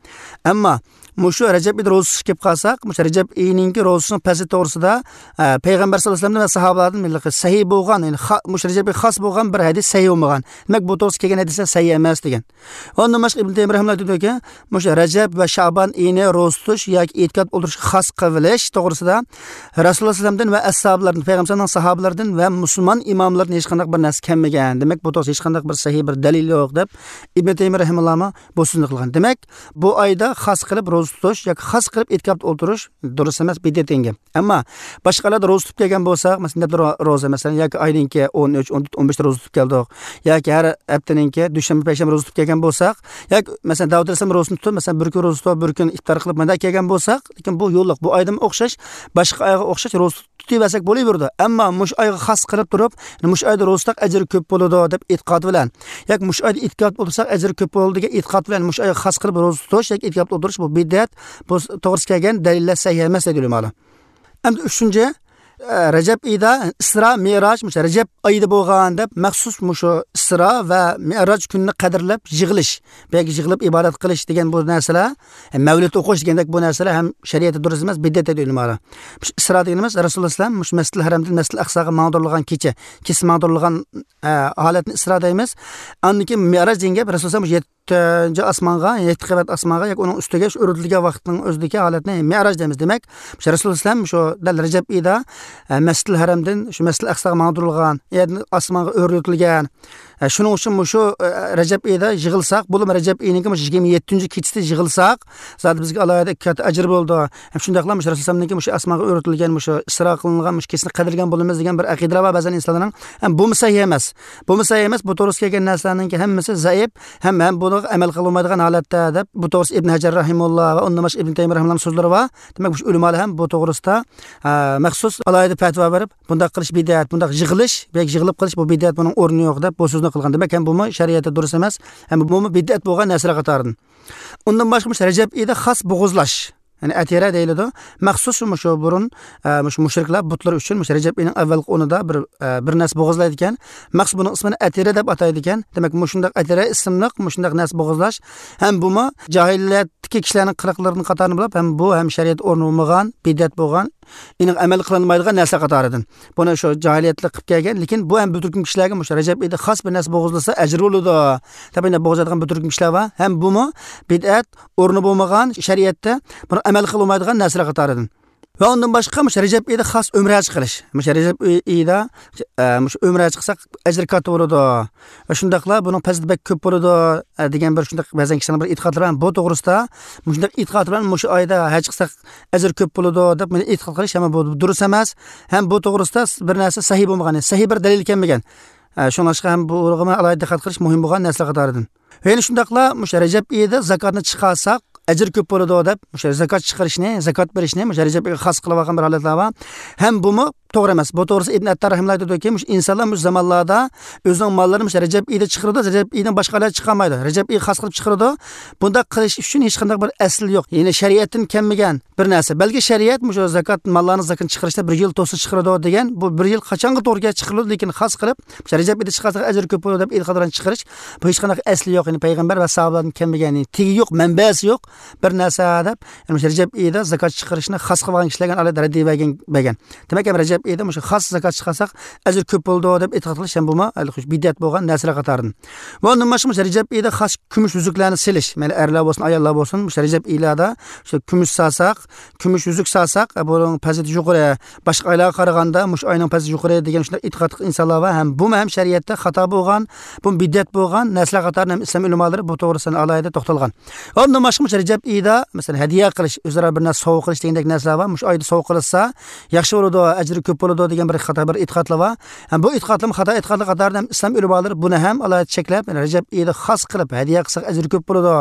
ئەمما مۇشۇ رەجەب ئېيىدا روزا تۇتۇش كېلىپ قالساق، مۇشۇ رەجەب ئېيىنىڭكى روزىسىنىڭ پەزىلىتى توغرىسىدا، ئە، پەيغەمبەر سەللەللاھۇ ئەلەيھى ۋەسەللەمدىن ۋە ساھابىلاردىن مۇشۇ رەجەب ئېيىغا خاس بولغان بىر ھەدىس سەھىھ بولمىغان. دېمەك، بۇ توغرىسىدا كەلگەن ھەدىسلەر سەھىھ ئەمەس دېگەن. ئۇندىن باشقا ئىبن تەيمىيە رەھىمەھۇللاھ ئېيتىدۇكى، مۇشۇ رەجەب ۋە شەئبان ئېيىنى روزا تۇتۇش ياكى ئېتىكاپ ئولتۇرۇشقا خاس قىلىش توغرىسىدا رەسۇلۇللاھ سەللەللاھۇ ئەلەيھى ۋەسەللەمدىن ۋە ئەسھابىلاردىن، پەيغەمبەرنىڭ ساھابىلىرىدىن ۋە مۇسۇلمان ئىماملاردىن ھېچقانداق بىر نەرسە كەلمىگەن. دېمەك، بۇ توغرىسىدا ھېچقانداق بىر سەھىھ بىر دەلىل يوق، دەپ ئىبن تەيمىيە رەھىمەھۇللاھمۇ بۇ سۆزنى قىلغان. دېمەك، بۇ ئايدا خاس قىلىپ روزا تۇتۇش ياكى خاس قىلىپ ئېتىكاپتا ئولتۇرۇش دۇرۇس ئەمەس، بىدئەت دېگەن گەپ. ئەمما باشقا ئايلاردا روزا تۇتۇپ كەلگەن بولساق، مەسىلەن، نەدىر روزا، مەسىلەن، ياكى ئاينىڭكى ئون ئۈچ، ئون تۆت، ئون بەشتە روزا تۇتۇپ كەلدۇق، ياكى ھەر ھەپتىنىڭكى دۈشەنبە، پەيشەنبە روزا تۇتۇپ كەلگەن بولساق، ياكى، مەسىلەن، داۋۇت ئەلەيھىسسالام روزىنى تۇتۇپ، مەسىلەن، بىر كۈن روزا تۇتۇپ، بىر كۈن ئىپتار قىلىپ، مۇنداق كەلگەن بولساق، لېكىن بۇ يوللۇق، بۇ ئايدىمۇ ئوخشاش، باشقا ئايغا ئوخشاش روزا تۇتۇۋەرسەك بولۇۋېرىدۇ. ئەمما مۇشۇ ئايغا خاس قىلىپ تۇرۇپ، مۇشۇ ئايدا روزا تۇتساق ئەجرى كۆپ بولىدۇ دەپ ئېتىقاد بىلەن، ياكى مۇشۇ ئايدا ئېتىكاپتا ئولتۇرساق ئەجرى كۆپ بولىدۇ دېگەن ئېتىقاد بىلەن مۇشۇ ئايغا خاس قىلىپ روزا تۇتۇش ياكى ئېتىكاپتا ئولتۇرۇش، بۇ بىدئەت، بۇ توغرىسىدا كەلگەن دەلىللەر سەھىھ ئەمەس دەيدۇ ئۆلىمالار. ئەمدى ئۈچىنچى، ئە، رەجەب ئېيىدا ئىسرا، مىئراج، مۇشۇ رەجەب ئايىدا بولغان دەپ مەخسۇس مۇشۇ ئىسرا ۋە مىئراج كۈنىنى قەدىرلەپ يىغىلىش، بۇ يەرگە يىغىلىپ ئىبادەت قىلىش دېگەن بۇ نەرسىلەر، ئە، مەۋلىت ئوقۇش دېگەندەك بۇ نەرسىلەر ھەم شەرىئەتتە دۇرۇس ئەمەس، بىدئەت دەيدۇ ئۆلىمالار. مۇشۇ ئىسرا دېگىنىمىز رەسۇلۇللاھ ئەلەيھىسسالام مۇشۇ مەسجىدىل ھەرەمدىن مەسجىدىل ئەقساغا ماڭدۇرۇلغان كېچە، كېسە ماڭدۇرۇلغان، ئە، ھالەتنى ئىسرا دەيمىز. ئاندىن كېيىن مىئراج دېگەن گەپ رەسۇلۇللاھ ئەلەيھىسسالام مۇشۇ يەت-، تۆتىنچى ئاسمانغا، يەتتە قەۋەت ئاسمانغا ياكى ئۇنىڭ ئۈستىگە شۇ ئۆرلىتىلگەن ۋاقىتنىڭ ئۆزىدىكى ھالەتنى مىئراج دەيمىز. دەيمەك، شۇ رەسۇلۇللا ئەلەيھىسسالام شۇ دەل رەجەب ئېيىدا، ئە، مەسجىدىل ھەرەمدىن شۇ مەسجىدىل ئەقساغا ماڭدۇرۇلغان، ئاسمانغا ئۆرلىتىلگەن. ئە، شۇنىڭ ئۈچۈن مۇشۇ، ئە، رەجەب ئېيىدا يىغىلساق، بولۇپمۇ رەجەب ئېيىنىڭكى مۇشۇ يىگىرمە يەتتىنچى كېچىسىدە يىغىلساق، زادى بىزگە ئالاھىدە كاتتا ئەجىر بولىدۇ. ھەم شۇنداقلا مۇشۇ رەسۇلۇللا ئەلەيھىسسالامنىڭكى مۇشۇ ئاسمانغا ئۆرلىتىلگەن مۇشۇ ئىسرا قىلىنغان مۇشۇ كېچىنى قەدىرلىگەن بولىمىز دېگەن بىر ئەقىدىلەر بار بەزەن ئىنسانلارنىڭ. ھەم بۇمۇ سەھىھ ئەمەس. بۇمۇ سەھىھ ئەمەس. بۇ توغرىسىدا كەلگەن نەرسىلەرنىڭكى ھەممىسى زەئىپ. ھەم، ھەم بۇنىڭغا ئەمەل قىلىنمايدىغان ھالەتتە دەپ، بۇ توغرىسىدا ئىبن ھەجەر رەھىمۇللا ۋە ئۇندىن باشقا ئىبن تەيمىيە رەھىمۇللانىڭ سۆزلىرى بار. دېمەك، مۇشۇ ئۆلىمالار ھەم بۇ توغرىسىدا، ئە، مەخسۇس ئالاھىدە پەتىۋا بېرىپ، بۇنداق قىلىش بىدئەت، بۇنداق يىغىلىش، بەك يىغىلىپ قېلىش، بۇ بىدئەت، بۇنىڭ ئورنى يوق دەپ، بۇ سۆزنى قىلغان. دېمەك، ھەم بۇمۇ شەرىئەتتە دۇرۇس ئەمەس، ھەم بۇمۇ بىدئەت بولغان نەرسىلەر قاتارىدىن. ئۇندىن باشقا مۇشۇ رەجەب ئېيىدا خاس بوغۇزلاش، يەنى ئەتىرە دەيلىدۇ. مەخسۇس مۇشۇ بۇرۇن، ئە، مۇشۇ مۇشرىكلار بۇتلىرى ئۈچۈن مۇشۇ رەجەب ئېيىنىڭ ئەۋۋەلقى ئونىدا بىر، ئە، بىر نەرسە بوغۇزلايدىكەن. مەخسۇس بۇنىڭ ئىسمىنى ئەتىرە دەپ ئاتايدىكەن. دېمەك، مۇشۇنداق ئەتىرە ئىسىملىق مۇشۇنداق نەرسە بوغۇزلاش ھەم بۇمۇ جاھىلىيەتتىكى كىشىلەرنىڭ قىلىقلىرىدىن قاتارىدىن بولۇپ، ھەم بۇ ھەم شەرىئەتتە ئورنى بولمىغان، بىدئەت بولغان، ئېنىق ئەمەل قىلىنمايدىغان نەرسە قاتارىدىن. بۇنى شۇ جاھىلىيەتلىك قىلىپ كەلگەن، لېكىن بۇ ھەم بىر تۈركۈم كىشىلەرگە مۇشۇ رەجەب ئېيىدا خاس بىر نەرسە بوغۇزلىسا ئەجىر بولىدۇ دەپ، يەنە بوغۇزلايدىغان بىر تۈركۈم كىشىلەر بار. ھەم بۇمۇ بىدئەت، ئورنى بولمىغان، شەرىئەتتە بۇنى ئەمەل قىلىنمايدىغان نەرسىلەر قاتارىدىن. ۋە ئۇندىن باشقا مۇشۇ رەجەب ئېيىدا خاس ئۆمرە چىقىرىش. مۇشۇ رەجەب ئېيىدا، ئە، مۇشۇ ئۆمرە چىقساق ئەجرى كاتتا بولىدۇ. ۋە شۇنداقلا بۇنىڭ پەزىلىتى بەك كۆپ بولىدۇ، ئە، دېگەن بىر شۇنداق بەزەن كىشىلەرنىڭ بىر ئېتىقادلىرى بار. بۇ توغرىسىدا مۇشۇنداق ئېتىقاد بىلەن مۇشۇ ئايدا ھەج قىلساق ئەجىر كۆپ بولىدۇ دەپ مۇنداق ئېتىقاد قىلىش ھەم بۇ دۇرۇس ئەمەس. ھەم بۇ توغرىسىدا بىر نەرسە سەھىھ بولمىغان، سەھىھ بىر دەلىل كەلمىگەن. ئە، شۇڭلاشقا ھەم بۇغا ئالاھىدە دىققەت قىلىش مۇھىم بولغان نەرسىلەر قاتارىدىن. ۋە يەنە شۇنداقلا مۇشۇ رەجەب ئېيىدا زاكاتنى چىقارساق ئەجىر كۆپ بولىدۇ دەپ، مۇشۇ زاكات چىقىرىشنى، زاكات بېرىشنى مۇشۇ رەجەب ئېيىغا خاس قىلىۋالغان بىر ھالەتلەر بار. ھەم بۇمۇ توغرا ئەمەس. بۇ توغرىسىدا ئىبن ئەتتار رەھىمۇللا دەيدۇكى، مۇشۇ ئىنسانلار مۇشۇ زامانلاردا ئۆزىنىڭ ماللىرىنى مۇشۇ رەجەب ئېيىدا چىقىرىدۇ، رەجەب ئېيىدىن باشقا ئايلاردا چىقارمايدۇ. رەجەب ئېيىغا خاس قىلىپ چىقىرىدۇ. بۇنداق قىلىش ئۈچۈن ھېچقانداق بىر ئەسىل يوق. يەنى شەرىئەتتىن كەلمىگەن بىر نەرسە. بەلكى شەرىئەت مۇشۇ زاكات ماللارنىڭ زاكىتىنى چىقىرىشتا بىر يىل توسا چىقىرىدۇ دېگەن، بۇ بىر يىل قاچانغا توغرا كەلسە چىقىرىدۇ، لېكىن خاس قىلىپ مۇشۇ رەجەب ئېيىدا چىقارساق ئەجرى كۆپ بولىدۇ دەپ ئېتىقاد بىلەن چىقىرىش، بۇ ھېچقانداق ئەسلى يوق. يەنى پەيغەمبەر ۋە ساھابىلاردىن كەلمىگەن، يەنى تېگى يوق، مەنبەسى يوق بىر نەرسە دەپ، يەنى مۇشۇ رەجەب ئېيىدا زاكات چىقىرىشنى خاس قىلغان كىشىلەرگە ئالاھىدە رەددىيە بەرگەن، بەرگەن. دېمەك، ھەم رەجەب ئېيىدا مۇشۇ خاس زاكات چىقارساق ئەجرى كۆپ بولىدۇ دەپ ئېتىقاد قىلىش ھەم بۇمۇ ھېلى خۇش بىدئەت بولغان نەرسىلەر قاتارىدىن. ۋە ئۇندىن باشقا مۇشۇ رەجەب ئېيىدا خاس كۈمۈش ئۈزۈكلەرنى سېلىش، مەيلى ئەرلەر بولسۇن، ئاياللار بولسۇن، مۇشۇ رەجەب ئېيلاردا شۇ كۈمۈش سالساق، كۈمۈش ئۈزۈك سالساق، ئە، بۇنىڭ پەزىلىتى يۇقىرى، باشقا ئايلارغا قارىغاندا مۇشۇ ئاينىڭ پەزىلىتى يۇقىرى دېگەن شۇنداق ئېتىقادلىق ئىنسانلار بار. ھەم بۇمۇ ھەم شەرىئەتتە خاتا بولغان، بۇمۇ بىدئەت بولغان نەرسىلەر قاتارىدىن ھەم ئىسلام ئۆلىمالىرى بۇ توغرىسىدا ئالاھىدە توختالغان. ئۇندىن باشقا مۇشۇ رەجەب ئېيىدا، مەسىلەن، ھەدىيە قىلىش، ئۆزئارا بىر نەرسە سوۋغا قىلىش دېگەندەك نەرسىلەر بار. مۇشۇ ئايدا سوۋغا قىلىشسا ياخشى بولىدۇ، ئەجرى كۆپ بولىدۇ دېگەن بىر خاتا بىر ئېتىقادلار بار. ھەم بۇ ئېتىقادلارمۇ خاتا ئېتىقادلار قاتارىدىن ھەم ئىسلام ئۆلىمالىرى بۇنى ھەم ئالاھىدە چەكلەپ، يەنى رەجەب ئېيىدا خاس قىلىپ ھەدىيە قىلساق ئەجرى كۆپ بولىدۇ.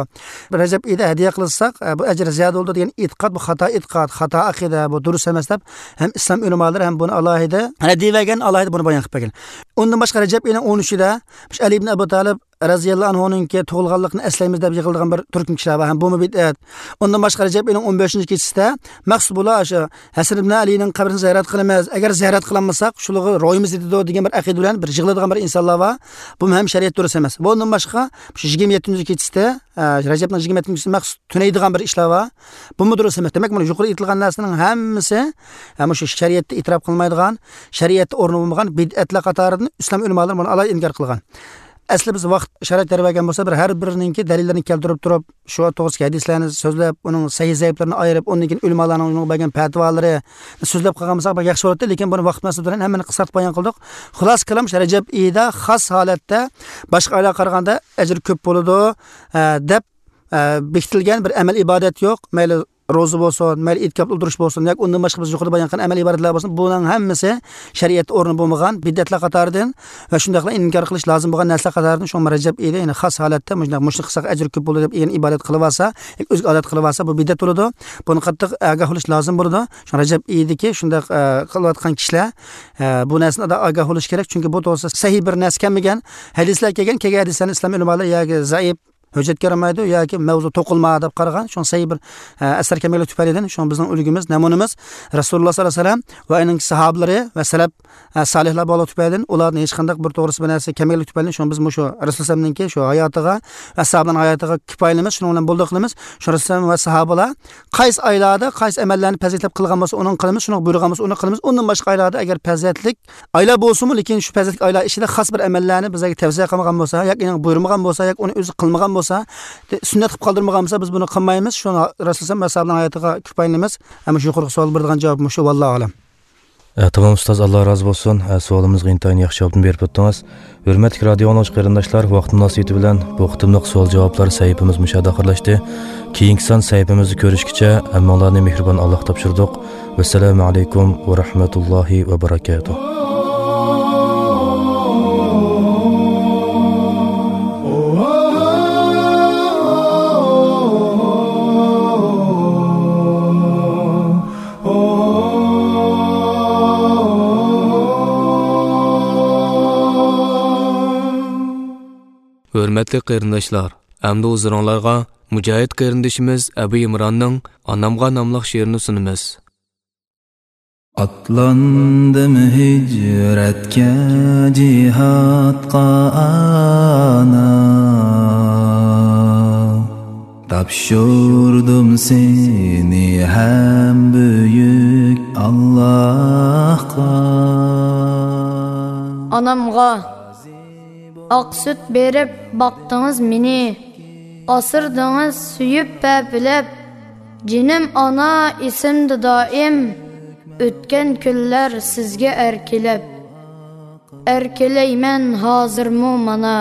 رەجەب ئېيىدا ھەدىيە قىلساق، ئە، بۇ ئەجىر زىيادە بولىدۇ دېگەن ئېتىقاد، بۇ خاتا ئېتىقاد، خاتا ئەقىدە، بۇ دۇرۇس ئەمەس دەپ ھەم ئىسلام ئۆلىمالىرى ھەم بۇنى ئالاھىدە رەددىيە بەرگەن، ئالاھىدە بۇنى بايان قىلىپ بەرگەن. ئۇندىن باشقا رەجەب ئېيىنىڭ ئون ئۈچىدە مۇشۇ ئەلى ئىبن ئەبۇ تالىپ رەزىياللاھۇ ئەنھۇنىڭكى تۇغۇلغانلىقىنى ئەسلەيمىز دەپ يىغىلىدىغان بىر تۈركۈم كىشىلەر بار. ھەم بۇمۇ بىدئەت. ئۇندىن باشقا رەجەب ئېيىنىڭ ئون بەشىنچى كېچىسىدە مەخسۇس بۇلار شۇ ھەسەن ئىبن ئەلىنىڭ قەبرىسىنى زىيارەت قىلىمىز، ئەگەر زىيارەت قىلالمىساق شۇلارغا روھىمىز يېتىدۇ دېگەن بىر ئەقىدە بىلەن بىر يىغىلىدىغان بىر ئىنسانلار بار. بۇمۇ ھەم شەرىئەت دۇرۇس ئەمەس. بۇ ئۇندىن باشقا شۇ يىگىرمە يەتتىنچى كېچىسىدە، ئە، رەجەبنىڭ يىگىرمە يەتتىنچى كېچىسىدە مەخسۇس تۈنەيدىغان بىر ئىشلار بار. بۇمۇ دۇرۇس ئەمەس. دېمەك، مانا يۇقىرىدا ئېيتىلغان نەرسىنىڭ ھەممىسى، ئە، مۇشۇ شەرىئەتتە ئېتىراپ قىلمايدىغان، شەرىئەتتە ئورنى بولمىغان بىدئەتلەر قاتارىدىن ئىسلام ئۆلىمالىرى بۇنى ئالاھىدە ئىنكار قىلغان. ئەسلى بىز ۋاقىت شارائىت يار بەرگەن بولسا، بىر ھەر بىرىنىڭكى دەلىللىرىنى كەلتۈرۈپ تۇرۇپ، شۇ توغرىسىدىكى ھەدىسلەرنى سۆزلەپ، ئۇنىڭ سەھىھ زەئىپلىرىنى ئايرىپ، ئۇندىن كېيىن ئۆلىمالارنىڭ ئۇنىڭغا بەرگەن پەتىۋالىرى سۆزلەپ قالغان بولساق، بەك ياخشى بولاتتى. لېكىن بۇنى ۋاقىت مۇناسىۋىتى بىلەن ھەممىنى قىسقارتىپ بايان قىلدۇق. خۇلاسە كالام، شۇ رەجەب ئېيىدا خاس ھالەتتە باشقا ئايلارغا قارىغاندا ئەجرى كۆپ بولىدۇ، ئە، دەپ، ئە، بېكىتىلگەن بىر ئەمەل ئىبادەت يوق. مەيلى روزا بولسۇن، مەيلى ئېتىكاپتا ئولتۇرۇش بولسۇن، ياكى ئۇندىن باشقا بىز يۇقىرىدا بايان قىلغان ئەمەل ئىبادەتلەر بولسۇن، بۇنىڭ ھەممىسى شەرىئەتتە ئورنى بولمىغان بىدئەتلەر قاتارىدىن ۋە شۇنداقلا ئىنكار قىلىش لازىم بولغان نەرسىلەر قاتارىدىن. شۇڭا رەجەب ئېيىدا يەنە خاس ھالەتتە مۇشۇنداق، مۇشۇنى قىلساق ئەجرى كۆپ بولىدۇ دەپ يەنە ئىبادەت قىلىۋالسا، ياكى ئۆزىگە ئادەت قىلىۋالسا، بۇ بىدئەت بولىدۇ. بۇنى قاتتىق ئاگاھ بولۇش لازىم بولىدۇ. شۇڭا رەجەب ئېيىدىكى شۇنداق، ئە، قىلىۋاتقان كىشىلەر، ئە، بۇ نەرسىدىن ئاگاھ بولۇش كېرەك. چۈنكى بۇ توغرىسىدا سەھىھ بىر نەرسە كەلمىگەن. ھەدىسلەر كەلگەن، كەلگەن ھەدىسلەرنى ئىسلام ئۆلىمالىرى ياكى زەئىپ، ھۆججەتكە يارىمايدۇ ياكى مەۋزۇ توقۇلما دەپ قارىغان. شۇڭا سەھىھ بىر، ئە، ئەسەر كەلمەيدىغان تۈپەيلىدىن، شۇڭا بىزنىڭ ئۈلگىمىز، نەمۇنىمىز رەسۇلۇللا ساللاللاھۇ ئەلەيھى ۋەسەللەم ۋە ئۇنىڭ ساھابىلىرى ۋە سەلەپ، ئە، سالىھلار بولغانلىقى تۈپەيلىدىن، ئۇلاردىن ھېچقانداق بىر توغرىسى بىر نەرسە كەلمەيدىغانلىقى تۈپەيلىدىن، شۇڭا بىز مۇشۇ رەسۇلۇللا ساللاللاھۇ ئەلەيھى ۋەسەللەمنىڭكى شۇ ھاياتىغا ۋە ئەسھابلارنىڭ ھاياتىغا كۇپايىلىنىمىز، شۇنىڭ بىلەن بولدى قىلىمىز. شۇ رەسۇلۇللا ۋە ساھابىلار قايسى ئايلاردا قايسى ئەمەللەرنى پەزىلەتلەپ قىلغان بولسا، ئۇنىڭ قىلىمىز، شۇنىڭ بۇيرۇغان بولسا، ئۇنىڭ قىلىمىز. ئۇندىن باشقا ئايلاردا ئەگەر پەزىلەتلىك ئايلار بولسىمۇ، لېكىن شۇ پەزىلەتلىك ئايلار ئىچىدە خاس بىر ئەمەللەرنى بىزلەرگە تەۋسىيە قىلمىغان بولسا، ياكى ئېنىق بۇيرۇمىغان بولسا، ياكى ئۇنى ئۆزى قىلمىغان بولسا، سۈننەت قىلىپ قالدۇرمىغان بولسا، بىز بۇنى قىلمايمىز. شۇنى رەسۇلسەللام ئەسھابىنىڭ ھاياتىغا كۇپايىلىنىمىز. ھەم شۇ يۇقىرىقى سوئال بېرىدىغان جاۋاب مۇشۇ، ۋاللاھۇ ئەلەم. ئە، تامام ئۇستاز، ئاللا رازى بولسۇن. ئە، سوئالىمىزغا ئىنتايىن ياخشى جاۋابنى بېرىپ ئۆتتىڭىز. ھۆرمەتلىك رادىئو ئاڭلىغۇچى قېرىنداشلار، ۋاقىت مۇناسىۋىتى بىلەن بۇ قېتىملىق سوئال جاۋابلار سەھىپىمىز مۇشۇ يەردە ئاخىرلاشتى. كېيىنكى سان سەھىپىمىزدە كۆرۈشكىچە ھەممىڭلارنى مېھرىبان ئاللاغا تاپشۇردۇق. ۋەسسالامۇ ئەلەيكۇم ۋە رەھمەتۇللاھى ۋە بەرەكاتۇھ. ھۆرمەتلىك قېرىنداشلار، ئەمدى ھۇزۇرۇڭلارغا مۇجاھىد قېرىندىشىمىز ئەبۇ ئىمراننىڭ ئانامغا ناملىق شېئىرىنى سۇنىمىز. ئاتلاندىم ھىجرەتكە، جىھادقا، ئانا، تاپشۇردۇم سېنى ھەم بۈيۈك ئاللاھقا. ئانامغا. ئاق سۈت بېرىپ باقتىڭىز مېنى، ئاسرىدىڭىز سۆيۈپ پەپىلەپ. جېنىم ئانا، ئېسىمدە دائىم، ئۆتكەن كۈنلەر سىزگە ئەركىلەپ. ئەركىلەيمەن ھازىرمۇ مانا،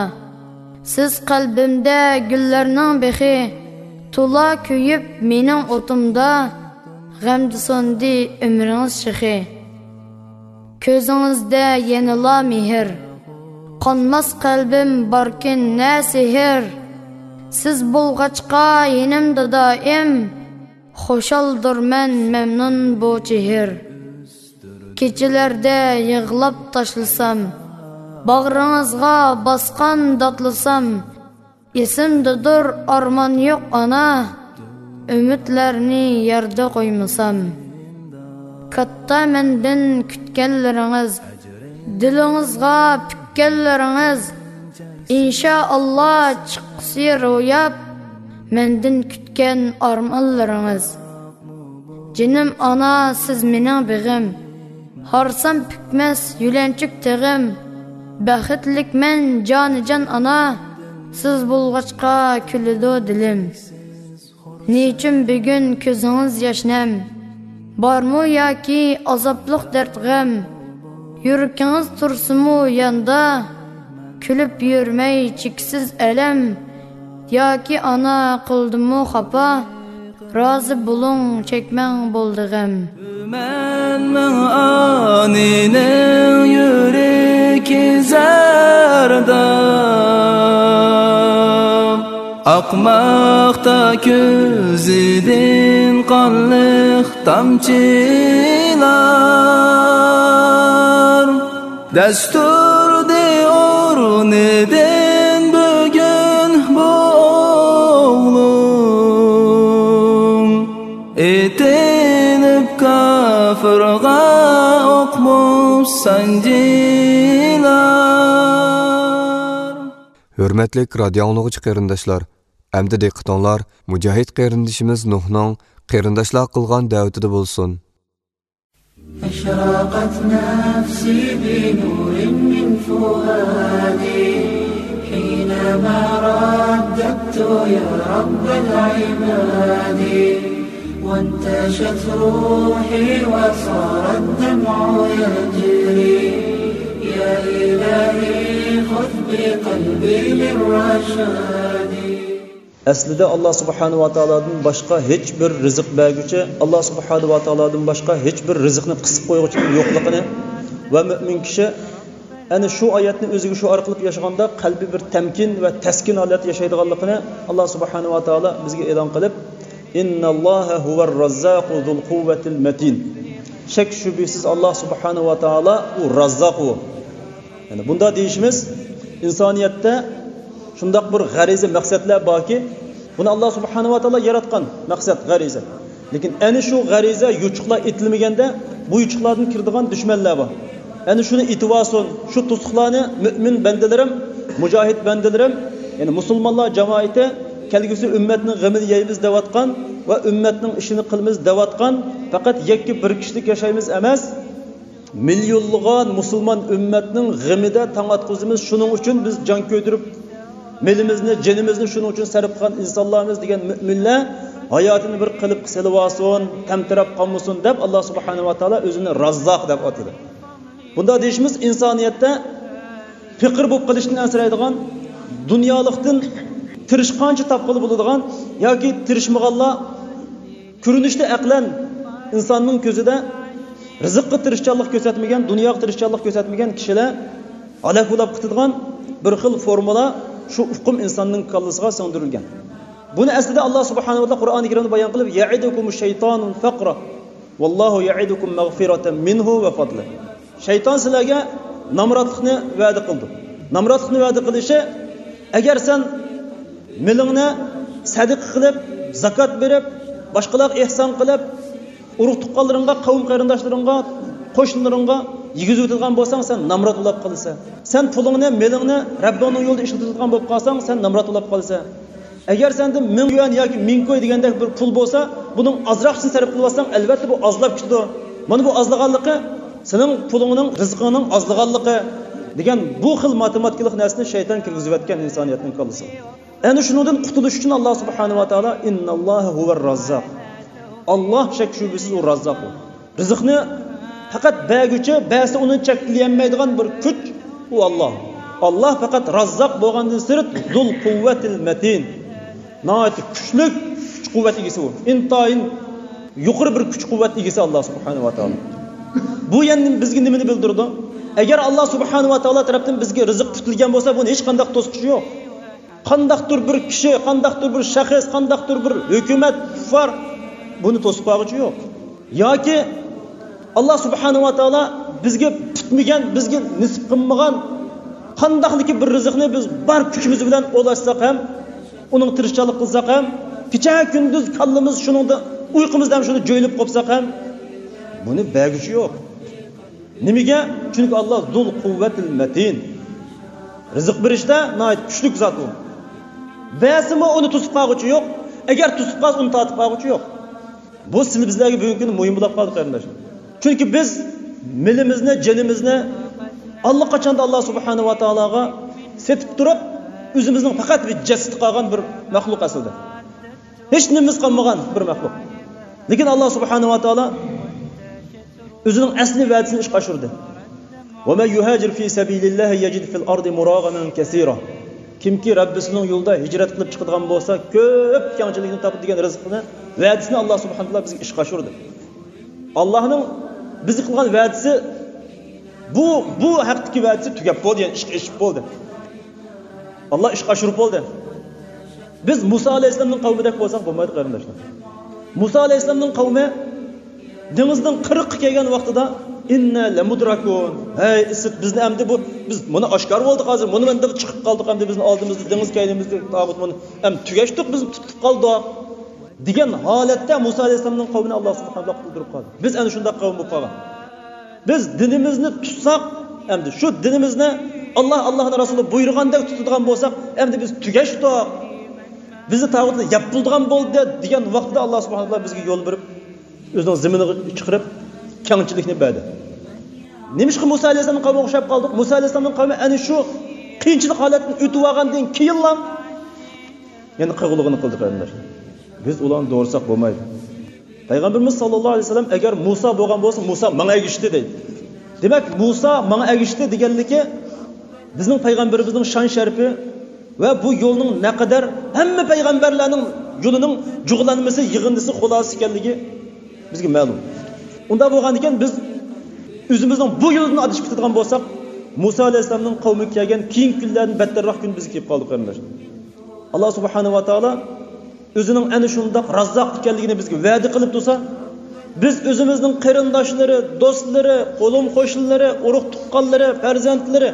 سىز قەلبىمدە گۈللەرنىڭ بېخى، تولا كۆيۈپ مېنىڭ ئوتۇمدا، غەمدە سۇندى ئۆمرىڭىز شېخى. كۆزىڭىزدە يەنىلا مېھىر، قانماس قەلبىم باركىن نە سېھىر. سىز بولغاچقا يېنىمدا دائىم، خۇشالدۇرمەن مەمنۇن بۇ چېھىر. كېچىلەردە يىغلاپ تاشلىسام، باغرىڭىزغا باسقان داتلىسام، ئېسىمدىدۇر ئارمان يوق ئانا، ئۈمىدلەرنى يەردە قويمىسام. كاتتا مەندىن كۈتكەنلىرىڭىز، دىلىڭىزغا پۈككەنلىرىڭىز، ئىنشائاللا چىقسى روياپ، مەندىن كۈتكەن ئارمانلىرىڭىز. جېنىم ئانا، سىز مېنىڭ بېغىم، ھارسام پۈكمەس يۆلەنچۈك تېغىم. بەختلىكمەن جانىجان ئانا، سىز بولغاچقا كۈلىدۇ دىلىم. نېچۈن بۈگۈن كۆزىڭىز ياش نەم؟ بارمۇ ياكى ئازابلىق دەرد غەم؟ يۈرىكىڭىز تۇرسىمۇ ياندا، كۈلۈپ يۈرمەي چېكىسىز ئەلەم. ياكى ئانا قىلدىمۇ خاپا؟ رازى بولۇڭ، چەكمەڭ بولدى غەم. مەن مىڭ ئانىنىڭ يۈرىكى زەرداب، ئاقماقتا كۆزىدىن قانلىق تامچىلار. دەستۇردى ئورنىدىن بۈگۈن بۇ ئوغلۇڭ، ئېتىلىپ كاپىرغا ئوقمۇ سانجىلار. ھۆرمەتلىك رادىئو ئاڭلىغۇچى قېرىنداشلار، ئەمدى دىققىتىڭلار مۇجاھىد قېرىندىشىمىز نۇھنىڭ قېرىنداشلارغا قىلغان دەۋىتىدە بولسۇن. أشرقت نفسي بنور من فؤادي حينما رددت يا رب العباد، وانتشت روحي وصار الدمع يجري، يا إلهي خذ بقلبي للرشاد. ئەسلىدە ئاللا سۇبھانەھۇ ۋە تائالادىن باشقا ھېچ بىر رىزىق بەرگۈچى، ئاللا سۇبھانەھۇ ۋە تائالادىن باشقا ھېچ بىر رىزىقنى قىسىپ قويغۇچىنىڭ يوقلۇقىنى ۋە مۆمىن كىشى ئەنە شۇ ئايەتنى ئۆزىگە شوئار قىلىپ ياشىغاندا قەلبى بىر تەمكىن ۋە تەسكىن ھالەتتە ياشايدىغانلىقىنى ئاللا سۇبھانەھۇ ۋە تائالا بىزگە ئېلان قىلىپ، «إن الله هو الرزاق ذو القوة المتين». شەك شۈبھىسىز ئاللا سۇبھانەھۇ ۋە تائالا ئۇ راززاق ئۇ. يەنى بۇنداق دېيىشىمىز، ئىنسانىيەتتە شۇنداق بىر غەرىزە مەقسەتلەر باركى، بۇنى ئاللا سۇبھانەھۇ ۋە تائالا ياراتقان مەقسەت، غەرىزە. لېكىن ئەنە شۇ غەرىزە يوچۇقلار ئېتىلمىگەندە، بۇ يوچۇقلاردىن كىرىدىغان دۈشمەنلەر بار. ئەنە شۇنى ئېتىۋالسۇن، شۇ توسۇقلارنى مۆمىن بەندىلىرىم، مۇجاھىد بەندىلىرىم، يەنى مۇسۇلمانلار جامائىتى، كەلگۈسى ئۈممەتنىڭ غېمىنى يەيمىز دەۋاتقان ۋە ئۈممەتنىڭ ئىشىنى قىلىمىز دەۋاتقان، پەقەت يەككە بىر كىشىلىك ياشايمىز ئەمەس، مىليونلىغان مۇسۇلمان ئۈممەتنىڭ غېمىدە تاڭ ئاتقۇزىمىز. شۇنىڭ ئۈچۈن بىز جان كۆيدۈرۈپ مېلىمىزنى، جېنىمىزنى شۇنىڭ ئۈچۈن سەرپ قىلغان ئىنسانلارمىز دېگەن مۆمىنلەر ھاياتىنى بىر قېلىپقا سېلىۋالسۇن، تەمتىرەپ قالمىسۇن دەپ، ئاللا سۇبھانەھۇ ۋە تائالا ئۆزىنى راززاق دەپ ئاتىدى. بۇنداق دېيىشىمىز ئىنسانىيەتتە پېقىر بولۇپ قېلىشتىن ئەنسىرەيدىغان، دۇنيالىقتىن تىرىشقانچە تاپقىلى بولىدىغان ياكى تىرىشمىغانلار كۆرۈنۈشتە ئەقلەن ئىنساننىڭ كۆزىدە رىزىققا تىرىشچانلىق كۆرسەتمىگەن، دۇنياغا تىرىشچانلىق كۆرسەتمىگەن كىشىلەر ھالاك بولاپ كېتىدىغان بىر خىل فورمۇلا شۇ ئۇقۇم ئىنساننىڭ كاللىسىغا سىڭدۈرۈلگەن. بۇنى ئەسلىدە ئاللا سۇبھانەھۇ ۋە تائالا قۇرئانى كەرىمدە بايان قىلىپ، يەئىدۇكۇمۇش شەيتانۇ فەقرا ۋاللاھۇ يەئىدۇكۇم مەغفىرەتەن مىنھۇ ۋە فەضلە. شەيتان سىلەرگە نامراتلىقنى ۋەدە قىلىدۇ. نامراتلىقنى ۋەدە قىلىشى، ئەگەر سەن مېلىڭنى سەدىقە قىلىپ، زاكات بېرىپ، باشقىلارغا ئېھسان قىلىپ، ئۇرۇق تۇغقانلىرىڭغا، قەۋم قېرىنداشلىرىڭغا، قوشنىلىرىڭغا يېگۈزۈۋېتىدىغان بولساڭ، سەن نامرات بولاپ قالىسەن. سەن پۇلۇڭنى، مېلىڭنى رەببىڭنىڭ يولىدا ئىشلىتىۋېتىدىغان بولۇپ قالساڭ، سەن نامرات بولاپ قالىسەن. ئەگەر سەندە مىڭ يۈەن ياكى مىڭ كوي دېگەندەك بىر پۇل بولسا، بۇنىڭ ئازراقچىسىنى سەرپ قىلىۋاتساڭ، ئەلۋەتتە بۇ ئازلاپ كېتىدۇ. مانا بۇ ئازلىغانلىقى سېنىڭ پۇلۇڭنىڭ، رىزقىڭنىڭ ئازلىغانلىقى دېگەن بۇ خىل ماتېماتىكىلىق نەرسىنى شەيتان كىرگۈزۈۋەتكەن ئىنسانىيەتنىڭ كاللىسىغا. ئەنە شۇنىڭدىن قۇتۇلۇش ئۈچۈن ئاللا سۇبھانەھۇ ۋە تائالا، ئىنناللاھە ھۇۋەر راززاق. ئاللا شەك شۈبھىسىز ئۇ راززاق ئۇ. رىزىقنى پەقەت بەرگۈچى، بەرسە ئۇنى چەكلىيەلمەيدىغان بىر كۈچ ئۇ ئاللا. ئاللا پەقەت راززاق بولغاندىن سىرت، زۇل قۇۋۋەتىل مەتىن. ناھايىتى كۈچلۈك كۈچ قۇۋۋەت ئىگىسى ئۇ. ئىنتايىن يۇقىرى بىر كۈچ قۇۋۋەت ئىگىسى ئاللا سۇبھانەھۇ ۋە تائالا. بۇ يەنە بىزگە نېمىنى بىلدۈرىدۇ؟ ئەگەر ئاللا سۇبھانەھۇ ۋە تائالا تەرەپتىن بىزگە رىزىق پۈتۈلگەن بولسا، بۇنى ھېچقانداق توسقۇچى يوق. قانداقتۇر بىر كىشى، قانداقتۇر بىر شەخس، قانداقتۇر بىر ھۆكۈمەت، كۇففار بۇنى توسۇپ قالغۇچى يوق. ياكى ئاللا سۇبھانەھۇ ۋە تائالا بىزگە پۈتمىگەن، بىزگە نېسىپ قىلمىغان قانداقلىكى بىر رىزىقنى بىز بار كۈچىمىز بىلەن ئولاشساق ھەم، ئۇنىڭ تىرىشچانلىق قىلساق ھەم، كېچە كۈندۈز كاللىمىز شۇنىڭدا، ئۇيقۇمىزدا ھەم شۇنى جۆيلۈپ قوپساق ھەم، بۇنى بەرگۈچى يوق. نېمىگە؟ چۈنكى ئاللا زۇل قۇۋۋەتىل مەتىن. رىزىق بېرىشتە ناھايىتى كۈچلۈك زات ئۇ. بەرسىمۇ ئۇنى توسۇپ قالغۇچى يوق. ئەگەر توسۇپ قالسا، ئۇنى تارتىپ قالغۇچى يوق. بۇ سىلى بىزلەرگە بۈگۈنكى كۈندە مۇھىم بولاپ قالدى، قېرىنداشلار. چۈنكى بىز مېلىمىزنى، جېنىمىزنى ئاللىقاچاندا ئاللا سۇبھانەھۇ ۋە تائالاغا سېتىپ تۇرۇپ، ئۆزىمىزنىڭ پەقەت بىر جەسىتى قالغان بىر مەخلۇق ئەسلىدە. ھېچ نېمىمىز قالمىغان بىر مەخلۇق. لېكىن ئاللا سۇبھانەھۇ ۋە تائالا ئۆزىنىڭ ئەسلى ۋەدىسىنى ئىشقا ئاشۇردى. وَمَنْ يُهَاجِرْ فِي سَبِيلِ اللَّهِ يَجِدْ فِي الْأَرْضِ مُرَاغَمًا كَثِيرًا. كىمكى رەببىسىنىڭ يولىدا ھىجرەت قىلىپ چىقىدىغان بولسا، كۆپ كەڭچىلىكنى تاپىدۇ دېگەن رىزقىنى، ۋەدىسىنى ئاللا سۇبھانەھۇ ۋە تائالا بىزگە ئىشقا ئاشۇردى. ئاللانىڭ بىزگە قىلغان ۋەدىسى، بۇ، بۇ ھەقتىكى ۋەدىسى تۈگەپ بولدى، يەنى ئىشقا ئېشىپ بولدى. ئاللا ئىشقا ئاشۇرۇپ بولدى. بىز مۇسا ئەلەيھىسسالامنىڭ قەۋمىدەك بولساق بولمايدۇ، قېرىنداشلار. مۇسا ئەلەيھىسسالامنىڭ قەۋمى دېڭىزنىڭ قىرىقىغا كەلگەن ۋاقتىدا، «ئىننا لەمۇدرەكۇن. ھەي ئىسىت، بىزنى ئەمدى بۇ، بىز مۇنى ئاشكارا بولدۇق ھازىر، مۇنى ئەمدى چىقىپ قالدۇق، ئەمدى بىزنى ئالدىمىزدا دېڭىز كەينىمىزدە تاغۇت، مۇنى ئەمدى تۈگەشتۇق، بىز تۇتۇپ قالدۇق» دېگەن ھالەتتە مۇسا ئەلەيھىسسالامنىڭ قەۋمىنى ئاللا سۇبھانەھۇ ۋە تائالا قۇتۇلدۇرۇپ قالدى. بىز ئەنە شۇنداق قەۋم بولۇپ قالغان. بىز دىنىمىزنى تۇتساق، ئەمدى شۇ دىنىمىزنى ئاللا، ئاللانىڭ رەسۇلى بۇيرۇغاندەك تۇتىدىغان بولساق، ئەمدى بىز تۈگەشتۇق. بىزنى تاغۇتلار يەپ بولىدىغان بولدى دېگەن ۋاقتىدا ئاللا سۇبھانەھۇ ۋە تائالا بىزگە يول بېرىپ، ئۆزىنىڭ زېمىنىغا چىقىرىپ، كەڭچىلىكنى بەردى. نېمىشقا مۇسا ئەلەيھىسسالامنىڭ قەۋمىگە ئوخشاپ قالدۇق؟ مۇسا ئەلەيھىسسالامنىڭ قەۋمى ئەنە شۇ قىيىنچىلىق ھالەتتىن ئۆتۈۋالغاندىن كېيىنلا يەنە قىلغۇلۇقىنى قىلدى، قېرىنداشلار. بىز ئۇلارنى دوغرىساق بولمايدۇ. پەيغەمبىرىمىز ساللاللاھۇ ئەلەيھى ۋەسەللەم، «ئەگەر مۇسا بولغان بولسا، مۇسا ماڭا ئەگىشتى» دەيدۇ. دېمەك، مۇسا ماڭا ئەگىشتى دېگەنلىكى، بىزنىڭ پەيغەمبىرىمىزنىڭ شان شەرىپى ۋە بۇ يولنىڭ نەقەدەر ھەممە پەيغەمبەرلەرنىڭ يولىنىڭ جۇغلانمىسى، يىغىندىسى، خۇلاسىسى ئىكەنلىكى بىزگە مەلۇم. ئۇنداق بولغاندىكىن، بىز ئۆزىمىزنىڭ بۇ يولدىن ئادىشىپ كېتىدىغان بولساق، مۇسا ئەلەيھىسسالامنىڭ قەۋمىگە كەلگەن كېيىنكى كۈنلەردىن بەتتەرراق كۈن بىزگە كېلىپ قالدى، قېرىنداشلار. ئاللا سۇبھانەھۇ ۋە تائالا ئۆزىنىڭ ئەنە شۇنداق راززاق ئىكەنلىكىنى بىزگە ۋەدە قىلىپ تۇرسا، بىز ئۆزىمىزنىڭ قېرىنداشلىرى، دوستلىرى، قولۇم قوشنىلىرى، ئۇرۇق تۇغقانلىرى، پەرزەنتلىرى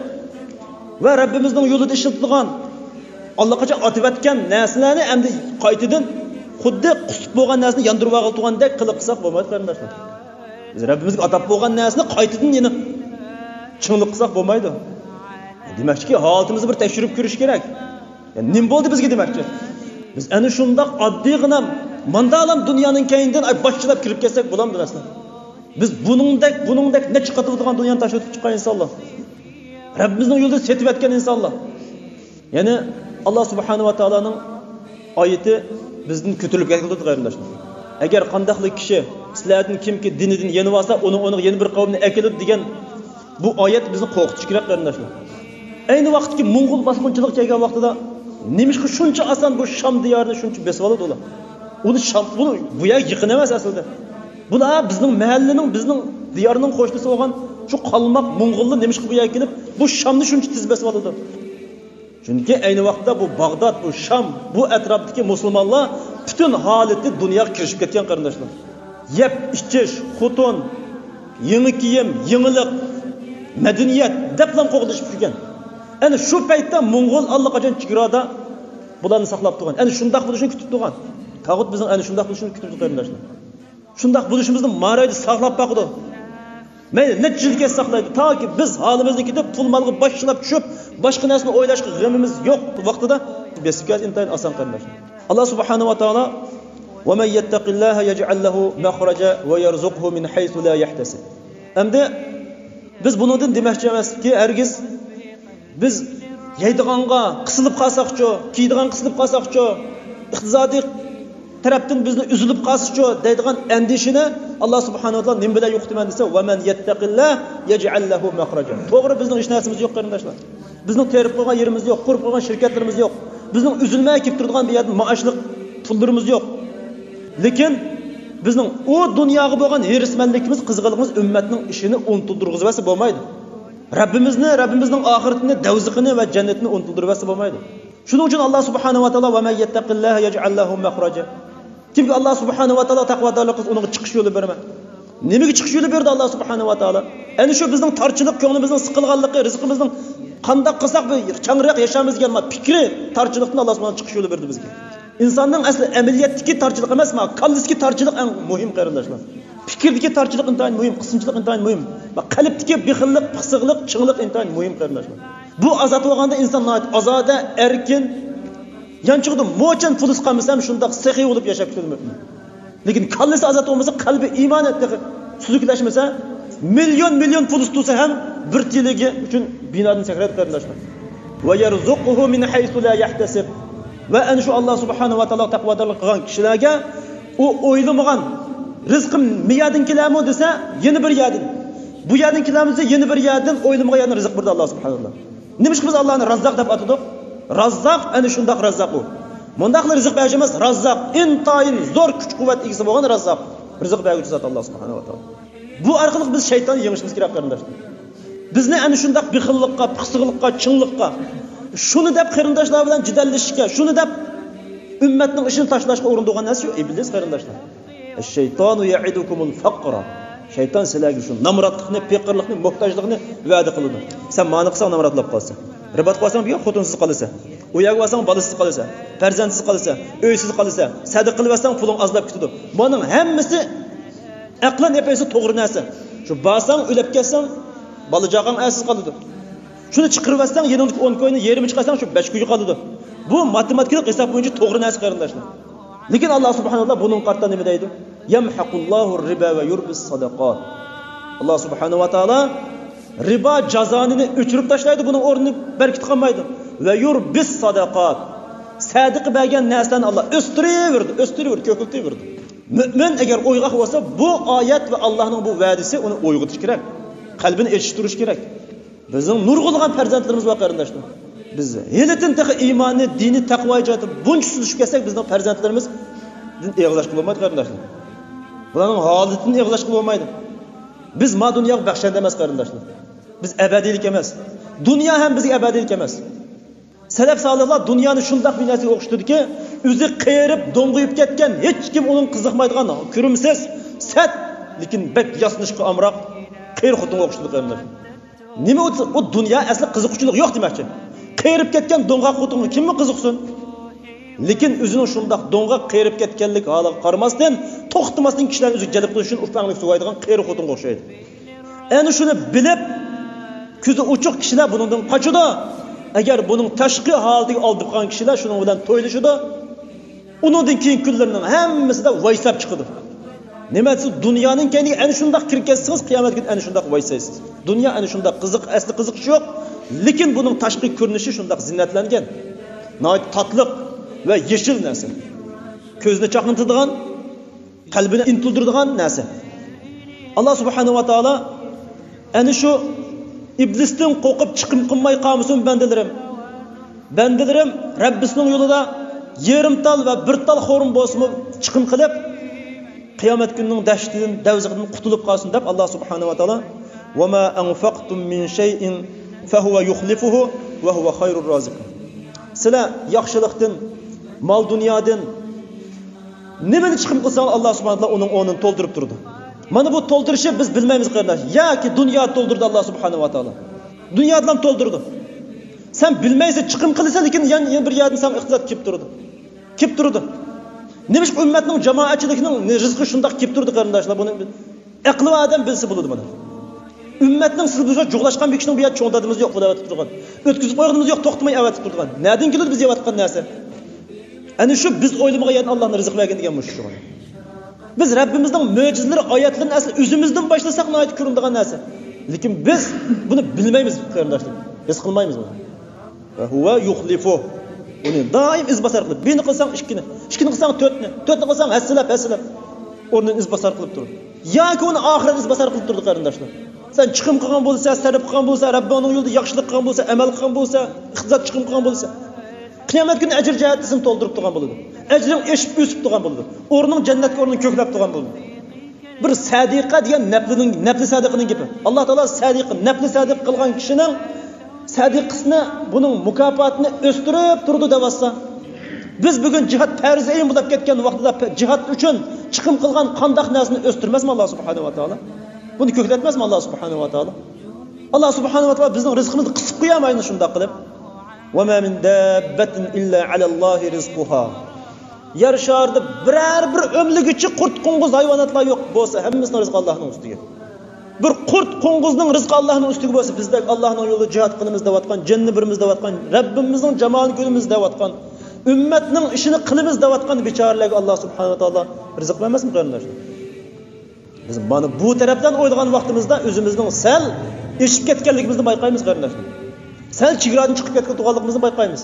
ۋە رەببىمىزنىڭ يولىدا ئىشلىتىدىغان ئاللىقاچان ئاتىۋەتكەن نەرسىلەرنى ئەمدى قايتىدىن خۇددى قۇسۇپ بولغان نەرسىنى ياندۇرۇۋالغىلى تۇرغاندەك قىلىپ قىلساق بولمايدۇ، قېرىنداشلار. بىز رەببىمىزگە ئاتاپ بولغان نەرسىنى قايتىدىن يەنە چىڭلىق قىلساق بولمايدۇ. دېمەكچىكى، ھالىتىمىزنى بىر تەكشۈرۈپ كۆرۈش كېرەك. يا، نېمە بولدى بىزگە دېمەكچى؟ بىز ئەنە شۇنداق ئاددىيغىنا، ماندالام دۇنيانىڭ كەينىدىن، ئاي، باشچىلاپ كىرىپ كەتسەك بولامدۇ ئەسلى؟ بىز بۇنىڭدەك، بۇنىڭدەك نەچچە قاتى بولىدىغان دۇنيانى تاشلىۋېتىپ چىققان ئىنسانلار. رەببىمىزنىڭ يولىدا سېتىۋەتكەن ئىنسانلار. يەنى ئاللا سۇبھانەھۇ ۋە تائالانىڭ ئايىتى بىزدىن كۆتۈرۈلۈپ كەتكىلى تۇرىدۇ، قېرىنداشلار. ئەگەر قانداقلا كىشى سىلەردىن كىمكى دىنىدىن يېنىۋالسا، ئۇنىڭ ئورنىغا يەنە بىر قەۋمنى ئەكېلىدۇ دېگەن بۇ ئايەت بىزنى قورقۇتۇشى كېرەك، قېرىنداشلار. ئەينى ۋاقىتتىكى موڭغۇل باسقۇنچىلىق كەلگەن ۋاقتىدا نېمىشقا شۇنچە ئاسان بۇ شام دىيارىنى شۇنچە بېسىۋالىدۇ ئۇلار؟ ئۇنى شام، بۇنى بۇ يەر يېقىن ئەمەس ئەسلىدە. بۇلار بىزنىڭ مەھەللىنىڭ، بىزنىڭ دىيارنىڭ قوشنىسى بولغان شۇ قالماق موڭغۇللار نېمىشقا بۇ يەرگە كېلىپ بۇ شامنى شۇنچە تېز بېسىۋالىدۇ؟ چۈنكى ئەينى ۋاقىتتا بۇ باغداد، بۇ شام، بۇ ئەتراپتىكى مۇسۇلمانلار پۈتۈن ھالىتى دۇنياغا كىرىشىپ كەتكەن، قېرىنداشلار. يەپ ئىچىش، خوتۇن، يېڭى كىيىم، يېڭىلىق، مەدەنىيەت دەپلا قوغدىشىپ يۈرگەن. ئەنە شۇ پەيتتە موڭغۇل ئاللىقاچان چېگرادا بۇلارنى ساقلاپ تۇرغان. ئەنە شۇنداق بولۇشىنى كۈتۈپ تۇرغان. تاغۇت بىزنىڭ ئەنە شۇنداق بولۇشىنى كۈتۈپ تۇرغان، قېرىنداشلار. شۇنداق بولۇشىمىزنى مارايدا ساقلاپ باقىدۇ. مەيلى نەچچە يىل كەتسە ساقلايدۇ. تاكى بىز ھالىمىزنى كېتىپ، پۇل مالغا باش چىلاپ چۈشۈپ، باشقا نەرسىنى ئويلاشقا غېمىمىز يوق ۋاقتىدا بېسىپ كەلسە ئىنتايىن ئاسان، قېرىنداشلار. ئاللا سۇبھانەھۇ ۋە تائالا، «ومن يتق الله يجعل له مخرجا ويرزقه من حيث لا يحتسب.» ئەمدى بىز بۇنىڭدىن دېمەكچى ئەمەسكى، ھەرگىز بىز يەيدىغانغا قىسىلىپ قالساقچۇ، كىيىدىغان قىسىلىپ قالساقچۇ، ئىقتىسادىي تەرەپتىن بىزنى ئۈزۈلۈپ قالسىچۇ دەيدىغان ئەندىشىنى ئاللا سۇبھانەھۇ ۋە تائالا نېمە بىلەن يوقىتىمەن دېسە، «ومن يتق الله يجعل له مخرجا.» توغرا، بىزنىڭ ھېچ نەرسىمىز يوق، قېرىنداشلار. بىزنىڭ تېرىپ قويغان يېرىمىز يوق، قۇرۇپ قويغان شىركەتلىرىمىز يوق. بىزنىڭ ئۈزۈلمەي كېلىپ تۇرىدىغان بىر يەردىن مائاشلىق پۇللىرىمىز يوق. لېكىن بىزنىڭ ئۇ دۇنياغا بولغان ھېرىسمەنلىكىمىز، قىزغىنلىقىمىز ئۈممەتنىڭ ئىشىنى ئۇنتۇلدۇرغۇزۇۋەتسە بولمايدۇ. رەببىمىزنى، رەببىمىزنىڭ ئاخىرىتىنى، دوزىخىنى ۋە جەننىتىنى ئۇنتۇلدۇرۇۋەتسە بولمايدۇ. شۇنىڭ ئۈچۈن ئاللا سۇبھانەھۇ ۋە تائالا، «ومن يتق الله يجعل له مخرجا.» كىمكى ئاللا سۇبھانەھۇ ۋە تائالا تەقۋادارلىق قىلسا، ئۇنىڭغا چىقىش يولى بېرىمەن. نېمىگە چىقىش يولى بېرىدۇ ئاللا سۇبھانەھۇ ۋە تائالا؟ ئەنە شۇ بىزنىڭ تارچىلىق، كۆڭلىمىزنىڭ سىقىلغانلىقى، رىزقىمىزنىڭ قانداق قىلساق بىر چاڭراق ياشايمىز دېگەن پىكرى تارچىلىقتىن ئاللا سۇبھانەھۇ چىقىش يولى بېرىدۇ بىزگە. ئىنساننىڭ ئەسلى ئەمەلىيەتتىكى تارچىلىق ئەمەس، ما كاللىسىدىكى تارچىلىق ئەڭ مۇھىم، قېرىنداشلار. پىكىردىكى تارچىلىق ئىنتايىن مۇھىم، قىسىنچىلىق ئىنتايىن مۇھىم. ما قەلبتىكى بېخىللىق، پىخسىقلىق، چىڭلىق ئىنتايىن مۇھىم، قېرىنداشلار. بۇ ئازاد بولغاندا ئىنسان ناھايىتى ئازادە، ئەركىن، يانچۇقىدا موچەن پۇلىسى قالمىسا ھەم شۇنداق سېخىي بولۇپ ياشاپ كېتىدۇ مۆمىن. لېكىن كاللىسى ئازاد بولمىسا، قەلبى ئىمانى تېخى سۈزۈكلەشمىسە، مىليون، مىليون پۇلىسى تۇرسا ھەم بىر تىيىلىگە ئۈچۈن بىنادىن سەكرەيدۇ، قېرىنداشلار. «ويرزقه من حيث لا يحتسب.» ۋە ئەنە شۇ ئاللا سۇبھانەھۇ ۋە تائالا تەقۋادارلىق قىلغان كىشىلەرگە ئۇ ئويلىمىغان رىزقىم مىيەدىن كېلەرمۇ دېسە، يەنە بىر يەردىن، بۇ يەردىن كېلەرمۇ دېسە، يەنە بىر يەردىن ئويلىمىغان يەردىن رىزىق بېرىدۇ ئاللا سۇبھانەھۇ ۋە تائالا. نېمىشقا بىز ئاللانى راززاق دەپ ئاتىدۇق؟ راززاق ئەنە شۇنداق راززاق ئۇ. مۇنداقلا رىزىق بەرگۈچى ئەمەس، راززاق، ئىنتايىن زور كۈچ-قۇۋۋەت ئىگىسى بولغان راززاق. رىزىق بەرگۈچى زات ئاللا سۇبھانەھۇ ۋە تائالا. بۇ ئارقىلىق بىز شەيتاننى يېڭىشىمىز كېرەك، قېرىنداشلار. بىزنى ئەنە شۇنداق بېخىللىققا، پىخسىقلىققا، چىڭلىققا، شۇنى دەپ قېرىنداشلار بىلەن جېدەللىشىشكە، شۇنى دەپ ئۈممەتنىڭ ئىشىنى تاشلاشقا ئۇرۇنىدىغان نەرسە شۇ ئىبلىس، قېرىنداشلار. الشيطان يعدكم الفقر. شەيتان سىلەرگە شۇ نامراتلىقنى، پېقىرلىقنى، موھتاجلىقنى ۋەدە قىلىدۇ. سەن مانا قىلساڭ نامرات بولۇپ قالىسەن. رىباتقا بارساڭ بىر خوتۇنسىز قالىسەن. ئۇ يەرگە بارساڭ بالىسىز قالىسەن، پەرزەنتسىز قالىسەن، ئۆيسىز قالىسەن. سەدىقە قىلىۋەتسەڭ پۇلۇڭ ئازلاپ كېتىدۇ. بۇنىڭ ھەممىسى ئەقلەن ئېيتسا توغرا نەرسە. شۇ بارساڭ، ئۆلۈپ كەتسەڭ، بالا-چاقاڭ ئەرسىز قالىدۇ. شۇنى چىقىرىۋەتسەڭ، يېنىڭدىكى ئون كوينى يېرىمى چىقارساڭ، شۇ بەش كوي قالىدۇ. بۇ ماتېماتىكىلىق ھېساب بويىچە توغرا نەرسە، قېرىنداشلار. لېكىن ئاللا سۇبھانەھۇ ۋە تائالا بۇنىڭغا قارىتا نېمە دەيدۇ؟ يمحق الله الربا ويربي الصدقات. ئاللا سۇبھانەھۇ ۋە تائالا رىبا جازانىنى ئۆچۈرۈپ تاشلايدۇ، بۇنىڭ ئورنىنى بەرىكىتى قالمايدۇ. ويربي الصدقات. سەدىقە بەرگەن نەرسىلەرنى ئاللا ئۆستۈرۈۋېرىدۇ، ئۆستۈرۈۋېرىدۇ، كۆپىيتىۋېرىدۇ. مۆمىن ئەگەر ئويغاق بولسا، بۇ ئايەت ۋە ئاللانىڭ بۇ ۋەدىسى ئۇنى ئويغىتىشى كېرەك. قەلبىنى ئېچىشتۇرۇشى كېرەك. بىزنىڭ نۇرغۇنلىغان پەرزەنتلىرىمىز بار، قېرىنداشلار. بىز ھېلىتىن تېخى ئىمانى، دىنى، تەقۋايى جەھەتتە بۇنچە سۈزۈشۈپ كەتسەك، بىزنىڭ پەرزەنتلىرىمىزدىن ئېغىزلاشقىلى بولمايدۇ، قېرىنداشلار. بۇلارنىڭ ھالىتىدىن ئېغىزلاشقىلى بولمايدۇ. بىز ما دۇنياغا بەخشەندە ئەمەس، قېرىنداشلار. بىز ئەبەدىيلىك ئەمەس. دۇنيا ھەم بىزگە ئەبەدىيلىك ئەمەس. سەلەف سالىھلار دۇنيانى شۇنداق بىر نەرسىگە ئوخشىتىدىكى، ئۆزى قېرىپ، دوڭغىيىپ كەتكەن، ھېچكىم ئۇنىڭغا قىزىقمايدىغان، كۆرۈمسىز، سەت، لېكىن بەك ياسىنىشقا ئامراق قېرى خوتۇنغا ئوخشىتىدۇ، قېرىنداشلار. نېمە ئۇ، ئۇ دۇنيا ئەسلى قىزىققۇچىلىق يوق دېمەكچى. قېرىپ كەتكەن دوڭغاق خوتۇنغا كىممۇ قىزىقسۇن؟ لېكىن ئۆزىنىڭ شۇنداق دوڭغاق قېرىپ كەتكەنلىك ھالىغا قارىماستىن، توختىماستىن كىشىلەرنى ئۆزىگە جەلپ قىلىش ئۈچۈن ئۇپاڭلىق سۇۋايدىغان قېرى خوتۇنغا ئوخشايدۇ. ئەنە شۇنى بىلىپ، كۆزى ئوچۇق كىشىلەر بۇنىڭدىن قاچىدۇ. ئەگەر بۇنىڭ تاشقى ھالىتىگە ئالدىپ قالغان كىشىلەر شۇنىڭ بىلەن تويلىشىدۇ. ئۇنىڭدىن كېيىنكى كۈنلىرىنىڭ ھەممىسىدە ۋايساپ چىقىدۇ. نېمە دېسە، دۇنيانىڭ كەينىگە ئەنە شۇنداق كىرىپ كەتسىڭىز، قىيامەت كۈنى ئەنە شۇنداق ۋايسايسىز. دۇنيا ئەنە شۇنداق قىزىق، ئەسلى قىزىقىشى يوق، لېكىن بۇنىڭ تاشقى كۆرۈنۈشى شۇنداق زىننەتلەنگەن. ناھايىتى تاتلىق ۋە يېشىل نەرسە. كۆزنى چاقنىتىدىغان، قەلبىنى ئىنتىلدۈرىدىغان نەرسە. ئاللا سۇبھانەھۇ ۋە تائالا ئەنە شۇ ئىبلىستىن قورقۇپ چىقىم قىلماي قالمىسۇن بەندىلىرىم. بەندىلىرىم رەببىسىنىڭ يولىدا يېرىم تال ۋە بىر تال خورما بولسىمۇ چىقىم قىلىپ، قىيامەت كۈنىنىڭ دەھشىتىدىن، دەۋزىخىدىن قۇتۇلۇپ قالسۇن دەپ، ئاللا سۇبھانەھۇ ۋە تائالا، «وما أنفقتم من شيء فهو يخلفه وهو خير الرازقين.» سىلەر ياخشىلىقتىن، مال دۇنيادىن نېمىنى چىقىم قىلساڭلار، ئاللا سۇبھانەھۇ ۋە تائالا ئۇنىڭ ئورنىنى تولدۇرۇپ تۇرىدۇ. مانا بۇ تولدۇرۇشنى بىز بىلمەيمىز، قېرىنداش. ياكى دۇنيا تولدۇرىدۇ ئاللا سۇبھانەھۇ ۋە تائالا. دۇنيادىن تولدۇرىدۇ. سەن بىلمەيسەن، چىقىم قىلىسەن، لېكىن يەنە، يەنە بىر يەردىن ساڭا ئىقتىساد كېلىپ تۇرىدۇ. كېلىپ تۇرىدۇ. نېمىشقا ئۈممەتنىڭ، جامائەتچىلىكنىڭ رىزقى شۇنداق كېلىپ تۇرىدۇ، قېرىنداشلار؟ بۇنى ئەقلى بار ئادەم بىلسە بولىدۇ بۇنى. ئۈممەتنىڭ سىزى بىزگە جۇغلاشقان بىر كىشىنىڭ بۇ يەردە چوڭ دادىمىز يوق، بۇنى ئەۋەتىپ تۇرغان. ئۆتكۈزۈپ قويغىنىمىز يوق، توختىماي ئەۋەتىپ تۇرىدىغان. نەدىن كېلىدۇ بىز يەۋاتقان نەرسە؟ ئەنە شۇ بىز ئويلىمىغان يەردىن ئاللانىڭ رىزىق بەرگىنى دېگەن مۇشۇ. بىز رەببىمىزنىڭ مۆجىزىلىرى، ئايەتلىرىنى ئەسلى ئۆزىمىزدىن باشلىساق ناھايىتى كۆرۈنىدىغان نەرسە. لېكىن بىز بۇنى بىلمەيمىز، قېرىنداشلار. ھېس قىلمايمىز بۇنى. ۋە ھۇۋە يۇخلىفۇ. ئۇنى دائىم ئىزباسار قىلىپ، بىرنى قىلساڭ ئىككىنى، ئىككىنى قىلساڭ تۆتنى، تۆتنى قىلساڭ ھەسسىلەپ، ھەسسىلەپ ئورنىنى ئىزباسار قىلىپ تۇرىدۇ. ياكى ئۇنى ئاخىرەت ئىزباسار قىلىپ تۇرىدۇ، قېرىنداشلار. سەن چىقىم قىلغان بولسا، سەرپ قىلغان بولسا، رەببىڭنىڭ يولىدا ياخشىلىق قىلغان بولسا، ئەمەل قىلغان بولسا، ئىقتىساد چىقىم قىلغان بولسا، قىيامەت كۈنى ئەجىر جەھەتتە سېنى تولدۇرۇپ تۇرغان بولىدۇ. ئەجرىڭ ئېشىپ ئۆسۈپ تۇرغان بولىدۇ. ئورنۇڭ جەننەتكە ئورنىڭ كۆكلەپ تۇرغان بولىدۇ. بىر سەدىقە دېگەن نەپلىنىڭ، نەپلى سەدىقىنىڭ گېپى. ئاللا تائالا سەدىقە، نەپلى سەدىقە قىلغان كىشىنىڭ سەدىقىسىنى، بۇنىڭ مۇكاپاتىنى ئۆستۈرۈپ تۇرىدۇ دەۋاتسا، بىز بۈگۈن جىھاد پەرز ئەين بولۇپ كەتكەن ۋاقتىدا پە-، جىھاد ئۈچۈن چىقىم قىلغان قانداق نەرسىنى ئۆستۈرمەسمۇ ئاللا سۇبھانەھۇ ۋە تائالا؟ بۇنى كۆكلەتمەسمۇ ئاللا سۇبھانەھۇ ۋە تائالا؟ ئاللا سۇبھانەھۇ ۋە تائالا بىزنىڭ رىزقىمىزنى قىسىپ قويالمايدۇ شۇنداق قىلىپ. «وما من دابة إلا على الله رزقها.» يەر شارىدا بىرەر بىر ئۆملىگۈچى قۇرت، قوڭغۇز، ھايۋاناتلار يوق بولسا، ھەممىسىنىڭ رىزقى ئاللانىڭ ئۈستىگە. بىر قۇرت، قوڭغۇزنىڭ رىزقى ئاللانىڭ ئۈستىگە بولسا، بىزدەك ئاللانىڭ يولىدا جىھاد قىلىمىز دەۋاتقان، جەننى بېرىمىز دەۋاتقان، رەببىمىزنىڭ جامالىنى كۆرىمىز دەۋاتقان، ئۈممەتنىڭ ئىشىنى قىلىمىز دەۋاتقان بىچارىلەرگە ئاللا سۇبھانەھۇ ۋە تائالا رىزىق بەرمەسمۇ، قېرىنداشلار؟ بىز مانا بۇ تەرەپتىن ئويلىغان ۋاقتىمىزدا ئۆزىمىزنىڭ سەل ئېشىپ كەتكەنلىكىمىزنى بايقايمىز، قېرىنداشلار. سەل چېگرادىن چىقىپ كەتكەن تۇرغانلىقىمىزنى بايقايمىز.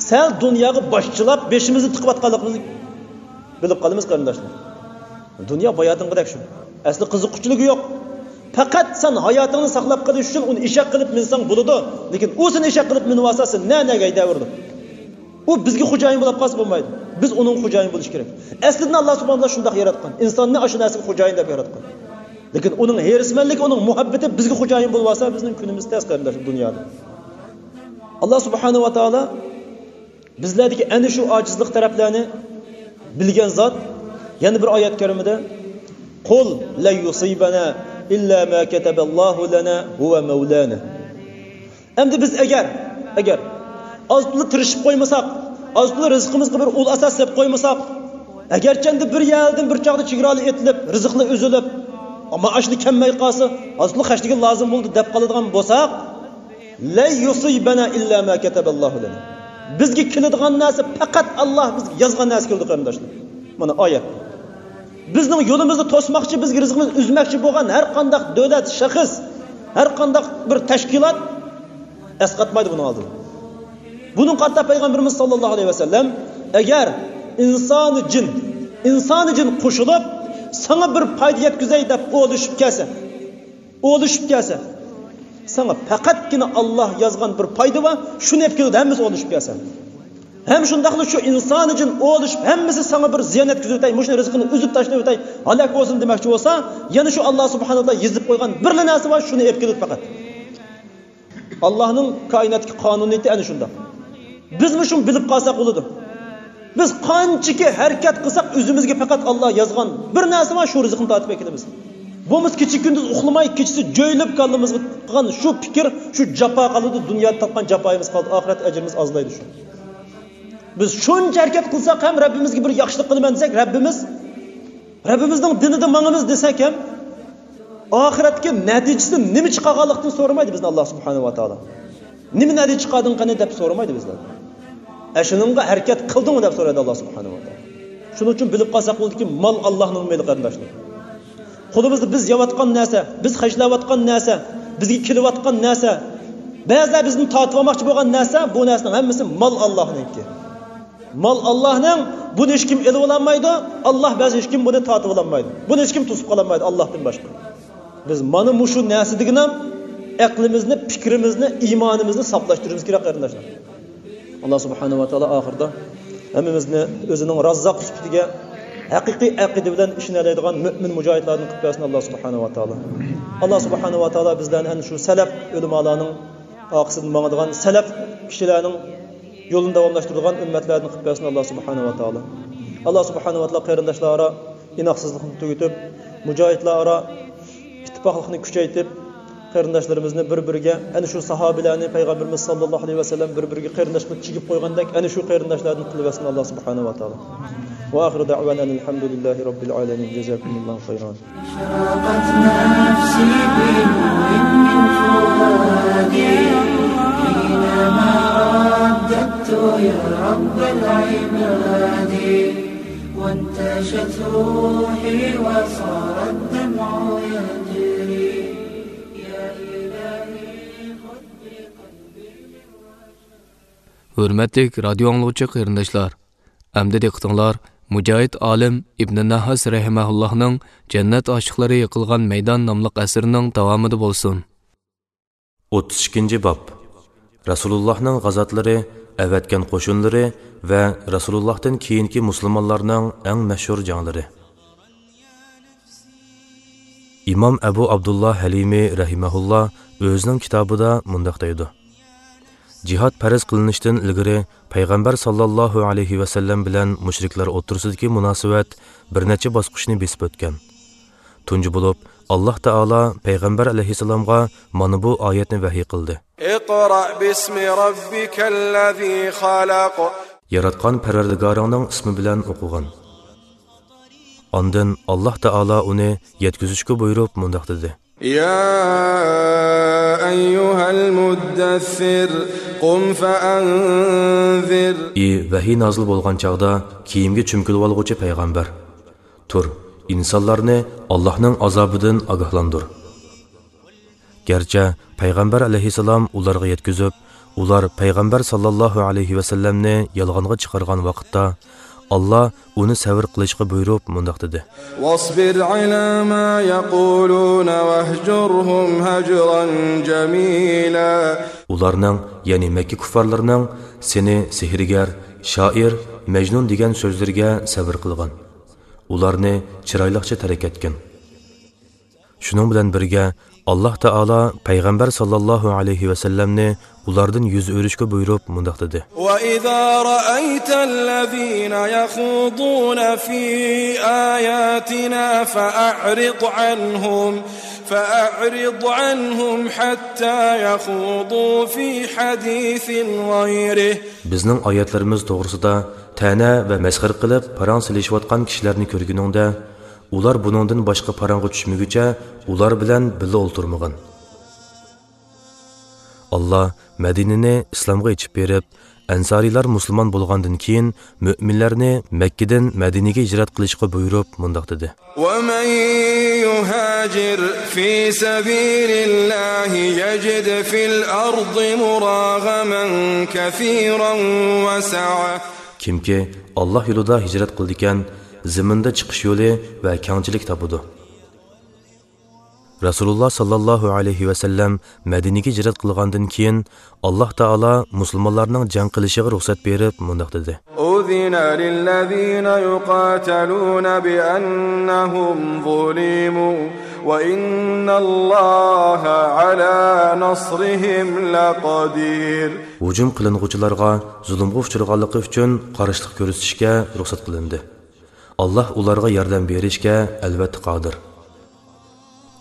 سەل دۇنياغا باش چىلاپ، بېشىمىزنى تىقىۋاتقانلىقىمىزنى بىلىپ قالىمىز، قېرىنداشلار. دۇنيا باياتىنقىدەك شۇ. ئەسلى قىزىققۇچىلىكى يوق. پەقەت سەن ھاياتىڭنى ساقلاپ قېلىش ئۈچۈن ئۇنى ئېشەك قىلىپ مىنسەڭ بولىدۇ. لېكىن ئۇ سېنى ئېشەك قىلىپ مىنىۋالسا، سېنى نە-نەگە ھەيدەۋېرىدۇ. ئۇ بىزگە خوجايىن بولۇپ قالسا بولمايدۇ. بىز ئۇنىڭغا خوجايىن بولۇش كېرەك. ئەسلىدىن ئاللا سۇبھانەھۇ ۋە تائالا شۇنداق ياراتقان. ئىنساننى ئاشۇ نەرسىگە خوجايىن دەپ ياراتقان. لېكىن ئۇنىڭ ھېرىسمەنلىكى، ئۇنىڭ مۇھەببىتى بىزگە خوجايىن بولۇۋالسا، بىزنىڭ كۈنىمىز تەس، قېرىنداشلار، دۇنيادا. ئاللا سۇبھانەھۇ ۋە تائالا بىزلەردىكى ئەنە شۇ ئاجىزلىق تەرەپلەرنى بىلگەن زات. يەنە بىر ئايەت كەرىمىدە، «قل لن يصيبنا إلا ما كتب الله لنا هو مولانا.» ئەمدى بىز ئەگەر، ئەگەر ئاز تولا تىرىشىپ قويمىساق، ئاز تولا رىزقىمىزغا بىر ئۇل ئاساس سېلىپ قويمىساق، ئەگەرچە ئەمدى بىر يەردىن بىر چاغدا چېگرالار ئېتىلىپ، رىزىقلار ئۈزۈلۈپ، مائاشلار كەلمەي قالسا، ئاز تولا خەجلىگىلى لازىم بولدى دەپ قالىدىغان بولساق، «لن يصيبنا إلا ما كتب الله لنا.» بىزگە كېلىدىغان نەرسە پەقەت ئاللا بىزگە يازغان نەرسە كېلىدۇ، قېرىنداشلار. مانا ئايەت. بىزنىڭ يولىمىزنى توسماقچى، بىزگە رىزقىمىزنى ئۈزمەكچى بولغان ھەر قانداق دۆلەت، شەخس، ھەر قانداق بىر تەشكىلات ئەسقاتمايدۇ بۇنىڭ ئالدىدا. بۇنىڭغا قارىتا پەيغەمبىرىمىز ساللاللاھۇ ئەلەيھى ۋەسەللەم، ئەگەر ئىنسانى جىن، ئىنسانى جىن قوشۇلۇپ، ساڭا بىر پايدا يەتكۈزەي دەپ ئولىشىپ كەلسە، ئولىشىپ كەلسە، ساڭا پەقەتكىنە ئاللا يازغان بىر پايدا بار، شۇنى ئېلىپ كېلىدۇ، ھەممىسى ئولىشىپ كەلسە. ھەم شۇنداقلا شۇ ئىنسانى جىن ئولىشىپ، ھەممىسى ساڭا بىر زىيان يەتكۈزۈۋېتەي، مۇشۇنى رىزقىنى ئۈزۈپ تاشلىۋېتەي، ھالاك بولسۇن دېمەكچى بولسا، يەنە شۇ ئاللا سۇبھانەھۇ ۋە تائالا يېزىپ قويغان بىرلا نەرسە بار، شۇنى ئېلىپ كېلىدۇ پەقەت. ئاللانىڭ كائىناتتىكى قانۇنىيىتى ئەنە شۇنداق. بىزمۇ شۇنى بىلىپ قالساق بولىدۇ. بىز قانچىكى ھەرىكەت قىلساق، ئۆزىمىزگە پەقەت ئاللا يازغان بىر نەرسە بار، شۇ رىزىقنى تارتىپ ئەكېلىمىز. بولمىسا كېچە كۈندۈز ئۇخلىماي، كېچىسى جۆيلۈپ كاللىمىزغا قىلغان شۇ پىكىر، شۇ جاپا قالىدۇ، دۇنيادا تارتقان جاپايىمىز قالىدۇ، ئاخىرەت ئەجرىمىز ئازلايدۇ شۇ. بىز شۇنچە ھەرىكەت قىلساق ھەم، رەببىمىزگە بىر ياخشىلىق قىلىمەن دېسەك، رەببىمىز، رەببىمىزنىڭ دىنىدا ماڭىمىز دېسەك ھەم، ئاخىرەتتىكى نەتىجىسى نېمە چىقارغانلىقتىن سورىمايدۇ بىزنى ئاللا سۇبھانەھۇ ۋە تائالا. نېمە نەتىجە چىقاردىڭ قېنى دەپ سورىمايدۇ بىزدىن. ئەشۇنىڭغا ھەرىكەت قىلدىڭمۇ دەپ سورايدۇ ئاللا سۇبھانەھۇ ۋە تائالا. شۇنىڭ ئۈچۈن بىلىپ قالساق بولىدۇكى، مال ئاللانىڭ مېلى، قېرىنداشلار. قولىمىزدا بىز يەۋاتقان نەرسە، بىز خەجلەۋاتقان نەرسە، بىزگە كېلىۋاتقان نەرسە، بەزىلەر بىزدىن تارتىۋالماقچى بولغان نەرسە، بۇ نەرسىنىڭ ھەممىسى مال ئاللاھنىڭكى. مال ئاللاھنىڭ، بۇنى ھېچكىم ئېلىۋالالمايدۇ، ئاللاھ بەزى ھېچكىم بۇنى تارتىۋالالمايدۇ، بۇنى ھېچكىم توسۇپ قالالمايدۇ ئاللاھتىن باشقا. بىز مانا مۇشۇ نەرسە دېگىنىم ئەقلىمىزنى، پىكرىمىزنى، ئىمانىمىزنى ساپلاشتۇرۇشىمىز كېرەك، قېرىنداشلار. ئاللاھ سۇبھانەھۇ ۋە تائالا ئاخىرىدا ھەممىمىزنى ئۆزىنىڭ راززاق سۈپىتىگە ھەقىقىي ئەقىدە بىلەن ئىشىنەلەيدىغان مۆمىن مۇجاھىدلاردىن قىلىپ بەرسۇن، ئاللاھ سۇبھانەھۇ ۋە تائالا. ئاللاھ سۇبھانەھۇ ۋە تائالا بىزلەرنى ئەنە شۇ سەلەپ ئۆلىمالارنىڭ ئارقىسىدىن ماڭىدىغان، سەلەپ كىشىلەرنىڭ يولىنى داۋاملاشتۇرىدىغان ئۈممەتلەردىن قىلىپ بەرسۇن، ئاللاھ سۇبھانەھۇ ۋە تائالا. ئاللاھ سۇبھانەھۇ ۋە تائالا قېرىنداشلار ئارا ئىناقسىزلىقنى تۈگىتىپ، مۇجاھىدلار ئارا ئىتتىپاقلىقنى كۈچەيتىپ، قېرىنداشلىرىمىزنى بىر-بىرىگە، ئەنە شۇ ساھابىلەرنى پەيغەمبىرىمىز ساللاللاھۇ ئەلەيھى ۋەسەللەم بىر-بىرىگە قېرىنداش قىلىپ چىگىپ قويغاندەك، ئەنە شۇ قېرىنداشلاردىن قىلىۋەتسۇن ئاللاھ سۇبھانەھۇ ۋە تائالا. وآخر دعوانا أن الحمد لله رب العالمين. جزاكم الله خيرا. أشرقت نفسي بنور من فؤادي حينما رددت يا رب العباد، وانتشت روحي وصار الدمع يجري. يا إلهي خذ بقلبي. ھۆرمەتلىك رادىيو ئاڭلىغۇچى قېرىنداشلار، ئەمدى دىققىتىڭلار مۇجاھىد ئالىم ئىبنى نەھاس رەھىمەھۇللاھنىڭ جەننەت ئاشىقلىرى يىقىلغان مەيدان ناملىق ئەسىرىنىڭ داۋامىدا بولسۇن. ئوتتۇز ئىككىنچى باب. رەسۇلۇللاھنىڭ غازاتلىرى، ئەۋەتكەن قوشۇنلىرى ۋە رەسۇلۇللاھتىن كېيىنكى مۇسۇلمانلارنىڭ ئەڭ مەشھۇر جەڭلىرى. ئىمام ئەبۇ ئابدۇللا ھەلىمى رەھىمەھۇللا ئۆزىنىڭ كىتابىدا مۇنداق دەيدۇ: جىھاد پەرز قىلىنىشتىن ئىلگىرى پەيغەمبەر ساللاللاھۇ ئەلەيھى ۋەسەللەم بىلەن مۇشرىكلار ئوتتۇرىسىدىكى مۇناسىۋەت بىر نەچچە باسقۇچنى بېسىپ ئۆتكەن. تۇنجى بولۇپ، ئاللاھ تائالا پەيغەمبەر ئەلەيھىسسالامغا مانا بۇ ئايەتنى ۋەھىي قىلدى. اقرأ باسم ربك الذي خلق. ياراتقان پەرۋەردىگارىڭنىڭ ئىسمى بىلەن ئوقۇغىن. ئاندىن ئاللاھ تائالا ئۇنى يەتكۈزۈشكە بۇيرۇپ مۇنداق دېدى. يا أيها المدثر، قم فأنذر. ئى ۋەھىي نازىل بولغان چاغدا كىيىمگە چۆمكۈلۈۋالغۇچى پەيغەمبەر، تۇر، ئىنسانلارنى ئاللاھنىڭ ئازابىدىن ئاگاھلاندۇر. گەرچە پەيغەمبەر ئەلەيھىسسالام ئۇلارغا يەتكۈزۈپ، ئۇلار پەيغەمبەر ساللاللاھۇ ئەلەيھى ۋەسەللەمنى يالغانغا چىقارغان ۋاقىتتا، ئاللاھ ئۇنى سەۋر قىلىشقا بۇيرۇپ مۇنداق دېدى. واصبر على ما يقولون واهجرهم هجرا جميلا. ئۇلارنىڭ، يەنى مەككە كۇففارلىرىنىڭ سېنى سېھىرگەر، شائىر، مەجنۇن دېگەن سۆزلىرىگە سەۋر قىلغىن. ئۇلارنى چىرايلىقچە تەرك ئەتكىن. شۇنىڭ بىلەن بىرگە، ئاللاھ تائالا پەيغەمبەر ساللاللاھۇ ئەلەيھى ۋەسەللەمنى ئۇلاردىن يۈز ئۆرۈشكە بۇيرۇپ مۇنداق دېدى. وإذا رأيت الذين يخوضون في آياتنا فأعرض عنهم، فأعرض عنهم حتى يخوضوا في حديث غيره. بىزنىڭ ئايەتلىرىمىز توغرىسىدا تەنە ۋە مەسخىرە قىلىپ پاراڭ سېلىشىۋاتقان كىشىلەرنى كۆرگىنىڭدە، ئۇلار بۇنىڭدىن باشقا پاراڭغا چۈشمىگۈچە ئۇلار بىلەن بىللە ئولتۇرمىغىن. ئاللاھ مەدىنىنى ئىسلامغا ئېچىپ بېرىپ، ئەنسارىيلار مۇسۇلمان بولغاندىن كېيىن، مۆمىنلەرنى مەككىدىن مەدىنىگە ھىجرەت قىلىشقا بۇيرۇپ مۇنداق دېدى. ومن يهاجر في سبيل الله يجد في الأرض مراغما كثيرا وسعة. كىمكى ئاللاھ يولىدا ھىجرەت قىلىدىكەن، زېمىندا چىقىش يولى ۋە كەڭچىلىك تاپىدۇ. رەسۇلۇللاھ ساللاللاھۇ ئەلەيھى ۋەسەللەم مەدىنىگە ھىجرەت قىلغاندىن كېيىن، ئاللاھ تائالا مۇسۇلمانلارنىڭ جەڭ قىلىشىغا رۇخسەت بېرىپ مۇنداق دېدى. أذن للذين يقاتلون بأنهم ظلموا وإن الله على نصرهم لقدير. ھۇجۇم قىلىنغۇچىلارغا زۇلۇمغا ئۇچرىغانلىقى ئۈچۈن قارشىلىق كۆرسىتىشكە رۇخسەت قىلىندى. ئاللاھ ئۇلارغا ياردەم بېرىشكە ئەلۋەتتە قادىر.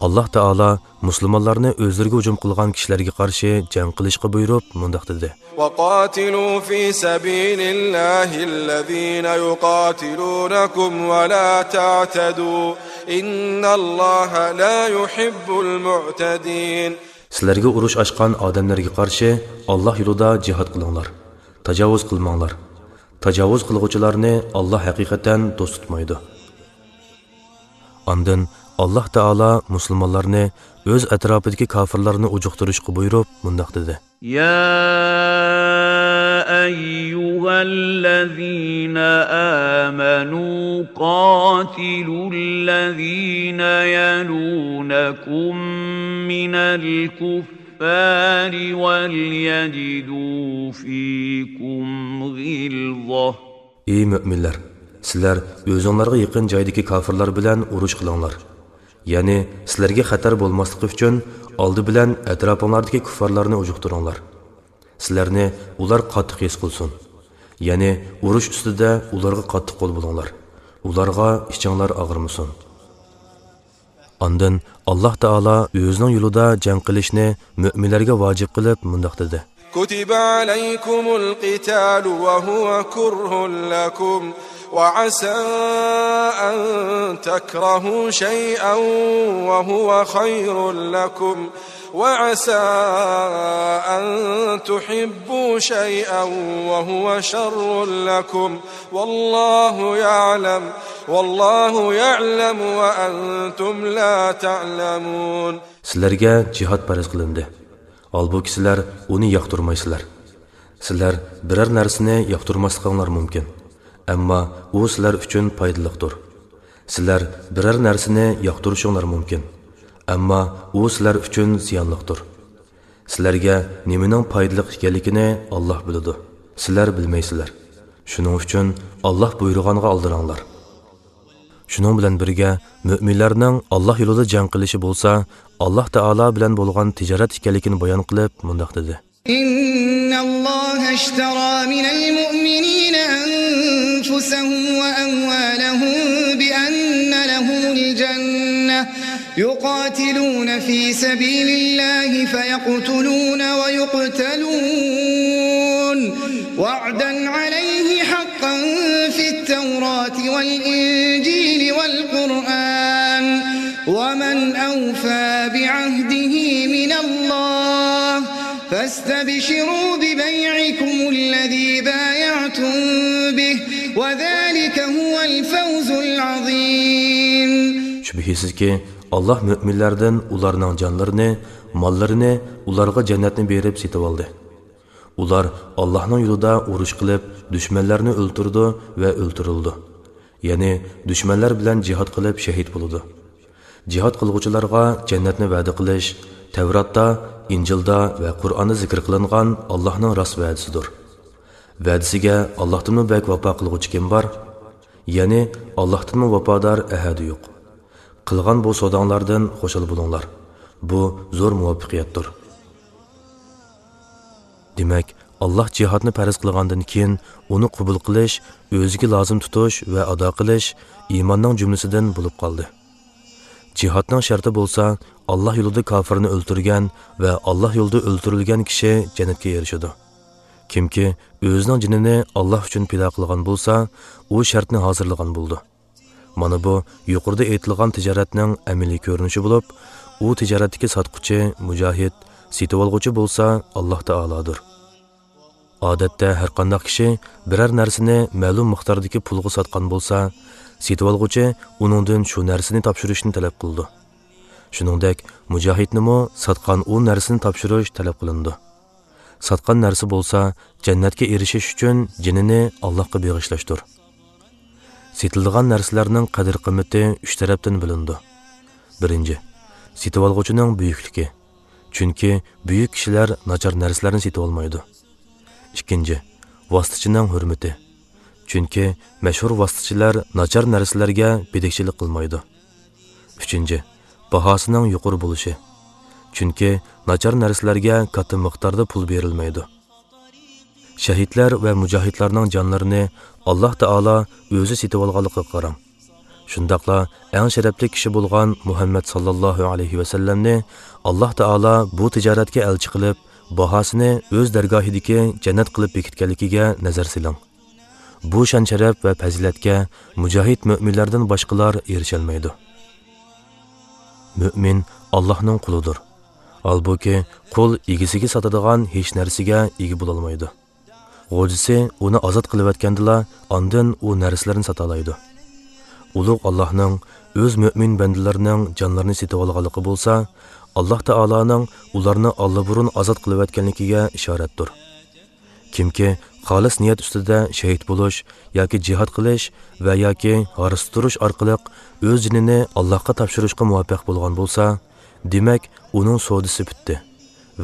ئاللاھ تائالا مۇسۇلمانلارنى ئۆزلىرىگە ھۇجۇم قىلغان كىشىلەرگە قارشى جەڭ قىلىشقا بۇيرۇپ مۇنداق دېدى. وقاتلوا في سبيل الله الذين يقاتلونكم ولا تعتدوا إن الله لا يحب المعتدين. سىلەرگە ئۇرۇش ئاچقان ئادەملەرگە قارشى ئاللاھ يولىدا جىھاد قىلىڭلار. تاجاۋۇز قىلماڭلار. تاجاۋۇز قىلغۇچىلارنى ئاللاھ ھەقىقەتەن دوست تۇتمايدۇ. ئاندىن ئاللاھ تائالا مۇسۇلمانلارنى ئۆز ئەتراپىدىكى كاپىرلارنى ئۇجۇقتۇرۇشقا بۇيرۇپ، مۇنداق دېدى. يا أيها الذين آمنوا قاتلوا الذين يلونكم من الكفار وليجدوا فيكم غلظة. ئەي مۆمىنلەر، سىلەر ئۆزۈڭلارغا يېقىن جايدىكى كاپىرلار بىلەن ئۇرۇش قىلىڭلار. يەنى سىلەرگە خەتەر بولماسلىقى ئۈچۈن ئالدى بىلەن ئەتراپىڭلاردىكى كۇففارلارنى ئۇجۇقتۇرۇڭلار. سىلەرنى ئۇلار قاتتىق ھېس قىلسۇن. يەنى ئۇرۇش ئۈستىدە ئۇلارغا قاتتىق قول بولۇڭلار. ئۇلارغا ئىچىڭلار ئاغرىمىسۇن. ئاندىن ئاللاھ تائالا ئۆزىنىڭ يولىدا جەڭ قىلىشنى مۆمىنلەرگە ۋاجىپ قىلىپ مۇنداق دېدى. كتب عليكم القتال وهو كره لكم وعسى أن تكرهوا شيئا وهو خير لكم وعسى أن تحبوا شيئا وهو شر لكم والله يعلم والله يعلم وأنتم لا تعلمون. سىلەرگە جىھاد پەرز قىلىندى. ھالبۇكى سىلەر ئۇنى ياقتۇرمايسىلەر. سىلەر بىرەر نەرسىنى ياقتۇرماسلىقىڭلار مۇمكىن. ئەمما ئۇ سىلەر ئۈچۈن پايدىلىقتۇر. سىلەر بىرەر نەرسىنى ياقتۇرۇشۇڭلار مۇمكىن. ئەمما ئۇ سىلەر ئۈچۈن زىيانلىقتۇر. سىلەرگە نېمىنىڭ پايدىلىق ئىكەنلىكىنى ئاللاھ بىلىدۇ. سىلەر بىلمەيسىلەر. شۇنىڭ ئۈچۈن ئاللاھ بۇيرۇغانغا ئالدىراڭلار. شۇنىڭ بىلەن بىرگە، مۆمىنلەرنىڭ ئاللاھ يولىدا جەڭ قىلىشى بولسا، ئاللاھ تائالا بىلەن بولغان تىجارەت ئىكەنلىكىنى بايان قىلىپ، مۇنداق دېدى. إن الله اشترى من المؤمنين أنفسهم وأموالهم بأن لهم الجنة يقاتلون في سبيل الله فيقتلون ويقتلون وعدا عليه حقا في التوراة والإنجيل والقرآن ومن أوفى بعهده من الله فاستبشروا ببيعكم الذي بايعتم به وذلك هو الفوز العظيم. شۈبھىسىزكى، ئاللاھ مۆمىنلەردىن ئۇلارنىڭ جانلىرىنى، ماللىرىنى ئۇلارغا جەننەتنى بېرىپ سېتىۋالدى. ئۇلار ئاللاھنىڭ يولىدا ئۇرۇش قىلىپ، دۈشمەنلەرنى ئۆلتۈرىدۇ ۋە ئۆلتۈرۈلىدۇ. يەنى دۈشمەنلەر بىلەن جىھاد قىلىپ شەھىد بولىدۇ. جىھاد قىلغۇچىلارغا جەننەتنى ۋەدە قىلىش تەۋراتتا، ئىنجىلدا ۋە قۇرئاندا زىكىر قىلىنغان ئاللاھنىڭ راست ۋەدىسىدۇر. ۋەدىسىگە ئاللاھتىنمۇ بەك ۋاپا قىلغۇچى كىم بار؟ يەنى ئاللاھتىنمۇ ۋاپادار ئەھەدى يوق. قىلغان بۇ سوداڭلاردىن خۇشال بولۇڭلار. بۇ زور مۇۋەپپەقىيەتتۇر. دېمەك، ئاللاھ جىھادنى پەرز قىلغاندىن كېيىن، ئۇنى قوبۇل قىلىش، ئۆزىگە لازىم تۇتۇش ۋە ئادا قىلىش ئىماننىڭ جۈملىسىدىن بولۇپ قالدى. جىھادنىڭ شەرتى بولسا، ئاللاھ يولىدا كاپىرنى ئۆلتۈرگەن ۋە ئاللاھ يولىدا ئۆلتۈرۈلگەن كىشى جەننەتكە ئېرىشىدۇ. كىمكى ئۆزىنىڭ جېنىنى ئاللاھ ئۈچۈن پىدا قىلغان بولسا، ئۇ شەرتنى ھازىرلىغان بولىدۇ. مانا بۇ يۇقىرىدا ئېيتىلغان تىجارەتنىڭ ئەمەلىي كۆرۈنۈشى بولۇپ، ئۇ تىجارەتتىكى ساتقۇچى مۇجاھىد، سېتىۋالغۇچى بولسا ئاللاھ تائالادۇر. ئادەتتە ھەرقانداق كىشى بىرەر نەرسىنى مەلۇم مىقداردىكى پۇلغا ساتقان بولسا، سېتىۋالغۇچى ئۇنىڭدىن شۇ نەرسىنى تاپشۇرۇشنى تەلەپ قىلىدۇ. شۇنىڭدەك مۇجاھىدنىمۇ ساتقان ئۇ نەرسىنى تاپشۇرۇش تەلەپ قىلىنىدۇ. ساتقان نەرسە بولسا جەننەتكە ئېرىشىش ئۈچۈن جېنىنى ئاللاھقا بېغىشلاشتۇر. سېتىلىدىغان نەرسىلەرنىڭ قەدىر-قىممىتى ئۈچ تەرەپتىن بىلىنىدۇ. بىرىنچى، سېتىۋالغۇچىنىڭ بۈيۈكلۈكى. چۈنكى بۈيۈك كىشىلەر ناچار نەرسىلەرنى سېتىۋالمايدۇ. ئىككىنچى، ۋاسىتىچىنىڭ ھۆرمىتى. چۈنكى مەشھۇر ۋاسىتىچىلەر ناچار نەرسىلەرگە بېدىكچىلىك قىلمايدۇ. ئۈچىنچى، باھاسىنىڭ يۇقىرى بولۇشى. چۈنكى ناچار نەرسىلەرگە كاتتا مىقداردا پۇل بېرىلمەيدۇ. شەھىدلەر ۋە مۇجاھىدلارنىڭ جانلىرىنى ئاللاھ تائالا ئۆزى سېتىۋالغانلىقىغا قاراڭ. شۇنداقلا ئەڭ شەرەپلىك كىشى بولغان مۇھەممەد ساللاللاھۇ ئەلەيھى ۋەسەللەمنى ئاللاھ تائالا بۇ تىجارەتكە ئەلچى قىلىپ، باھاسىنى ئۆز دەرگاھىدىكى جەننەت قىلىپ بېكىتكەنلىكىگە نەزەر سېلىڭ. بۇ شان-شەرەپ ۋە پەزىلەتكە مۇجاھىد مۆمىنلەردىن باشقىلار ئېرىشەلمەيدۇ. مۆمىن ئاللاھنىڭ قۇلىدۇر. ھالبۇكى، قۇل ئىگىسىگە ساتىدىغان ھېچ نەرسىگە ئىگە بولالمايدۇ. غوجىسى ئۇنى ئازاد قىلىۋەتكەندىلا، ئاندىن ئۇ نەرسىلەرنى ساتالايدۇ. ئۇلۇغ ئاللاھنىڭ ئۆز مۆمىن بەندىلىرىنىڭ جانلىرىنى سېتىۋالغانلىقى بولسا، ئاللاھ تائالانىڭ ئۇلارنى ئاللىبۇرۇن ئازاد قىلىۋەتكەنلىكىگە ئىشارەتتۇر. كىمكى خالىس نىيەت ئۈستىدە شېھىت بولۇش ياكى جىھاد قىلىش ۋە ياكى ھارسا تۇرۇش ئارقىلىق ئۆز جېنىنى ئاللاھقا تاپشۇرۇشقا مۇۋەپپەق بولغان بولسا، دېمەك، ئۇنىڭ سودىسى پۈتتى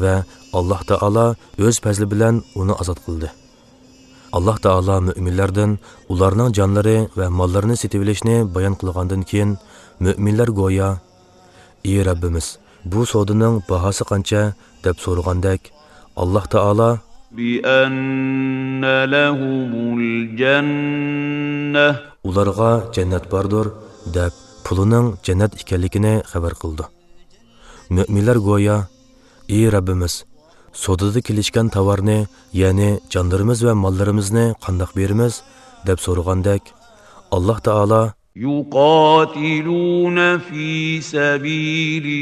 ۋە ئاللاھ تائالا ئۆز پەزلى بىلەن ئۇنى ئازاد قىلدى. ئاللاھ تائالا مۆمىنلەردىن ئۇلارنىڭ جانلىرى ۋە ماللىرىنى سېتىۋېلىشنى بايان قىلغاندىن كېيىن، مۆمىنلەر گويا، ئى رەببىمىز، بۇ سودىنىڭ باھاسى قانچە؟ دەپ سورىغاندەك، ئاللاھ تائالا، بىئەننە لەھۇمۇل جەننە، ئۇلارغا جەننەت باردۇر، دەپ پۇلىنىڭ جەننەت ئىكەنلىكىنى خەۋەر قىلىدۇ. مۆمىنلەر گويا، ئى رەببىمىز، سودىدا كېلىشكەن تاۋارنى، يەنى جانلىرىمىز ۋە ماللىرىمىزنى قانداق بېرىمىز؟ دەپ سورىغاندەك، ئاللاھ تائالا، يۇقاتىلۇنە فى سەبىلىللاھى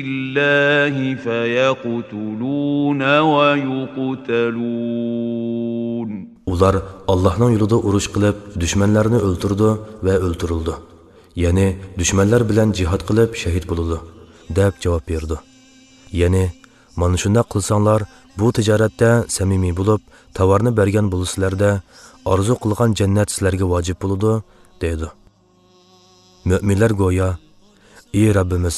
فەيەقتۇلۇنە ۋەيۇقتەلۇن. ئۇلار ئاللاھنىڭ يولىدا ئۇرۇش قىلىپ، دۈشمەنلەرنى ئۆلتۈرىدۇ ۋە ئۆلتۈرۈلىدۇ. يەنى دۈشمەنلەر بىلەن جىھاد قىلىپ شەھىت بولىدۇ، دەپ جاۋاب بېرىدۇ. يەنى، مانا شۇنداق قىلساڭلار، بۇ تىجارەتتە سەمىمىي بولۇپ، تاۋارنى بەرگەن بولىسىلەردە، ئارزۇ قىلغان جەننەت سىلەرگە ۋاجىپ بولىدۇ، دەيدۇ. مۆمىنلەر گويا، ئى رەببىمىز،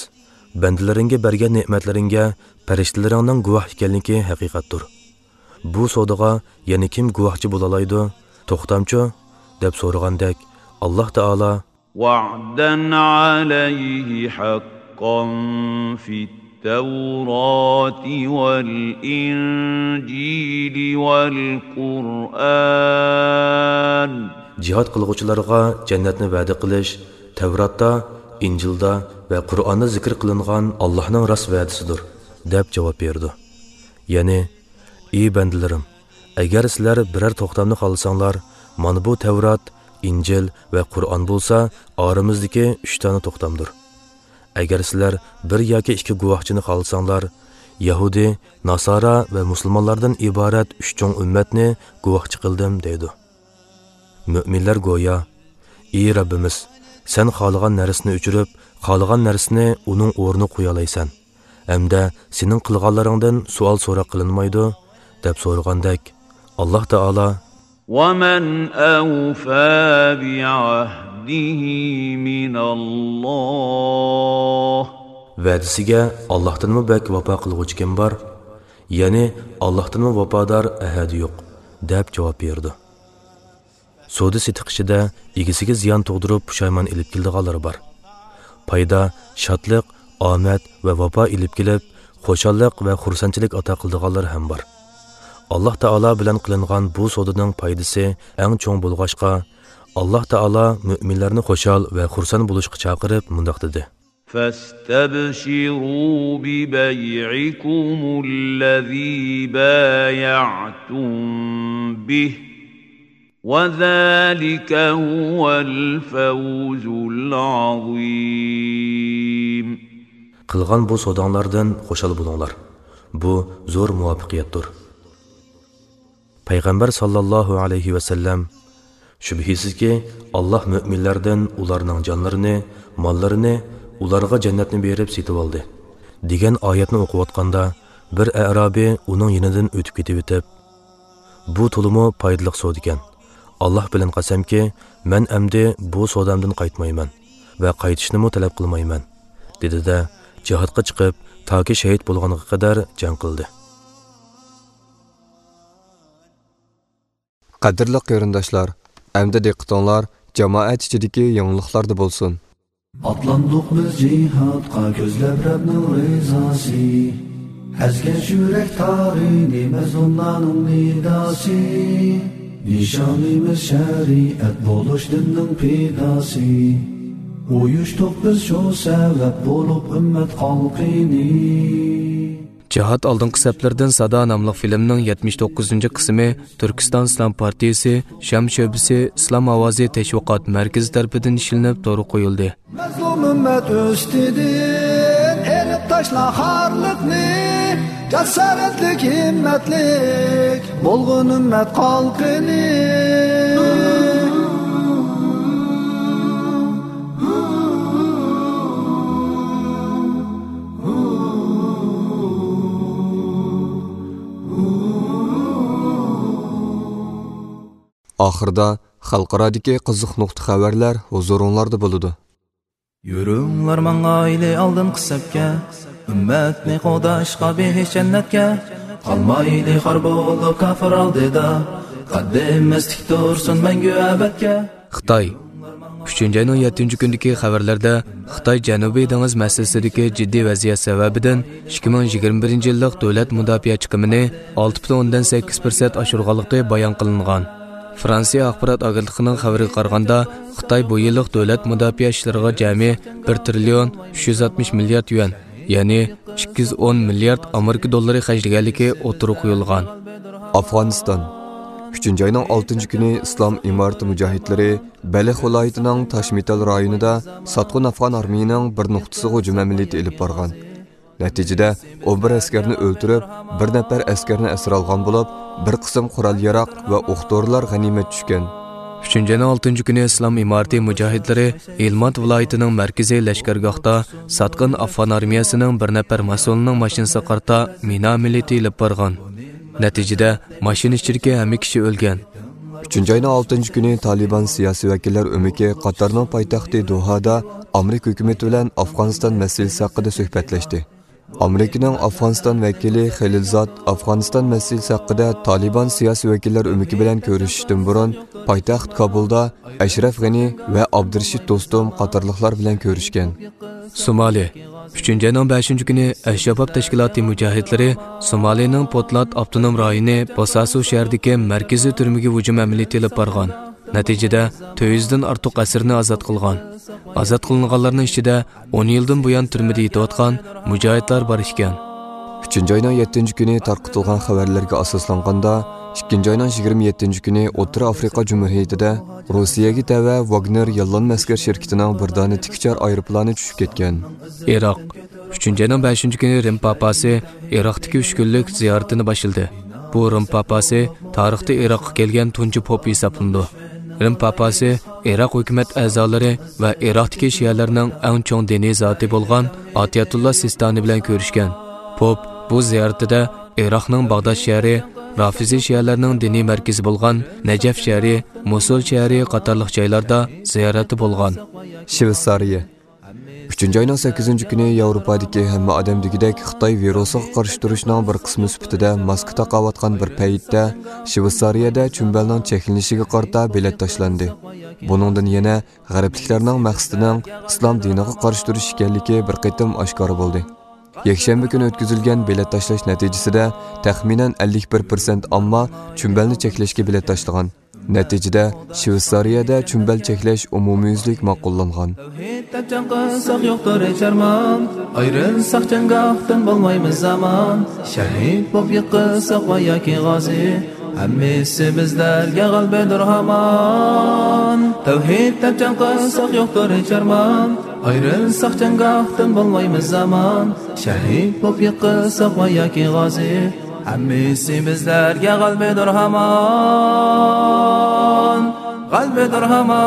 بەندىلىرىڭگە بەرگەن نېمەتلىرىڭگە پەرىشتىلىرىڭنىڭ گۇۋاھ ئىكەنلىكى ھەقىقەتتۇر. بۇ سودىغا يەنە كىم گۇۋاھچى بولالايدۇ؟ توختامچۇ؟ دەپ سورىغاندەك، ئاللاھ تائالا، وعدا عليه حقا في التوراة والإنجيل والقرآن. جىھاد قىلغۇچىلارغا جەننەتنى ۋەدە قىلىش تەۋراتتا، ئىنجىلدا ۋە قۇرئاندا زىكىر قىلىنغان ئاللاھنىڭ راست ۋەدىسىدۇر، دەپ جاۋاب بېرىدۇ. يەنى، ئى بەندىلىرىم، ئەگەر سىلەر بىرەر توختامنى خالىساڭلار، مانا بۇ تەۋرات، ئىنجىل ۋە قۇرئان بولسا ئارىمىزدىكى ئۈچ دانە توختامدۇر. ئەگەر سىلەر بىر ياكى ئىككى گۇۋاھچىنى خالىساڭلار، يەھۇدىي، ناسارا ۋە مۇسۇلمانلاردىن ئىبارەت ئۈچ چوڭ ئۈممەتنى گۇۋاھچى قىلدىم، دەيدۇ. مۆمىنلەر گويا، ئى رەببىمىز، سەن خالىغان نەرسىنى ئۆچۈرۈپ، خالىغان نەرسىنى ئۇنىڭ ئورنىغا قويالايسەن ھەمدە سېنىڭ قىلغانلىرىڭدىن سوئال-سوراق قىلىنمايدۇ، دەپ سورىغاندەك، ئاللاھ تائالا، ومن أوفى بعهده من الله. ۋەدىسىگە ئاللاھتىنمۇ بەك ۋاپا قىلغۇچى كىم بار؟ يەنى ئاللاھتىنمۇ ۋاپادار ئەھەد يوق، دەپ جاۋاب بېرىدۇ. سودا-سېتىق ئىچىدە ئىگىسىگە زىيان تۇغدۇرۇپ پۇشايمان ئېلىپ كېلىدىغانلىرى بار. پايدا، شادلىق، ئامەت ۋە ۋاپا ئېلىپ كېلىپ، خۇشاللىق ۋە خۇرسەنچىلىك ئاتا قىلىدىغانلار ھەم بار. ئاللاھ تائالا بىلەن قىلىنغان بۇ سودىنىڭ پايدىسى ئەڭ چوڭ بولغاچقا، ئاللاھ تائالا مۆمىنلەرنى خۇشال ۋە خۇرسەن بولۇشقا چاقىرىپ مۇنداق دېدى. فاستبشروا ببيعكم الذي بايعتم به وذلك هو الفوز العظيم. قىلغان بۇ سوداڭلاردىن خۇشال بولۇڭلار. بۇ زور مۇۋەپپەقىيەتتۇر. پەيغەمبەر ساللاللاھۇ ئەلەيھى ۋەسەللەم، شۈبھىسىزكى، ئاللاھ مۆمىنلەردىن ئۇلارنىڭ جانلىرىنى، ماللىرىنى، ئۇلارغا جەننەتنى بېرىپ سېتىۋالدى، دېگەن ئايەتنى ئوقۇۋاتقاندا، بىر ئەرابىي ئۇنىڭ يېنىدىن ئۆتۈپ كېتىۋېتىپ، بۇ تولىمۇ پايدىلىق سودىكەن. ئاللاھ بىلەن قەسەمكى، مەن ئەمدى بۇ سودامدىن قايتمايمەن ۋە قايتىشنىمۇ تەلەپ قىلمايمەن، دېدى-دە، جىھادقا چىقىپ، تاكى شەھىت بولغانغا قەدەر جەڭ قىلدى. قەدىرلىك قېرىنداشلار، ئەمدى دىققىتىڭلار جامائەت ئىچىدىكى يېڭىلىقلاردا بولسۇن. ئاتلاندۇق بىز جىھادقا كۆزلەپ رەبنىڭ رىزاسى. ئەزگەن يۈرەك تارىنى مەزلۇملارنىڭ نىداسى. نىشانىمىز شەرىئەت بولۇش دىننىڭ پىداسى. ئۇيۇشتۇق بىز شۇ سەۋەب بولۇپ ئۈممەت خەلقىنى. جىھاد ئالدىنقى سەپلىرىدىن سادا ناملىق فىلىمنىڭ يەتمىش توققۇزىنچى قىسمى تۈركىستان ئىسلام پارتىيىسى شام شۆبىسى ئىسلام ئاۋازى تەشۋىقات مەركىزى تەرىپىدىن ئىشلىنىپ تورغا قويۇلدى. مەزلۇم ئۈممەت ئۈستىدىن ئېلىپ تاشلا خارلىقنى، جاسارەتلىك، ھىممەتلىك بولغىن ئۈممەت خەلقىنى. ئاخىرىدا خەلقئارادىكى قىزىق نۇقتا خەۋەرلەر ھۇزۇرۇڭلاردا بولىدۇ. يۈرۈڭلار ماڭايلى ئالدىنقى سەپكە، ئۈممەتنى قوغداشقا بېھىش جەننەتكە. قالمايلى خار بولۇپ كاپىر ئالدىدا، قەددىمىز تىك تۇرسۇن مەڭگۈ ئەبەدكە. خىتاي. ئۈچىنچى ئاينىڭ يەتتىنچى كۈنىدىكى خەۋەرلەردە خىتاي جەنۇبىي دېڭىز مەسىلىسىدىكى جىددىي ۋەزىيەت سەۋەبىدىن ئىككى مىڭ يىگىرمە بىرىنچى يىللىق دۆلەت مۇداپىئە چىقىمىنى ئالتە پۈتۈن ئوندىن سەككىز پىرسەنت ئاشۇرغانلىقى بايان قىلىنغان. فرانسىيە ئاخبارات ئاگېنتلىقىنىڭ خەۋىرىگە قارىغاندا، خىتاي بۇ يىللىق دۆلەت مۇداپىئە ئىشلىرىغا جەمئىي بىر تىرىليون ئۈچ يۈز ئاتمىش مىليارد يۈەن، يەنى ئىككى يۈز ئون مىليارد ئامېرىكا دوللىرى خەجلىگەنلىكى ئوتتۇرىغا قويۇلغان. ئافغانىستان. ئۈچىنچى ئاينىڭ ئالتىنچى كۈنى ئىسلام ئىمارىتى مۇجاھىدلىرى بەلخ ۋىلايىتىنىڭ تاشمىتال رايونىدا ساتقىن ئافغان ئارمىيىنىڭ بىر نۇقتىسىغا ھۇجۇم ئەمەلىيىتى ئېلىپ بارغان. نەتىجىدە، ئون بىر ئەسكەرنى ئۆلتۈرۈپ، بىر نەپەر ئەسكەرنى ئەسىر ئالغان بولۇپ، بىر قىسىم قورال-ياراغ ۋە ئوق-دورىلار غەنىيمەت چۈشكەن. ئۈچىنچى ئاينىڭ ئالتىنچى كۈنى ئىسلام ئىمارىتى مۇجاھىدلىرى ھىلماند ۋىلايىتىنىڭ مەركىزىي لەشكەرگاھتا ساتقىن ئافغان ئارمىيەسىنىڭ بىر نەپەر مەسئۇلىنىڭ ماشىنىسىغا قارىتا مىنا ئەمەلىيىتى ئېلىپ بارغان. نەتىجىدە، ماشىنا ئىچىدىكى ھەممە كىشى ئۆلگەن. ئۈچىنچى ئاينىڭ ئالتىنچى كۈنى تالىبان سىياسىي ۋەكىللەر ئۆمىكى قاتارنىڭ پايتەختى دوھادا ئامېرىكا ھۆكۈمىتى بىلەن ئافغانىستان مەسىلىسى ھەققىدە سۆھبەتلەشتى. ئامېرىكىنىڭ ئافغانىستان ۋەكىلى خېلىلزاد ئافغانىستان مەسىلىسى ھەققىدە تالىبان سىياسىي ۋەكىللەر ئۆمىكى بىلەن كۆرۈشۈشتىن بۇرۇن پايتەخت كابۇلدا ئەشرەف غېنى ۋە ئابدۇرېشىت دوستۇم قاتارلىقلار بىلەن كۆرۈشكەن. سومالى. ئۈچىنچى ئاينىڭ بەشىنچى كۈنى ئەلشاباب تەشكىلاتى مۇجاھىدلىرى سومالىنىڭ پوتلات ئاپتونوم رايونى بوساسو شەھىرىدىكى مەركىزىي تۈرمىگە ھۇجۇم ئەمەلىيىتى ئېلىپ بارغان. نەتىجىدە، تۆت يۈزدىن ئارتۇق ئەسىرنى ئازاد قىلغان. ئازاد قىلىنغانلارنىڭ ئىچىدە ئون يىلدىن بۇيان تۈرمىدە يېتىۋاتقان مۇجاھىدلار بار ئىكەن. ئۈچىنچى ئاينىڭ يەتتىنچى كۈنى تارقىتىلغان خەۋەرلەرگە ئاساسلانغاندا، ئىككىنچى ئاينىڭ يىگىرمە يەتتىنچى كۈنى ئوتتۇرا ئافرىقا جۇمھۇرىيىتىدە روسىيەگە تەۋە ۋاگنېر ياللانما ئەسكەر شىركىتىنىڭ بىردانە تىك ئۇچار ئايروپىلانى چۈشۈپ كەتكەن. ئىراق. ئۈچىنچى ئاينىڭ بەشىنچى كۈنى رىم پاپاسى ئىراقتىكى ئۈچ كۈنلۈك زىيارىتىنى باشلىدى. بۇ رىم پاپاسى تارىختا ئىراققا كەلگەن تۇنجى پوپ ھېسابلىنىدۇ. رىم پاپاسى ئىراق ھۆكۈمەت ئەزالىرى ۋە ئىراقتىكى شىئەلەرنىڭ ئەڭ چوڭ دىنىي زاتى بولغان ئاتىيەتۇللا سىستانى بىلەن كۆرۈشكەن. پوپ بۇ زىيارىتىدە ئىراقنىڭ باغداد شەھىرى، رافىزىي شىئەلەرنىڭ دىنىي مەركىزى بولغان نەجەف شەھىرى، موسۇل شەھىرى قاتارلىق جايلاردا زىيارەتتە بولغان. شۋېتسارىيە. ئۈچىنچى ئاينىڭ سەككىزىنچى كۈنى ياۋروپادىكى ھەممە ئادەم دېگۈدەك خىتاي ۋىرۇسىغا قارشى تۇرۇشنىڭ بىر قىسمى سۈپىتىدە ماسكا تاقاۋاتقان بىر پەيتتە، شۋېتسارىيەدە چۈمبەلنىڭ چەكلىنىشىگە قارىتا بېلەت تاشلاندى. بۇنىڭدىن يەنە غەربلىكلەرنىڭ مەقسىتىنىڭ ئىسلام دىنىغا قارشى تۇرۇش ئىكەنلىكى بىر قېتىم ئاشكارا بولدى. يەكشەنبە كۈنى ئۆتكۈزۈلگەن بېلەت تاشلاش نەتىجىسىدە، تەخمىنەن ئەللىك بىر پىرسەنت ئامما چۈمبەلنى چەكلەشكە بېلەت تاشلىغان. نەتىجىدە، شۋېتسارىيەدە چۈمبەل چەكلەش ئومۇميۈزلۈك ماقۇللانغان. تەۋھىد دەپ جەڭ قىلساق يوقتۇر ھېچ ئارمان، ئايرىلساق جەڭگاھتىن بولمايمىز ئامان. شەھىد بولۇپ يىقىلساق ۋە ياكى غازى، ھەممىسى بىزلەرگە غەلىبىدۇر ھامان. تەۋھىد دەپ جەڭ قىلساق يوقتۇر ھېچ ئارمان، ئايرىلساق جەڭگاھتىن بولمايمىز ئامان. شەھىد بولۇپ يىقىلساق ۋە ياكى غازى، ھەممىسى بىزلەرگە غەلىبىدۇر ھامان، غەلىبىدۇر ھامان.